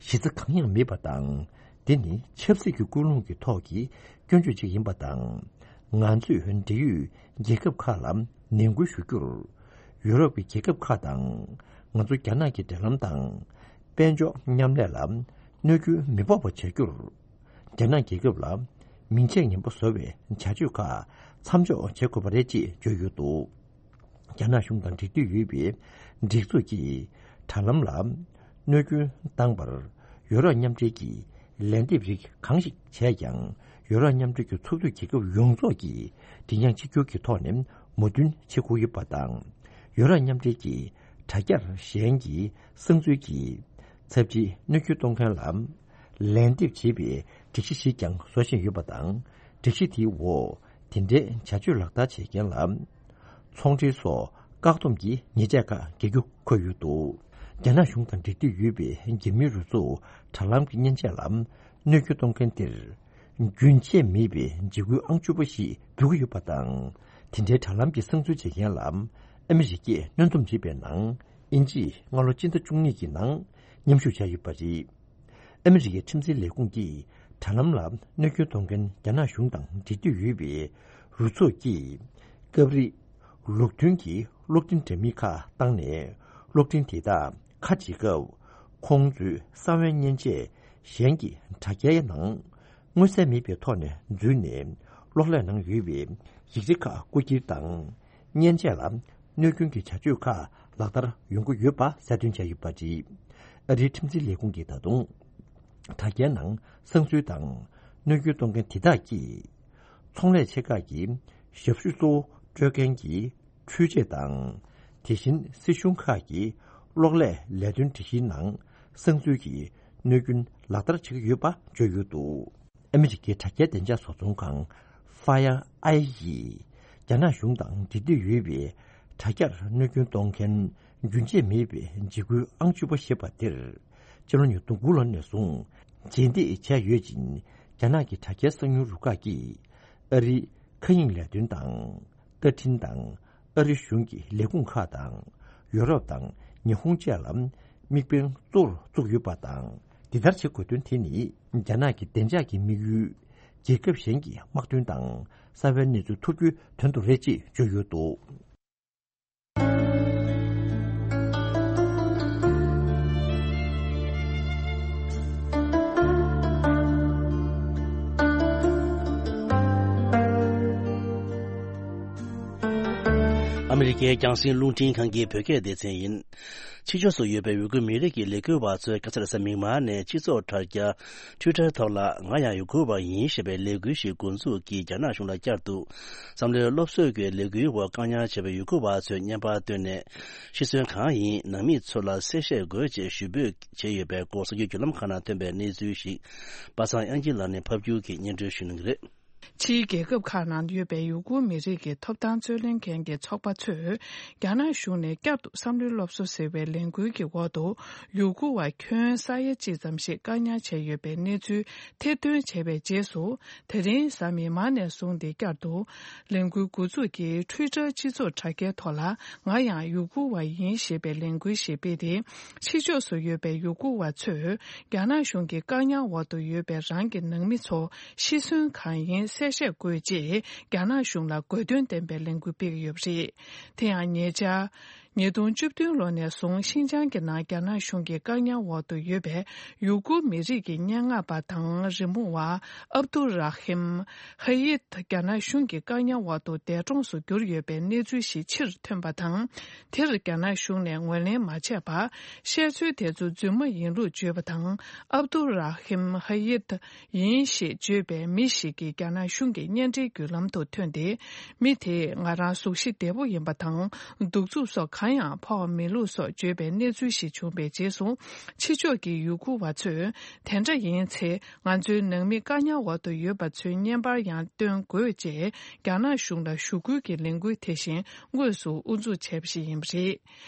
གཞི་རྩ་གང་ཡང་མེད་པ་དང་། འདི་ནི་ཆབ་སྲིད་ཀྱི་ཀུན་སློང་གི་ཐོག་གི་སྐྱོན་བརྗོད་ཅིག་ཡིན་པ་དང་། ང་ཚོས་འབྲེལ་ཡོད་རྒྱལ་ཁབ་ཁག་ལ་ནན་སྐུལ་ཞུ་རྒྱུར། ཡུ་རོབ་ཀྱི་རྒྱལ་ཁབ་ཁག་དང་ང་ཚོ་རྒྱ་ནག་གི་འབྲེལ་ལམ་དང་། དཔལ་འབྱོར་མཉམ་ལས་ལ་གནོད་སྐྱོན་མི་ཕོག་པ་བྱ་རྒྱུར། རྒྱ་ནག་རྒྱལ་ཁབ་ལ་མིང་ཆད་ངན་པ་བཟོ་བའི་བྱ་སྤྱོད་ཁག་མཚམས་འཇོག་བྱེད་དགོས་པ་རེད་ཅེས་བརྗོད་ཡོད་འདུག་རྒྱ་ནག་གཞུང་དང་འབྲེལ་མཐུད་ཡོད་པའི་སྒྲིག་འཛུགས་ཀྱིས་དྲ་ལམ་ལ་གནོད་སྐྱོན་བཏང་བར་ཡུ་རོབ་མཉམ་འབྲེལ་གྱིས་ལན་འདེབས་རིགས་གང་ཞིག་བྱས་ཀྱང་། ཡུ་རོབ་མཉམ་འབྲེལ་གྱི་ཚོགས་འདུའི་རྒྱལ་ཁབ་ཡོངས་རྫོགས་ཀྱིས་མགྲིན་དབྱངས་གཅིག་གྱུར་གྱི་ཐོག་ནས་མོས་མཐུན་བྱེད་དགོས་ཡོད་པ་དང་། ཡུ་རོབ་མཉམ་འབྲེལ་གྱི་དྲ་རྒྱར་གཞན་གྱི་གསང་འཛུལ་གྱིས་ཚབས་ཆེའི་གནོད་སྐྱོན་གཏོང་མཁན་ལ་ལན་འདེབས་བྱེད་པའི་སྒྲིག་གཞི་ཞིག་ཀྱང་བཟོ་བཞིན་ཡོད་པ་དང་། སྒྲིག་གཞི་དེའི་འོག་དེ་འདྲའི་བྱ་སྤྱོད་ལག་བསྟར་བྱེད་མཁན་ལ། ཚོང་འབྲེལ་སོགས་བཀག་སྡོམ་གྱི་ཉེས་ཆད་ཁག་འགེལ་རྒྱུ་འཁོད་ཡོད་འདུག་རྒྱ་ནག་གཞུང་དང་འབྲེལ་མཐུད་ཡོད་པའི་རྒྱ་མིའི་རུ་ཚོགས་དྲ་ལམ་གྱི་མཉེན་ཆས་ལ་གནོད་སྐྱོན་གཏོང་མཁན་དེར། རྒྱུན་ཆད་མེད་པའི་འཇིགས་སྐུལ་ཨང་བཅུ་པ་ཞིག་འབུལ་གྱི་ཡོད་པ་དང་། དེ་འདྲའི་དྲ་ལམ་གྱི་གསང་འཛུལ་བྱེད་མཁན་ལ་ཨ་མི་རི་ཀས་གནོན་སྡོམ་བྱས་པའི་ནང་། དབྱིན་ཇིས་སྔ་ལོ་སྤྱི་ཟླ་བཅུ་གཉིས་ཀྱི་ནང་མཉམ་ཞུགས་བྱས་ཡོད་པ་རེད། ཨ་མི་རི་ཀའི་ཁྲིམས་འཛིན་ལས་ཁུངས་ཀྱིས་དྲ་ལམ་ལ་གནོད་སྐྱོན་གཏོང་མཁན་རྒྱ་ནག་གཞུང་དང་འབྲེལ་མཐུད་ཡོད་པའི་རུ་ཚོགས་ཀྱིས་སྐབས་རེ་ལུགས་མཐུན་གྱི་གློག་འཕྲིན་འདྲ་མིན་ཁག་བཏང་ནས། གློག་འཕྲིན་དེ་དག་ཁ་ཕྱེ་སྐབས། ཁོང་ཚོའི་གསང་བའི་མཉེན་ཆས་གཞན་གྱི་དྲ་རྒྱའི་ནང་མངོན་གསལ་མེད་པའི་ཐོག་ནས་འཛུལ་ནས། གློག་ཀླད་ནང་ཡོད་པའི་ཡིག་ཆ་ཁག་རྐུ་འཁྱེར་དང་། མཉེན་ཆས་ལ་གནོད་སྐྱོན་གྱི་བྱ་སྤྱོད་ཁག་ལག་བསྟར་ཡོང་གི་ཡོད་པ་གསལ་སྟོན་བྱས་ཡོད་པ་རེད། ཨ་རིའི་ཁྲིམས་འཛིན་ལས་ཁུངས་ཀྱིས་ད་དུང་། དྲ་རྒྱའི་ནང་གསང་འཛུལ་དང་གནོད་སྐྱོན་གཏོང་མཁན་དེ་དག་གིས། ཚོང་ལས་ཆེ་ཁག་གི་ཞབས་ཞུ་གཙོ་བོ་སྤྲོད་མཁན་གྱི་འཕྲུལ་ཆས་དང་། དེ་བཞིན་སྲིད་གཞུང་ཁག་གི་གློག་ཀླད་ལས་དོན་སྒྲིག་གཞིའི་ནང་གསང་འཛུལ་གྱི་གནོད་སྐྱོན་ལག་བསྟར་བྱེད་ཀྱི་ཡོད་པ་བརྗོད་ཡོད་འདུག་ཨ་མི་རི་ཀའི་དྲ་རྒྱའི་བདེ་འཇགས་བཟོ་ཚོང་ཁང་Fire Eye ཡིས། རྒྱ་ནག་གཞུང་དང་འབྲེལ་མཐུད་ཡོད་པའི་དྲ་རྒྱར་གནོད་སྐྱོན་གཏོང་མཁན་རྒྱུན་ཆད་མེད་པའི་འཇིགས་སྐུལ་ཨང་བཅུ་པ་ཞེས་པ་དེར། ཕྱི་ལོ་ཉིས་སྟོང་དགུ་ལོ་ནས་བཟུང་རྗེས་འདེད་བྱས་ཡོད་ཅིང་། རྒྱ་ནག་གི་དྲ་རྒྱའི་གསང་མྱུལ་རུ་ཁག་གིས་ཨ་རིའི་མཁའ་དབྱིངས་ལས་དོན་དང་། ལྟ་འཕྲིན་དང་། ཨ་རི་གཞུང་གི་ལས་ཁུངས་ཁག་དང་། ཡོ་རོབ་དང་ཉི་ཧོང་བཅས་ལ་དམིགས་འབེན་གཙོ་བོར་བཙུགས་ཡོད་པ་དང་། འདི་ལྟར་བྱེད་དགོས་དོན་དེ་ནི། རྒྱ་ནག་གི་བདེ་འཇགས་ཀྱི་དམིགས་ཡུལ། རྒྱལ་ཁབ་གཞན་གྱི་དམག་དོན་དང་། གསང་བའི་གནས་ཚུལ་ཐོབ་རྒྱུའི་དོན་དུ་རེད་ཅེས་བརྗོད་ཡོད་འདུག་ཨ་མི་རི་ཀའི་རྒྱང་སྲིང་རླུང་འཕྲིན་ཁང་གི་བོད་སྐད་སྡེ་ཚན་ཡིན། ཕྱི་ཕྱོགས་སུ་ཡོད་པའི་ཡུ་གུར་མི་རིགས་ཀྱི་ལས་འགུལ་བ་ཚོས་ཁ་སང་རེས་གཟའ་མིག་དམར་ནས་སྤྱི་ཚོགས་དྲ་རྒྱ་Twitter ཐོག་ལ། ང་ཡང་ཡུ་གུར་བ་ཡིན་ཞེས་པའི་ལས་འགུལ་ཞིག་འགོ་འཛུགས་ཀྱིས་རྒྱ་ནག་གཞུང་ལ་བསྐྱར་དུ་བསམ་བློའི་སློབ་གསོའི་ལས་འགུལ་འོག་བཀག་ཉར་བྱས་པའི་ཡུ་གུར་བ་ཚོས་བརྙན་པར་བཏོན་ནས། ཤི་གསོན་གང་ཡིན། ནང་མི་ཚོ་ལ་གསལ་བཤད་དགོས་ཅེས་ཞུ་འབོད་བྱས་ཡོད་པའི་སྐོར་གསར་འགྱུར་བརྒྱུད་ལམ་ཁག་ནང་ཐོན་པའི་གནས་ཚུལ་ཞིག་པ་སངས་དབྱངས་སྐྱིད་ལགས་ནས་ཕབ་སྒྱུར་གྱིས་སྙན་སྒྲོན་ཞུ་གནང་གི་རེད། ཕྱིའི་རྒྱལ་ཁབ་ཁག་ནང་ཡོད་པའི་ཡུ་གུར་མི་རིགས་ཀྱི་ཐོབ་ཐང་རྩོད་ལེན་མཁན་གྱི་ཚོགས་པ་ཚོས། རྒྱ་ནག་གཞུང་ནས་བསྐྱར་དུ་བསམ་བློའི་སློབ་གསོ་ཟེར་བའི་ལས་འགུལ་གྱི་འོག་ཏུ། ཡུ་གུར་བ་ཁྱོན་ས་ཡ་གཅིག་ཙམ་ཞིག་བཀག་ཉར་བྱས་ཡོད་པའི་གནས་ཚུལ་ཐེར་འདོན་བྱས་པའི་རྗེས་སུ། དེ་རིང་གཟའ་མིག་དམར་ནས་བཟུང་སྟེ་བསྐྱར་དུ། ལས་འགུལ་འགོ་འཛུགས་ཀྱིས་Twitter སྤྱི་ཚོགས་དྲ་རྒྱའི་ཐོག་ལ། ང་ཡང་ཡུ་གུར་བ་ཡིན་ཞེས་པའི་ལས་འགུལ་ཞིག་སྤེལ་ཏེ། ཕྱི་ཕྱོགས་སུ་ཡོད་པའི་ཡུ་གུར་བ་ཚོས། རྒྱ་ནག་གཞུང་གི་བཀག་ཉར་འོག་ཏུ་ཡོད་པའི་རང་གི་ནང་མི་ཚོ་ཤི་གསོན་གང་ཡིན་གསལ་བཤད་དགོས་ཅེས་རྒྱ་ནག་གཞུང་ལ་དགོས་འདུན་ལྡན་པའི་ལས་འགུལ་སྤེལ་གྱི་ཡོད་པ་རེད། དེ་ཡང་ཉེ་ཆར། ཉིས་སྟོང་བཅུ་བདུན་ལོ་ནས་བཟུང་ཤིན་ཅང་གི་ནང་རྒྱ་ནག་གཞུང་གི་བཀག་ཉར་འོག་ཏུ་ཡོད་པའི་ཡུ་གུར་མི་རིགས་ཀྱི་སྙན་ངག་པ་དང་རི་མོ་བ་ཨབ་དུ་ར་ཧིམ་ཧ་ཡིད་རྒྱ་ནག་གཞུང་གི་བཀག་ཉར་འོག་ཏུ་འདས་གྲོངས་སུ་གྱུར་ཡོད་པའི་གནས་ཚུལ་ཞིག་ཕྱིར་ཐོན་པ་དང་། དེར་རྒྱ་ནག་གཞུང་ནས་ངོས་ལེན་མ་བྱས་པར། བཤད་ཚུལ་དེ་ཚོ་རྫུན་མ་ཡིན་ལུགས་བརྗོད་པ་དང་། ཨབ་དུ་ར་ཧིམ་ཧ་ཡིད་ཡིན་ཞེས་བརྗོད་པའི་མི་ཞིག་གིས་རྒྱ་ནག་གཞུང་གི་བརྙན་འཕྲིན་བརྒྱུད་ལམ་དུ་ཐོན་ཏེ། མི་དེས་ང་རང་གཟུགས་གཞི་བདེ་པོ་ཡིན་པ་དང་། གདུག་རྩུབ་སོགས་གང་ཡང་ཕོག་མེད་ལུགས་སོགས་བརྗོད་པའི་གནས་ཚུལ་ཞིག་བྱུང་བའི་རྗེས་སུ། ཕྱི་ཕྱོགས་ཀྱི་ཡུ་གུར་བ་ཚོས། དེ་འདྲ་ཡིན་ཚེ། ང་ཚོའི་ནང་མི་བཀག་ཉར་འོག་ཏུ་ཡོད་པ་ཚོའི་བརྙན་པར་ཡང་སྟོན་དགོས་ཅེས། རྒྱ་ནག་གཞུང་ལ་ཞུ་སྐུལ་གྱི་ལས་འགུལ་དེ་བཞིན་དངོས་སུ་དབུ་འཛུགས་བྱས་པ་ཞིག་ཡིན་པ་རེད།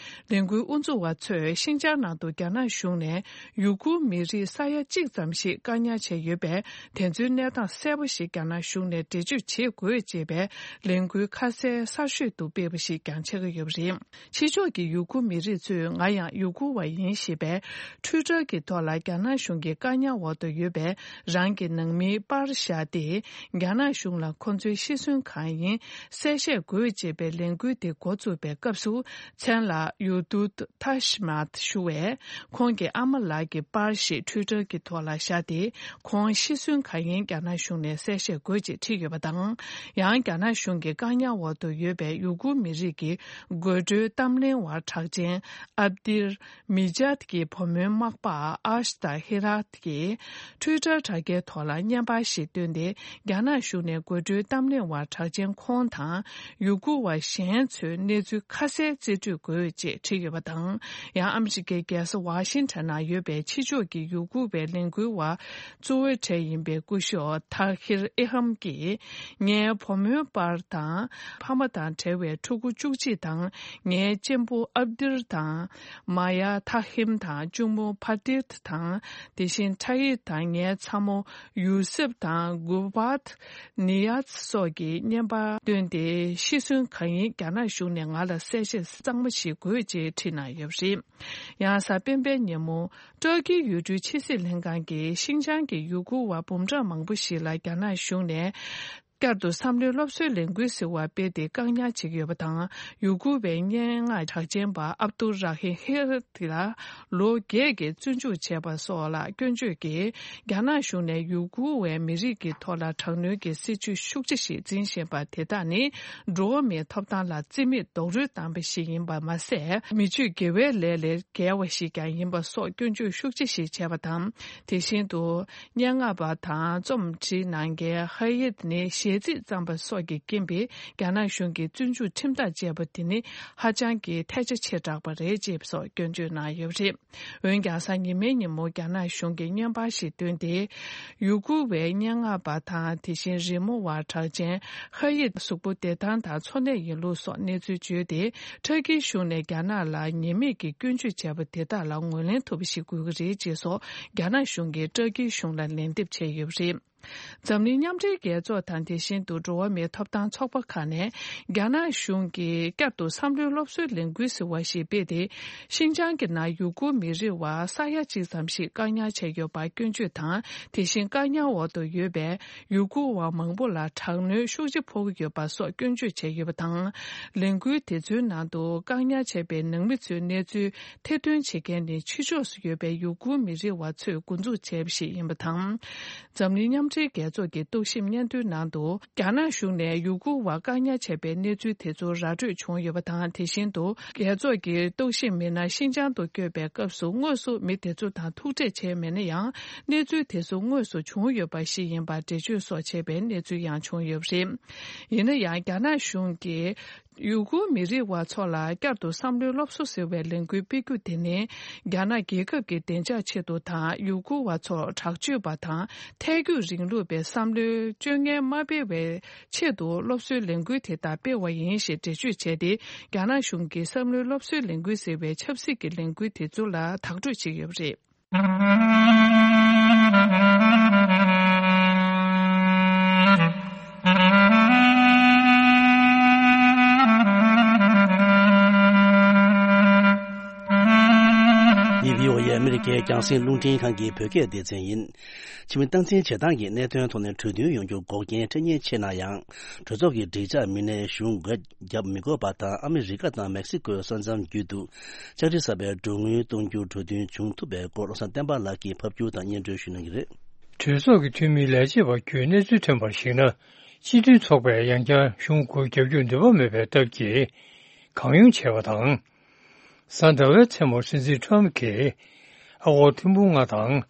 ལས་འགུལ་དབུ་འཛུགས་པ་ཚོས་ཤིན་ཅང་ནང་དུ་རྒྱ་ནག་གཞུང་ནས་ཡུ་གུར་མི་རིགས་ས་ཡ་གཅིག་ཙམ་ཞིག་བཀག་ཉར་བྱས་ཡོད་པས། དེ་ཚོའི་གནས་སྟངས་གསལ་པོ་ཞིག་རྒྱ་ནག་གཞུང་ནས་འགྲེལ་བརྗོད་བྱེད་དགོས་ཅེས་པའི་ལས་འགུལ་ཁ་གསལ་གསར་ཤོས་དུ་སྤེལ་བ་ཞིག་ཀྱང་ཆགས་ཀྱི་ཡོད་པ་རེད། ཕྱི་ཕྱོགས་ཀྱི་ཡུ་གུར་མི་རིགས་ཚོས་ང་ཡང་ཡུ་གུར་བ་ཡིན་ཞེས་པའི་ཊུའི་ཊར་གྱི་ཐོག་ལ་རྒྱ་ནག་གཞུང་གི་བཀག་ཉར་འོག་ཏུ་ཡོད་པའི་རང་གི་ནང་མིའི་པར་བཞག་སྟེ། རྒྱ་ནག་གཞུང་ལ་ཁོ་ཚོའི་ཤི་གསོན་གང་ཡིན་གསལ་བཤད་དགོས་ཅེས་པའི་ལས་འགུལ་དེ་འགོ་བཙུགས་པའི་སྐབས་སུ། མཚན་ལ་ཡུ་དུད་ཐ་ཤི་མཱད་ཞུ་བས། ཁོང་གི་ཨ་མ་ལགས་ཀྱི་པར་ཞིག་ཊུའི་ཊར་གྱི་ཐོག་ལ་བཞག་སྟེ། ཁོང་ཤི་གསོན་གང་ཡིན་རྒྱ་ནག་གཞུང་ནས་གསལ་བཤད་དགོས་ཅེས་བྲིས་ཡོད་པ་དང་། ཡང་རྒྱ་ནག་གཞུང་གི་བཀག་ཉར་འོག་ཏུ་ཡོད་པའི་ཡུ་གུར་མི་རིགས་ཀྱི་དགོད་བྲོའི་གཏམ་གླེང་བ་གྲགས་ཅན་ཨབ་དིར་མི་ཇཱད་ཀྱི་བུ་མོའི་མག་པ་ཨ་ཤ་ཏ་ཧི་རཱད་ཀྱིས་ཊུའི་ཊར་དྲ་རྒྱའི་ཐོག་ལ་བརྙན་པར་ཞིག་བཏོན་ཏེ། རྒྱ་ནག་གཞུང་ནས་དགོད་བྲོའི་གཏམ་གླེང་བ་གྲགས་ཅན་ཁོང་དང་ཡུ་གུར་བ་གཞན་ཚོའི་གནས་ཚུལ་ཁ་གསལ་རྩིས་སྤྲོད་དགོས་ཅེས་བྲིས་ཡོད་པ་དང་། ཡང་ཨ་མི་རི་ཀའི་རྒྱལ་ས་ཝ་ཤིང་ཊོན་ནང་ཡོད་པའི་ཕྱི་ཕྱོགས་ཀྱི་ཡུ་གུར་བའི་ལས་འགུལ་བ་གཙོ་བོའི་གྲས་ཡིན་པའི་སྐུ་ཞབས་ཐ་ཧིར་ཨེ་ཧམ་གྱིས། ངའི་བུ་མོའི་པར་དང་། ཕ་མ་དང་བྲལ་བའི་ཕྲུ་གུ་བཅུ་གཅིག་དང་། ངའི་གཅེན་པོ་ཨབ་དིར་དང་། མ་ཡ་ཐ་ཧིམ་དང་གཅུང་མོ་ཕ་ཏིར་དང་། དེ་བཞིན་ཐ་ཡིར་དང་ངའི་ཚ་མོ་ཡུ་སེབ་དང་གུ་བཱད་ནི་ཡཱད་སོགས་ཀྱིས་བརྙན་པར་བཏོན་ཏེ། ཤི་གསོན་གང་ཡིན་རྒྱ་ནག་གཞུང་ནས་ང་ལ་གསལ་བཤད་གཙང་མ་ཞིག་དགོས་ཅེས་བྲིས་གནང་ཡོད་པ་རེད། ཡང་གཟའ་སྤེན་པའི་ཉིན་མོ། ཏུར་ཀིའི་ཡུལ་གྲུའི་ཕྱི་སྲིད་ལྷན་ཁང་གིས་ཤིན་ཅང་གི་ཡུ་གུར་བ་འབུམ་ཕྲག་མང་པོ་ཞིག་ལ་རྒྱ་ནག་གཞུང་ནས། བསྐྱར་དུ་བསམ་བློའི་སློབ་གསོའི་ལས་འགུལ་ཟེར་བ་སྤེལ་ཏེ་བཀག་ཉར་བྱེད་ཀྱི་ཡོད་པ་དང་། ཡུ་གུར་བའི་སྙན་ངག་གྲགས་ཅན་པ་ཨབ་ཏུར་ར་ཧིམ་ཧེ་ར་ཏི་ལ་ལོ་བརྒྱད་ཀྱི་བཙོན་འཇུག་བྱས་པ་སོགས་ལ་སྐྱོན་བརྗོད་ཀྱིས། རྒྱ་ནག་གཞུང་ནས་ཡུ་གུར་བའི་མི་རིགས་ཀྱི་ཐོག་ལ་དྲག་གནོན་གྱི་སྲིད་བྱུས་ཤུགས་ཆེ་ཞིག་འཛིན་བཞིན་པ་དེ་དག་ནི། འགྲོ་བ་མིའི་ཐོབ་ཐང་ལ་རྩིས་མེད་རྡོག་རོལ་བཏང་བ་ཞིག་ཡིན་པ་མ་ཟད། མི་ཆོས་དགེ་བའི་ལས་ལས་འགལ་བ་ཞིག་ཀྱང་ཡིན་པ་སོགས་སྐྱོན་བརྗོད་ཤུགས་ཆེ་ཞིག་བྱས་པ་དང་། དེ་བཞིན་དུ། སྙན་ངག་པ་དང་རྩོམ་བྲིས་གནང་མཁན་ཧ་ཡེད་ནི་ཞལ་རྩིས་བརྩམས་པ་སོགས་ཀྱི་རྐྱེན་པས། རྒྱ་ནག་གཞུང་གིས་བཙོན་འཇུག་ཁྲིམས་ཐག་བཅད་པ་དེ་ནི་ཧ་ཅང་གི་ཐལ་ཆ་ཆེ་དྲགས་པ་རེད་ཅེས་སོགས་སྐྱོན་བརྗོད་གནང་ཡོད་པ་རེད། འོན་ཀྱང་གཟའ་ཉི་མའི་ཉིན་མོ་རྒྱ་ནག་གཞུང་གིས་བརྙན་པར་ཞིག་བཏོན་ཏེ། ཡུ་གུར་བའི་སྙན་ངག་པ་དང་དེ་བཞིན་རི་མོ་བ་གྲགས་ཅན་ཧ་ཡེད་གཟུགས་པོ་བདེ་ཐང་དང་འཚོ་གནས་ཡིན་ལུགས་སོགས་གནས་ཚུལ་བརྗོད་དེ། ཏུར་ཀིའི་གཞུང་ནས་རྒྱ་ནག་ལ་ཉེས་མེད་ཀྱི་སྐྱོན་བརྗོད་བྱས་པ་དེ་དག་ལ་ངོས་ལེན་ཐུབ་པ་ཞིག་དགོས་ཀྱི་རེད་ཅེས་སོགས་རྒྱ་ནག་གཞུང་གིས་ཏུར་ཀིའི་གཞུང་ལ་ལན་འདེབས་བྱས་ཡོད་པ་རེད། འཛམ་གླིང་མཉམ་འབྲེལ་རྒྱལ་ཚོགས་དང་དེ་བཞིན་དུ་འགྲོ་བ་མིའི་ཐོབ་ཐང་ཚོགས་པ་ཁག་ནས་རྒྱ་ནག་གཞུང་གིས་བསྐྱར་དུ་བསམ་བློའི་སློབ་གསོའི་ལས་འགུལ་ཟེར་བ་ཞིག་སྤེལ་ཏེ། ཤིན་ཅང་གི་ནང་ཡུ་གུར་མི་རིགས་བ་ས་ཡ་གཅིག་ཙམ་ཞིག་བཀག་ཉར་བྱས་ཡོད་པར་སྐྱོན་བརྗོད་དང་། དེ་བཞིན་བཀག་ཉར་འོག་ཏུ་ཡོད་པའི་ཡུ་གུར་བ་མང་པོ་ལ་དྲག་གནོན་ཤུགས་ཆེ་ཕོག་གི་ཡོད་པ་སོགས་སྐྱོན་བརྗོད་བྱས་ཡོད་པ་དང་། ལས་འགུལ་དེ་ཚོའི་ནང་དུ་བཀག་ཉར་བྱས་པའི་ནང་མི་ཚོའི་གནས་ཚུལ་ཐེར་འདོན་བྱེད་མཁན་ནི་ཕྱི་ཕྱོགས་སུ་ཡོད་པའི་ཡུ་གུར་མི་རིགས་བ་ཚོས་འགོ་འཛུགས་བྱས་པ་ཞིག་ཡིན་པ་དང་། འཛམ་གླིང་མཉམ་འབྲེལ་རྒྱལ་ཚོགས་ཀྱི་རྟོག་ཞིབ་སྙན་ཐོའི་ནང་དུ། རྒྱ་ནག་གཞུང་ནས་ཡུ་གུར་བ་བཀག་ཉར་བྱས་པའི་གནས་ཚུལ་དེ་ཚོ་ར་སྤྲོད་བྱུང་ཡོད་པ་དང་། དེ་བཞིན་དུ། རྒྱལ་ཚོགས་ཀྱི་རྟོག་ཞིབ་མི་སྣ་ཤིན་ཅང་དུ་བསྐྱོད་པའི་སྐབས་སུ་དངོས་སུ་མི་དེ་ཚོ་དང་ཐུག་འཕྲད་བྱས་མེད་ན་ཡང་། གནས་ཚུལ་དེ་ཚོ་དངོས་སུ་བྱུང་ཡོད་པ་ཞིག་ཡིན་པར་འགྲེལ་བརྗོད་སོགས་བྱས་པའི་གནས་ཚུལ་ཡང་བྱུང་ཡོད་པ་རེད། ཡིན་ན་ཡང་། རྒྱ་ནག་གཞུང་གིས་ཡུ་གུར་མི་རིགས་བ་ཚོ་ལ་བསྐྱར་དུ་བསམ་བློའི་སློབ་གསོ་ཟེར་བའི་ལས་འགུལ་སྤེལ་རྒྱུ་དེ་ནི། རྒྱ་ནག་རྒྱལ་ཁབ་ཀྱི་བདེ་འཇགས་ཆེད་དུ་དང་། ཡུ་གུར་བ་ཚོར་དྲག་སྤྱོད་པ་དང་། ཐལ་འགྱུར་རིང་ལུགས་པའི་བསམ་བློའི་སྤྱོད་ངན་མ་སྤེལ་བའི་ཆེད་དུ་སློབ་གསོའི་ལས་འགུལ་དེ་དག་སྤེལ་བ་ཡིན་ཞེས་འགྲེལ་བརྗོད་བྱས་ཏེ། རྒྱ་ནག་གཞུང་གིས་བསམ་བློའི་སློབ་གསོའི་ལས་འགུལ་ཟེར་བའི་ཆབ་སྲིད་ཀྱི་ལས་འགུལ་དེ་ཚོ་ལ་དག་སྤྲོད་བྱས་ཡོད་པ་རེད། འདི་བྷི་ཨོ་ཨེ་ཨ་མི་རི་ཀའི་རྒྱང་སྲིང་རླུང་འཕྲིན་ཁང་གི་བོད་སྐད་སྡེ་ཚན་ཡིན། ཕྱི་མི་སྟངས་འཛིན་བྱེད་སྟངས་ཀྱི་གནད་དོན་ཐོག་ནས་གྲོས་མཐུན་ཡོང་རྒྱུ་འགོག་རྐྱེན་འཕྲད་ཉེན་ཆེ་ན་ཡང་། གྲོས་ཚོགས་ཀྱི་སྒྲིག་འཇགས་མི་སྣས་གཞུང་སྒོ་བརྒྱབ་མི་དགོས་པ་དང་། ཨ་མི་རི་ཀ་དང་མེག་སི་ཀོའི་ས་མཚམས་བརྒྱུད་དུ་ལྕགས་རི་གསར་པའི་འགྲོ་དངུལ་གཏོང་རྒྱུར་གྲོས་མཐུན་བྱུང་ཐུབ་པའི་སྐོར། བློ་བཟང་བསྟན་པ་ལགས་ཀྱིས་ཕབ་སྒྱུར་དང་སྙན་སྒྲོན་ཞུ་གནང་གི་རེད། གྲོས་ཚོགས་ཀྱི་འཐུས་མིའི་ལས་བྱེད་པ་ཁྱོན་གནས་ཚུལ་ཐོན་པར་གཞིགས་ན། སྤྱི་མཐུན་ཚོགས་པས་ཡང་བསྐྱར་གཞུང་སྒོ་བརྒྱབ་རྒྱུར་འདོད་པ་མེད་པའི་སྟབས་ཀྱིས་གང་ཡོང་བྱས་པ་དང་། གཟའ་ཟླ་བའི་མཚན་མོར་སྲིད་འཛིན་ཁྲོམ་གྱིས་ཨ་སྒོར་ཐེར་འབུམ་ལྔ་དང་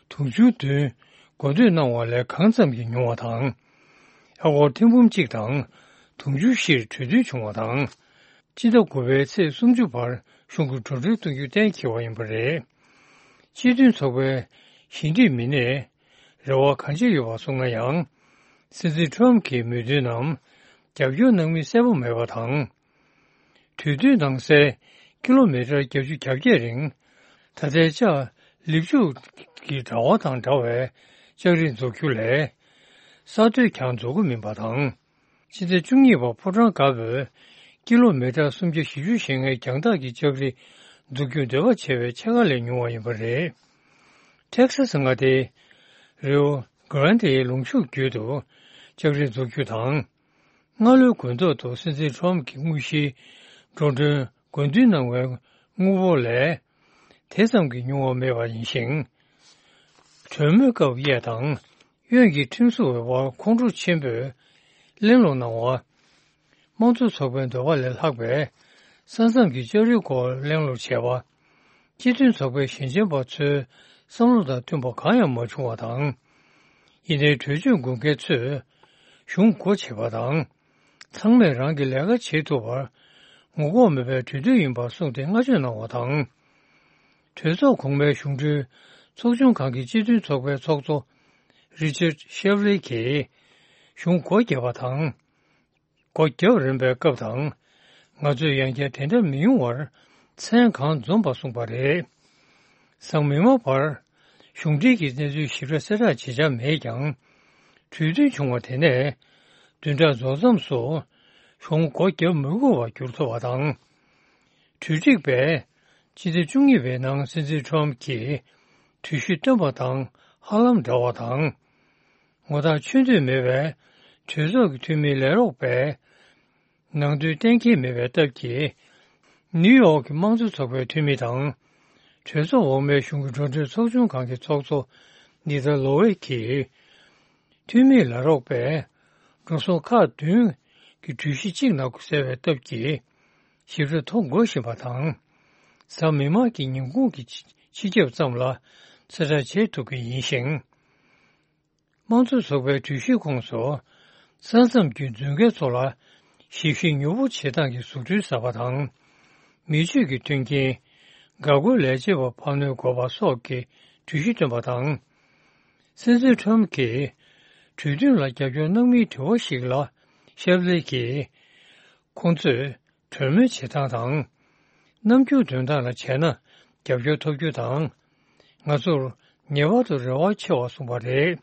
དུང་ཕྱུར་བདུན་དགོས་འདོད་གནང་བ་ལས་གང་ཙམ་གྱིས་ཉུང་བ་དང་། ཨ་སྒོར་ཐེར་འབུམ་གཅིག་དང་དུང་ཕྱུར་བཞིར་གྲོས་མཐུན་བྱུང་བ་དང་། སྤྱི་ཟླ་དགུ་པའི་ཚེས་སུམ་ཅུ་བར་གཞུང་གི་འགྲོ་གྲོན་གཏོང་རྒྱུ་གཏན་འཁེལ་བ་ཡིན་པ་རེད། སྤྱི་མཐུན་ཚོགས་པའི་ཞི་འགྲིག་མི་སྣས་རེ་བ་གང་ཆེ་ཡོད་པ་སོང་ན་ཡང་། སྲིད་འཛིན་ཁྲོམ་གྱི་མོས་མཐུན་ནམ་རྒྱབ་སྐྱོར་གནང་མིན་གསལ་པོ་མེད་པ་དང་། གྲོས་མཐུན་ནང་གསལ་ཀི་ལོ་མི་ཊར་བརྒྱད་ཅུ་གྱ་བརྒྱད་རིང་། ད་ལྟའི་ལྕགས་ལེབ་ཆུ་གི་དྲ་བ་དང་འདྲ་བའི་ལྕགས་རི་འཛུགས་རྒྱུ་ལས། ས་རྡོས་ཀྱང་འཛུགས་ཀྱི་མིན་པ་དང་། ཕྱི་ཟླ་བཅུ་གཉིས་པར་ཕོ་བྲང་དཀར་པོའི་ ཀི་ལོ་མི་ཊར་སུམ་བརྒྱ་བཞི་བཅུ་ཞེ་ལྔའི་རྒྱང་ཐག་གི་ལྕགས་རི་འཛུགས་རྒྱུར་འདོད་པ་བྱེད་པའི་ཕྱེད་ཀ་ལས་ཉུང་བ་ཡིན་པ་རེད། ཊེག་སཱ་སི་མངའ་སྡེའི་རི་ཡོ་གྷ་རན་དེའི་ལུང་ཕྱོགས་བརྒྱུད་དུ་ལྕགས་རི་འཛུགས་རྒྱུ་དང་། སྔ་ལོའི་དགུན་ཐོག་ཏུ་སྲིད་འཛིན་ཊམ་གྱི་དངོས་གཞིའི་འགྲོ་གྲོན་དགོས་འདུན་གནང་བའི་དངུལ་འབོར་ལས་དེ་ཙམ་གྱིས་ཉུང་བ་མེད་པ་ཡིན་ཞིང་། གྲོས་མོལ་སྐབས་གཡས་དང་གཡོན་གྱི་ཁྲིམས་བཟོ་བའི་དབར་ཁོང་ཁྲོ་ཆེན་པོས་གླེང་སློང་གནང་བ། དམངས་གཙོ་ཚོགས་པའི་འདོད་པ་ལས་ལྷག་པའི་ས་མཚམས་ཀྱི་ལྕགས་རིའི་སྐོར་གླེང་སློང་བྱས་པ། སྤྱི་མཐུན་ཚོགས་པའི་ཞལ་མཇལ་པ་ཚོའི་བསམ་བློ་དང་མཐུན་པ་གང་ཡང་མ་བྱུང་བ་དང་། ཡིན་ནའི་གྲོས་ཆོད་དགོས་མཁན་ཚོས་གཞུང་སྒོ་ཕྱེ་བ་དང་། ཚང་མས་རང་གི་ལས་ཀ་བྱེད་ཐུབ་པར་ངོ་ལྐོག་མེད་པའི་གྲོས་མཐུན་ཡིན་པར་གསུངས་ཏེ་བསྔགས་བརྗོད་གནང་བ་དང་། གྲོས་ཚོགས་གོང་མའི་གཞུང་འབྲེལ་ཚོགས་ཆུང་ཁང་གི་སྤྱི་མཐུན་ཚོགས་པའི་ཚོགས་གཙོ་རི་ཅར་ཤེབ་ལི་གིས་གཞུང་སྒོ་བརྒྱབ་པ་དང་། སྒོ་བརྒྱབ་རན་པའི་སྐབས་དང་། ང་ཚོས་ཡང་བསྐྱར་དེ་འདྲ་མི་ཡོང་བར་མཚན་གང་འཛོམས་པ་གསུངས་པ་རེད། སང་མི་མང་བར་གཞུང་འབྲེལ་གྱི་གནས་ཚུལ་ཞིབ་ཕྲ་གསལ་བསྒྲགས་བྱེད་འཆར་མེད་ཀྱང་། གྲོས་མཐུན་བྱུང་བ་དེ་ནས་བདུན་ཕྲག་རྫོགས་མཚམས་སུ་གཞུང་སྒོ་བརྒྱབ་མི་དགོས་པར་གྱུར་ཐུབ་པ་དང་། གྲོས་སྒྲིག་པས་སྤྱི་ཟླ་བཅུ་གཉིས་པའི་ནང་སྲིད་འཛིན་ཊམ་གྱིས་གྲོས་གཞི་བཏོན་པ་དང་ཧ་ལམ་འདྲ་བ་དང་། ངོ་ཐག་ཆོད་འདོད་མེད་པའི་གྲོས་ཚོགས་ཀྱི་འཐུས་མིའི་ལས་རོགས་པས་ནང་དོན་གཏན་འཁེལ་མེད་པའི་སྟབས་ཀྱིས། ནིའུ་ཡོག་གི་དམངས་གཙོ་ཚོགས་པའི་འཐུས་མི་དང་། གྲོས་ཚོགས་འོག་མའི་གཞུང་གི་འགྲོ་གྲོན་ཚོགས་ཆུང་ཁང་གི་ཚོགས་གཙོ་ནི་ཐ་ལོ་ཝེ་གིས། འཐུས་མིའི་ལས་རོགས་པས་འགྲོ་སོང་ཁག་བདུན་གྱི་གྲོས་གཞི་གཅིག་ནང་གསལ་བའི་སྟབས་ཀྱིས་ཞིབ་ཕྲ་མཐོང་དགོས་བཞིན་པ་དང་། གཟའ་མིག་དམར་གྱི་ཉིན་གུང་གི་སྤྱི་སྤྱི་ཁྱབ་ཙམ་ལ་གསལ་བསྒྲགས་བྱེད་ཐུབ་ཀྱི་ཡིན་ཞིང་། དམངས་གཙོ་ཚོགས་པའི་གྲོས་གཞིའི་ཁོངས་སུ་ས་མཚམས་ཀྱི་མཛོད་འགན་ཚོ་ལ་ཞིབ་བཤེར་མྱུར་པོ་བྱེད་སྟངས་ཀྱི་བཟོ་སྐྲུན་གསར་པ་དང་། མི་སྤྱོད་ཀྱི་མཐུན་རྐྱེན། འགག་སྒོའི་ལས་བྱེད་པ་འཕར་སྣོན་དགོས་པ་སོགས་ཀྱི་གྲོས་གཞི་བཏོན་པ་དང་། སྲིད་འཛིན་ཁྲོམ་གྱིས་གྲོས་མཐུན་ལ་རྒྱབ་སྐྱོར་གནང་མིན་དྲི་བ་ཞིག་ལ་ཤབ་ལེ་གིས། ཁོང་ཚོས་གྲོས་མོལ་བྱེད་སྟངས་དང་། རྣམ་འགྱུར་འདོན་སྟངས་ལ་བྱས་ན་རྒྱབ་སྐྱོར་ཐོབ་རྒྱུ་དང་། ང་ཚོར་ངེས་པར་དུ་རེ་བ་ཆེ་བ་གསུངས་པ་རེད།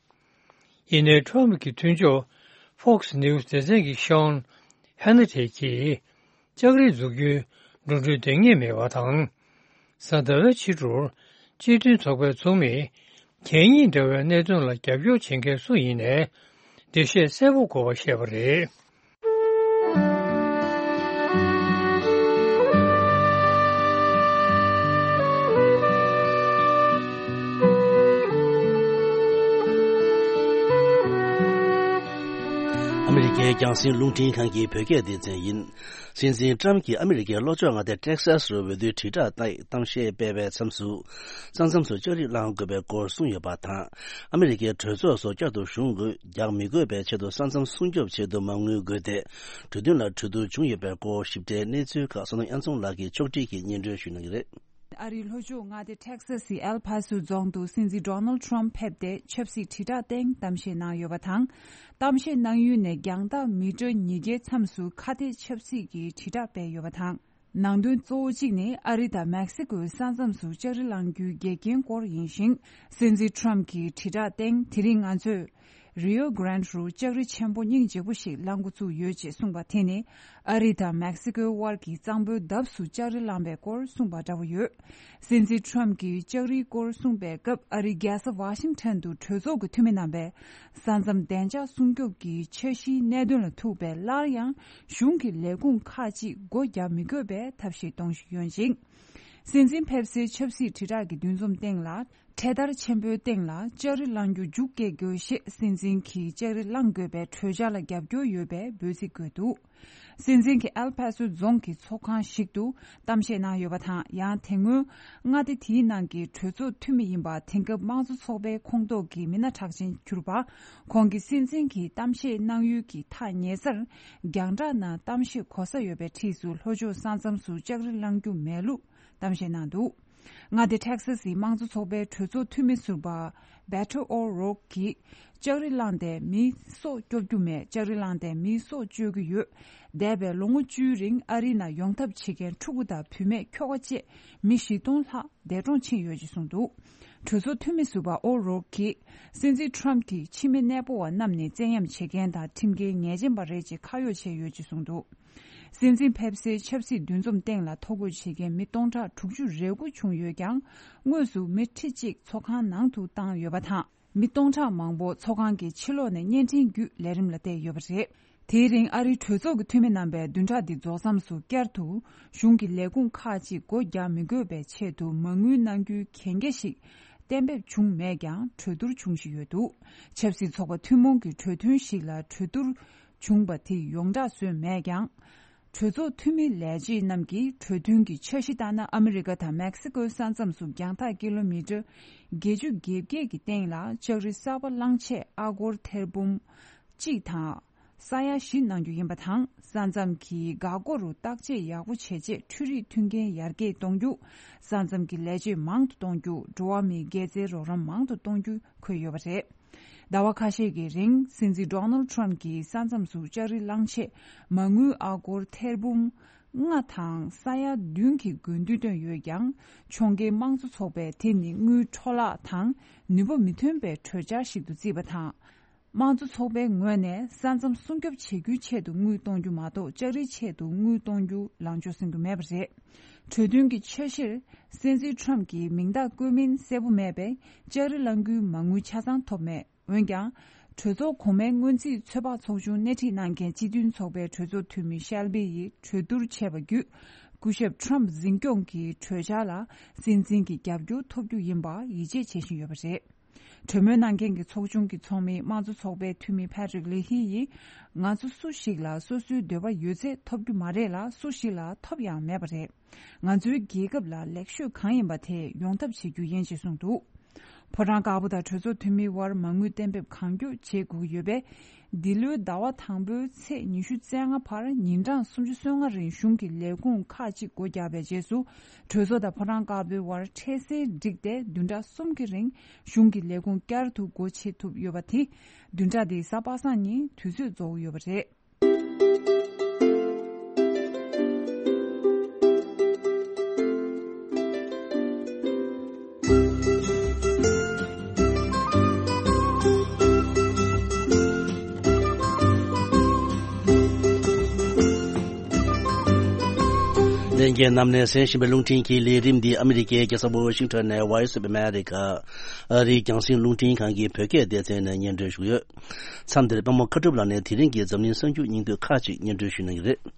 ཡིན་ནའི་ཁྲོམ་གྱི་མཐུན་ཕྱོགས་Fox News་སྡེ་ཚན་གྱི་ཤོན་ཧེ་ན་ཏེ་གྱིས། ལྕགས་རི་འཛུགས་རྒྱུའི་འགྲོ་གྲོན་འདང་ངེས་མེད་པ་དང་། གཟའ་ཟླ་བའི་ཕྱི་དྲོར་སྤྱི་མཐུན་ཚོགས་པའི་ཚོགས་མིས་གད་སྙིགས་འདྲ་བའི་གནད་དོན་ལ་རྒྱབ་སྐྱོར་བྱེད་མཁན་སུ་ཡིན་ནའི་འགྲེལ་བཤད་གསལ་པོ་དགོས་པ་བཤད་པ་རེད། ཨ་མི་རི་ཀའི་རྒྱང་སྲིང་རླུང་འཕྲིན་ཁང་གི་བོད་སྐད་སྡེ་ཚན་ཡིན། སྲིད་འཛིན་ཀྲམ་གྱིས་ཨ་མི་རི་ཀའི་ལྷོ་ཕྱོགས་མངའ་སྡེ་ཊེག་སཱ་སི་རུ་འོས་བསྡུའི་དྲིལ་བསྒྲགས་ལྟ་ཡི་གཏམ་བཤད་སྤེལ་བའི་མཚམས་སུ། ས་མཚམས་སུ་ལྕགས་རི་བསླང་དགོས་པའི་སྐོར་གསུངས་ཡོད་པ་དང་། ཨ་མི་རི་ཀའི་གྲོས་ཚོགས་སུ་བསྐྱར་དུ་གཞུང་རྒྱག་མི་དགོས་པའི་ཆེད་དུ་ས་མཚམས་སྲུང་སྐྱོབ་ཆེད་དུ་མ་དངུལ་དགོས་ཏེ། གྲོས་མཐུན་ལ་གྲོས་བསྡུར་བྱུང་ཡོད་པའི་སྐོར་ཞིབ་ཕྲའི་གནས་ཚུལ་ཁག་བསོད་ནམས་དབྱངས་འཛོམས་ལགས་ཀྱིས་ཕྱོགས་སྒྲིག་གིས་སྙན་སྒྲོན་ཞུ་གནང་གི་རེད། ཨ་རིའི་ལྷོ་ཕྱོགས་མངའ་སྡེ་ཊེག་སཱ་སི་ཨེལ་ཕ་སོ་རྫོང་དུ་སྲིད་འཛིན་ཌོ་ནལ་ཊམ་ཕེབས་ཏེ་ཆབ་སྲིད་དྲིལ་བསྒྲགས་སྟེང་གཏམ་བཤད་གནང་ཡོད་པ་དང་། གཏམ་བཤད་གནང་ཡུལ་ནས་རྒྱང་ཐག་མི་ཊར་ཉིས་བརྒྱའི་མཚམས་སུ་ཁ་གཏད་ཆབ་སྲིད་ཀྱི་དྲིལ་བསྒྲགས་སྤེལ་ཡོད་པ་དང་། ནང་དོན་གཙོ་བོ་གཅིག་ནི་ཨ་རི་དང་མེག་སི་ཀོའི་ས་མཚམས་སུ་ལྕགས་རི་བསླང་རྒྱུའི་འགལ་རྐྱེན་སྐོར་ཡིན་ཞིང་། སྲིད་འཛིན་ཊམ་གྱི་དྲིལ་བསྒྲགས་སྟེང་དེ་རིང་ང་ཚོས། རི་ཡོ་གྷ་རན་རུ་ལྕགས་རི་ཆེན་པོ་སྙིང་རྗེ་པོ་ཞིག་བསླང་འགོ་བཙུགས་ཡོད་ཅེས་གསུངས་པ་དེ་ནི་ཨ་རི་དང་མེག་སི་ཀོའི་དབར་གྱི་གཙང་པོའི་འདབས་སུ་ལྕགས་རི་བསླངས་པའི་སྐོར་གསུངས་པ་འདྲ་བོ་ཡོད། སྲིད་འཛིན་ཊམ་གྱིས་ལྕགས་རིའི་སྐོར་གསུངས་པའི་སྐབས་ཨ་རིའི་རྒྱལ་ས་ཝ་ཤིང་ཊོན་དུ་གྲོས་ཚོགས་ཀྱི་འཐུས་མི་རྣམ་པས་ས་མཚམས་བདེ་འཇགས་སྲུང་སྐྱོབ་ཀྱི་འཆར་གཞིའི་གནད་དོན་ལ་ཐུག་པའི་སླར་ཡང་གཞུང་གི་ལས་ཁུངས་ཁག་ཅིག་སྒོ་རྒྱག་མི་དགོས་པའི་ཐབས་ཤེས་གཏོང་བཞིན་ཡོད་ཅིང་། སྲིད་འཛིན་ཕེབས་སའི་ཆབ་སྲིད་དྲིལ་བསྒྲགས་ཀྱི་འདུ་འཛོམས་སྟེང་ལ། འཕྲེད་དར་ཆེན་པོའི་སྟེང་ལ་ལྕགས་རི་བསླང་རྒྱུ་རྒྱུགས་སྐྱེལ་དགོས་ཞེས་སྲིད་འཛིན་གྱིས་ལྕགས་རི་བསླང་དགོས་པའི་གྲོས་འཆར་ལ་རྒྱབ་སྐྱོར་ཡོད་པའི་འབོད་ཚིག་བཀོད་འདུག། སྲིད་འཛིན་གྱིས་ཨེལ་ཕ་སོ་རྫོང་གི་ཚོགས་ཁང་ཞིག་ཏུ་གཏམ་བཤད་གནང་ཡོད་པ་དང་། ཡང་དེ་སྔོན་མངའ་སྡེ་དེའི་ནང་གི་གྲོས་ཚོགས་འཐུས་མི་ཡིན་པ། དེང་སྐབས་དམངས་གཙོ་ཚོགས་པའི་ཁོངས་གཏོགས་ཀྱི་མི་སྣ་གྲགས་ཅན་གྱུར་པ། ཁོང་གིས་སྲིད་འཛིན་གྱི་གཏམ་བཤད་གནང་ཡུལ་གྱི་ཐག་ཉེ་སར་རྒྱང་བསྒྲགས་ནང་གཏམ་བཤད་གོ་ས་ཡོད་པའི་འཁྲིས་སུ་ལྷོ་ཕྱོགས་ས་མཚམས་སུ་ལྕགས་རི་བསླང་རྒྱུ་མེད་ལུགས་གཏམ་བཤད་གནང་འདུག། མངའ་སྡེ་ཊེག་སཱ་སིའི་དམངས་གཙོ་ཚོགས་པའི་གྲོས་ཚོགས་འཐུས་མི་ཟུར་པ་བེ་ཊོ་ཨོ་རོག་གིས་ལྕགས་རི་བསླངས་ཏེ་མིའི་སྲོག་སྐྱོབ་རྒྱུ་མེད། ལྕགས་རི་བསླངས་ཏེ་མིའི་སྲོག་གཅོད་ཀྱི་ཡོད། འདས་པའི་ལོ་ངོ་བཅུའི་རིང་ཨ་རིའི་ནང་ཡོང་ཐབས་བྱེད་མཁན་ཕྲུ་གུ་དང་བུད་མེད་ཁྱོ་ག་བཅས་མི་བཞི་སྟོང་ལྷག་འདས་གྲོངས་ཕྱིན་ཡོད་ཅེས་གསུངས་འདུག། གྲོས་ཚོགས་འཐུས་མི་ཟུར་པ་ཨོ་རོག་གིས་སྲིད་འཛིན་ཊམ་གྱིས་ཕྱི་མི་གནས་སྤོ་བ་རྣམས་ནི་བཙན་གཡེམ་བྱེད་མཁན་དང་ཁྲིམས་འགལ་ཉེས་ཅན་པ་རེད་ཅེས་ཁ་གཡོགས་བྱས་ཡོད་ཅེས་གསུངས་འདུག། སྲིད་འཛིན་ཕེབས་སའི་ཆབ་སྲིད་འདུ་འཛོམས་སྟེང་ལ་ཐོ་འགོད་བྱེད་མཁན་མི་སྟོང་ཕྲག་དྲུག་ཅུ་རེ་དགུ་བྱུང་ཡོད་ཀྱང་། དངོས་སུ་མི་ཁྲི་གཅིག་ཚོགས་ཁང་ནང་དུ་བཏང་ཡོད་པ་དང་། མི་སྟོང་ཕྲག་མང་པོ་ཚོགས་ཁང་གི་ཕྱི་ལོགས་ནས་བརྙན་འཕྲིན་བརྒྱུད་ལས་རིམ་ལ་བལྟས་ཡོད་པ་རེད། དེའི་རིང་ཨ་རིའི་གྲོས་ཚོགས་ཀྱི་འཐུས་མི་རྣམ་པས་བདུན་ཕྲག་འདི་རྫོགས་མཚམས་སུ་བསྐྱར་དུ་གཞུང་གི་ལས་ཁུངས་ཁག་ཅིག་སྒོ་རྒྱག་མི་དགོས་པའི་ཆེད་དུ་མ་དངུལ་གནང་རྒྱུའི་གན་རྒྱ་ཞིག་གཏན་འབེབས་བྱུང་མེད་ཀྱང་། གྲོས་བསྡུར་བྱུང་བཞིན་ཡོད་འདུག་ཆབ་སྲིད་ཚོགས་པ་ཐུན་མོང་གི་གྲོས་མཐུན་ཞིག་ལ་གྲོས་བསྡུར་བྱུང་པ་དེ་ཡོངས་གྲགས་བཟོས་མེད་ཀྱང་། གྲོས་ཚོགས་འཐུས་མི་ལས་བྱེད་རྣམས་ཀྱིས་གྲོས་མཐུན་གྱི་འཆར་གཞི་ལྟར་ན། ཨ་མི་རི་ཀ་དང་མེག་སི་ཀོའི་ས་མཚམས་སུ་རྒྱང་ཐག་ཀི་ལོ་མི་ཊར་བརྒྱད་ཅུ་གྱ་བརྒྱད་ཀྱི་སྟེང་ལ་ལྕགས་རི་གསར་པ་བླངས་ཆེད་ཨ་སྒོར་ཐེར་འབུམ་གཅིག་དང་ས་ཡ་བཞི་གནང་རྒྱུ་ཡིན་པ་དང་། ས་མཚམས་ཀྱི་འགག་སྒོ་རུ་བརྟག་དཔྱད་ཡག་པོ་བྱས་རྗེས་འཕྲུལ་རིག་མཐུན་རྐྱེན་ཡར་རྒྱས་གཏོང་རྒྱུ། ས་མཚམས་ཀྱི་ལས་བྱེད་མང་དུ་གཏོང་རྒྱུ། འགྲོ་བ་མིའི་དགེ་རྩའི་རོགས་རམ་མང་དུ་གཏོང་རྒྱུ་འཁོད་ཡོད་པ་རེད། ཟླ་བ་ཁ་ཤས་ཀྱི་རིང་སྲིད་འཛིན་ཌོ་ནལ་ཌི་ཊརམ་གྱིས་ས་མཚམས་སུ་ལྕགས་རི་བླངས་ཆེད་མ་དངུལ་ཨ་སྒོར་ཐེར་འབུམ་ལྔ་དང་ས་ཡ་བདུན་གྱི་དགོས་འདུན་བཏོན་ཡོད་ཀྱང་། ཕྱོགས་འགལ་དམངས་གཙོ་ཚོགས་པས་དེ་ནི་དངུལ་འཕྲོ་བརླག་དང་ནུས་པ་མི་ཐོན་པའི་གྲོས་འཆར་ཞིག་ཏུ་བརྩིས་པ་དང་། དམངས་གཙོ་ཚོགས་པའི་ངོས་ནས་ས་མཚམས་སྲུང་སྐྱོབ་བྱེད་རྒྱུའི་ཆེད་དུ་དངུལ་གཏོང་རྒྱུ་མ་གཏོགས། ལྕགས་རིའི་ཆེད་དུ་དངུལ་གཏོང་རྒྱུ་ལངས་ཕྱོགས་སྲུང་རྒྱུ་མེད་པ་རེད། གྲོས་མཐུན་གྱི་འཆར་གཞིར་སྲིད་འཛིན་ཊརམ་གྱི་མིང་རྟགས་བཀོད་མིན་གསལ་པོ་མེད་པས། ལྕགས་རི་བླང་རྒྱུའི་མ་དངུལ་ཆ་ཚང་ཐོབ་མེད། འོན་ཀྱང་། གྲོས་ཚོགས་གོང་མའི་སྔོན་རྩིས་ཚོད་དཔག་ཚོགས་ཆུང་སྣེ་ཁྲིད་གནང་མཁན་སྤྱི་མཐུན་ཚོགས་པའི་གྲོས་ཚོགས་འཐུས་མི་ཤལ་བི་ཡིས་གྲོས་བསྡུར་བྱས་པ་བརྒྱུད། སྐུ་ཞབས་ཊརམ་འཛིན་སྐྱོང་གི་གྲོས་འཆར་ལ་སྲིད་འཛིན་གྱི་རྒྱབ་སྐྱོར་ཐོབ་རྒྱུ་ཡིན་པ་ཡིད་ཆེས་བྱེད་བཞིན་ཡོད་པ་རེད། གྲོས་མོལ་གནང་མཁན་གྱི་ཚོགས་ཆུང་གི་ཚོགས་མི་དམངས་གཙོ་ཚོགས་པའི་འཐུས་མི་ཕེ་ཏྲིག་ལི་ཧི་ཡིས། ང་ཚོ་སུ་ཞིག་ལ་སོ་སོའི་འདོད་པ་ཡོད་ཚད་ཐོབ་རྒྱུ་མ་རེད་ལ། སུ་ཞིག་ལ་ཐོབ་ཡང་མེད་པ་རེད། ང་ཚོའི་རྒྱལ་ཁབ་ལ་ལེགས་ཤོས་གང་ཡིན་པ་དེ་ཡོང་ཐབས་བྱེད་རྒྱུ་ཡིན་ཞེས་གསུངས་འདུག་ཕོ་བྲང་དཀར་པོ་དང་གྲོས་ཚོགས་འཐུས་མིའི་དབར་མ་དངུལ་གཏན་འབེབས་གང་མགྱོགས་བྱེད་དགོས་ཀྱི་ཡོད་པས། འདི་ལོའི་ཟླ་བ་དང་པོའི་ཚེས་ཉི་ཤུ་རྩ་ལྔ་བར་ཉིན་གྲངས་སུམ་ཅུ་སོ་ལྔ་རིང་གཞུང་གི་ལས་ཁུངས་ཁག་ཅིག་སྒོ་བརྒྱབ་པའི་རྗེས་སུ། གྲོས་ཚོགས་དང་ཕོ་བྲང་དཀར་པོའི་དབར་འཕྲལ་སེལ་བསྒྲིགས་ཏེ། བདུན་ཕྲག་གསུམ་གྱི་རིང་གཞུང་གི་ལས་ཁུངས་བསྐྱར་དུ་སྒོ་ཕྱེ་ཐུབ་ཡོད་པ་དེ། བདུན་ཕྲག་འདིའི་གཟའ་པ་སངས་ཉིན་དུས་ཚོད་རྫོགས་ཡོད་པ་རེད། ལྷན་རྒྱས་རྣམས་ནས་གསན་བཞིན་པའི་རླུང་འཕྲིན་གྱི་ལས་རིམ་འདི་ཨ་མི་རི་ཀའི་རྒྱལ་ས་ཝ་ཤིང་ཊོན་ནས་Voice of America ཨ་རིའི་རྒྱང་སྲིང་རླུང་འཕྲིན་ཁང་གི་བོད་སྐད་སྡེ་ཚན་ནས་སྙན་སྒྲོན་ཞུ་གི་ཡོད། མཚམས་འདིར་པད་མ་མཁའ་གྲུབ་ལགས་ནས་དེ་རིང་གི་འཛམ་གླིང་གསར་འགྱུར་སྙིང་བསྡུས་ཁག་ཅིག་སྙན་སྒྲོན་ཞུ་གནང་གི་རེད།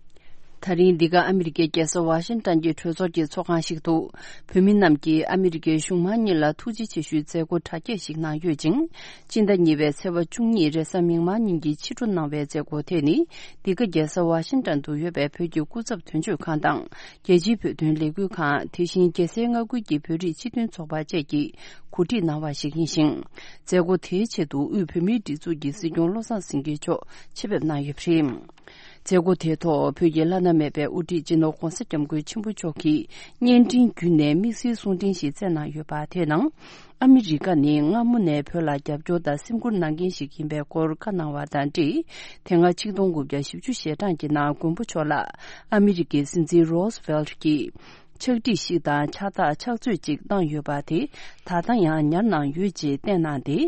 ད་རིང་འདི་ག་ཨ་མི་རི་ཀའི་རྒྱལ་ས་ཝ་ཤིང་ཊོན་གྱི་གྲོས་ཚོགས་ཀྱི་ཚོགས་ཁང་ཞིག་ཏུ། བོད་མི་རྣམས་ཀྱིས་ཨ་མི་རི་ཀའི་གཞུང་མང་གཉིས་ལ་ཐུགས་རྗེ་ཆེ་ཞུའི་མཛད་སྒོ་གྲ་རྒྱས་ཤིག་གནང་ཡོད་ཅིང་། སྤྱི་ཟླ་གཉིས་པའི་ཚེས་པ་བཅུ་གཉིས་རེས་གཟའ་མིག་དམར་ཉིན་གྱི་ཕྱི་དྲོ་གནང་བའི་མཛད་སྒོ་དེ་ནི། འདི་ག་རྒྱལ་ས་ཝ་ཤིང་ཊོན་དུ་ཡོད་པའི་བོད་ཀྱི་སྐུ་ཚབ་དོན་གཅོད་ཁང་དང་། རྒྱལ་སྤྱིའི་བོད་དོན་ལས་འགུལ་ཁང་། དེ་བཞིན་རྒྱལ་སའི་མངའ་ཁུལ་གྱི་བོད་རིགས་སྤྱི་མཐུན་ཚོགས་པ་བཅས་ཀྱིས་གོ་སྒྲིག་གནང་བ་ཞིག་ཡིན་ཞིང་། མཛད་སྒོ་དེའི་ཆེད་དུ་དབུས་བོད་མིའི་སྒྲིག་འཛུགས་ཀྱི་སྲིད་སྐྱོང་བློ་བཟང་སེང་གེ་མཆོག་ཆེད་ཕེབས་གནང་ཡོད་པ་རེད། མཛད་སྒོ་དེའི་ཐོག་བོད་ཀྱི་བླ་ན་མེད་པའི་དབུ་ཁྲིད་སྤྱི་ནོར་༧གོང་ས་༧སྐྱབས་མགོན་ཆེན་པོ་མཆོག་གིས་བརྙན་འཕྲིན་བརྒྱུད་ནས་དམིགས་བསལ་གསུང་འཕྲིན་ཞིག་བསྩལ་གནང་ཡོད་པ། དེའི་ནང་། ཨ་མི་རི་ཀ་ནི་སྔ་མོ་ནས་བོད་ལ་རྒྱབ་སྐྱོར་དང་སེམས་ཁུར་གནང་མཁན་ཞིག་ཡིན་པའི་སྐོར་བཀའ་གནང་བ་དང་འབྲེལ། དེ་སྔ་ཆིག་སྟོང་དགུ་བརྒྱ་བཞི་བཅུ་ཞེ་གྲངས་ཀྱི་ནང་མགོན་པོ་མཆོག་ལ་ཨ་མི་རི་ཀའི་སྲིད་འཛིན་རོ་སི་ཝེལ་གྱིས། ཕྱག་བྲིས་ཤིག་དང་ཕྱག་རྟགས་ཕྱག་མཛོད་ཅིག་བཏང་ཡོད་པ་དེ་ད་ལྟ་ཡང་ཉར་གནང་ཡོད་ཅེས་བསྟན་གནང་སྟེ།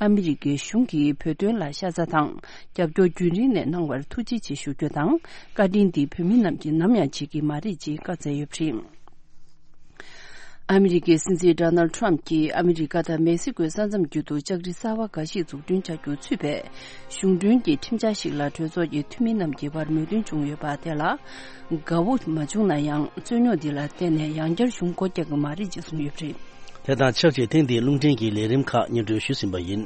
ཨ་མི་རི་ཀའི་གཞུང་གིས་བོད་དོན་ལ་ཤ་ཚ་དང་རྒྱབ་སྐྱོར་རྒྱུན་རིང་ནས་གནང་བར་ཐུགས་རྗེ་ཆེ་ཞུ་རྒྱུ་དང་། བཀའ་དྲིན་འདི་བོད་མི་རྣམས་ཀྱིས་ནམ་ཡང་བརྗེད་ཀྱི་མ་རེད་ཅེས་བཀའ་སྩལ་ཡོད་པ་རེད། ཨ་མི་རི་ཀའི་སྲིད་འཛིན་ཌོ་ནལ་ཌི་ཊརམ་གྱིས་ཨ་མི་རི་ཀ་དང་མེག་སི་ཀོའི་ས་མཚམས་རྒྱུད་དུ་ལྕགས་རི་གསར་བ་འགའ་ཞིག་འཛུགས་སྐྲུན་བྱ་རྒྱུ་ཚུད་པའི་གཞུང་གྲོན་གྱི་ཁྲིམས་འཆར་ཞིག་ལ་གྲོས་ཚོགས་ཀྱི་འཐུས་མི་རྣམས་ཀྱི་བར་མོས་མཐུན་བྱུང་ཡོད་པ་དེ་ལ་དགའ་བོ་མ་བྱུང་ན་ཡང་རྩོད་རྙོག་འདི་ལ་བརྟེན་ནས་ཡང་བསྐྱར་གཞུང་སྒོ་རྒྱག་གི་མ་རེད་ཅེས་གསུངས་ཡོད་པ་རེད། དེ་དང་ཆབས་ཅིག་ཐེངས་འདིའི་རླུང་འཕྲིན་གྱི་ལས་རིམ་ཁག་སྙན་སྒྲོན་ཞུས་ཟིན་པ་ཡིན།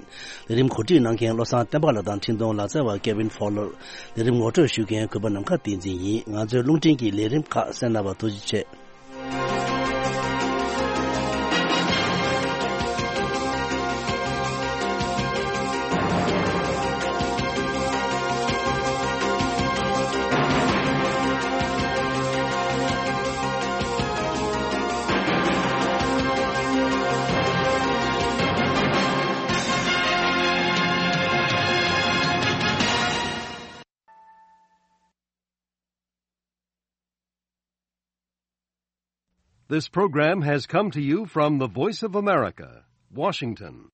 ལས་རིམ་གོ་སྒྲིག་གནང་མཁན་བློ་བཟང་བསྟན་པ་ལགས་དང་འཕྲིན་གཏོང་ལག་རྩལ་བ་ཀེ་ཝིན་ཕོ་ལར། ལས་རིམ་ངོ་སྤྲོད་ཞུ་མཁན་གུས་པ་ནམ་མཁའ་བསྟན་འཛིན་ཡིན། ང་ཚོའི་རླུང་འཕྲིན་གྱི་ལས་རིམ་ཁག་གསན་གནང་བར་ཐུགས་རྗེ་ཆེ། This program has come to you from the Voice of America, Washington.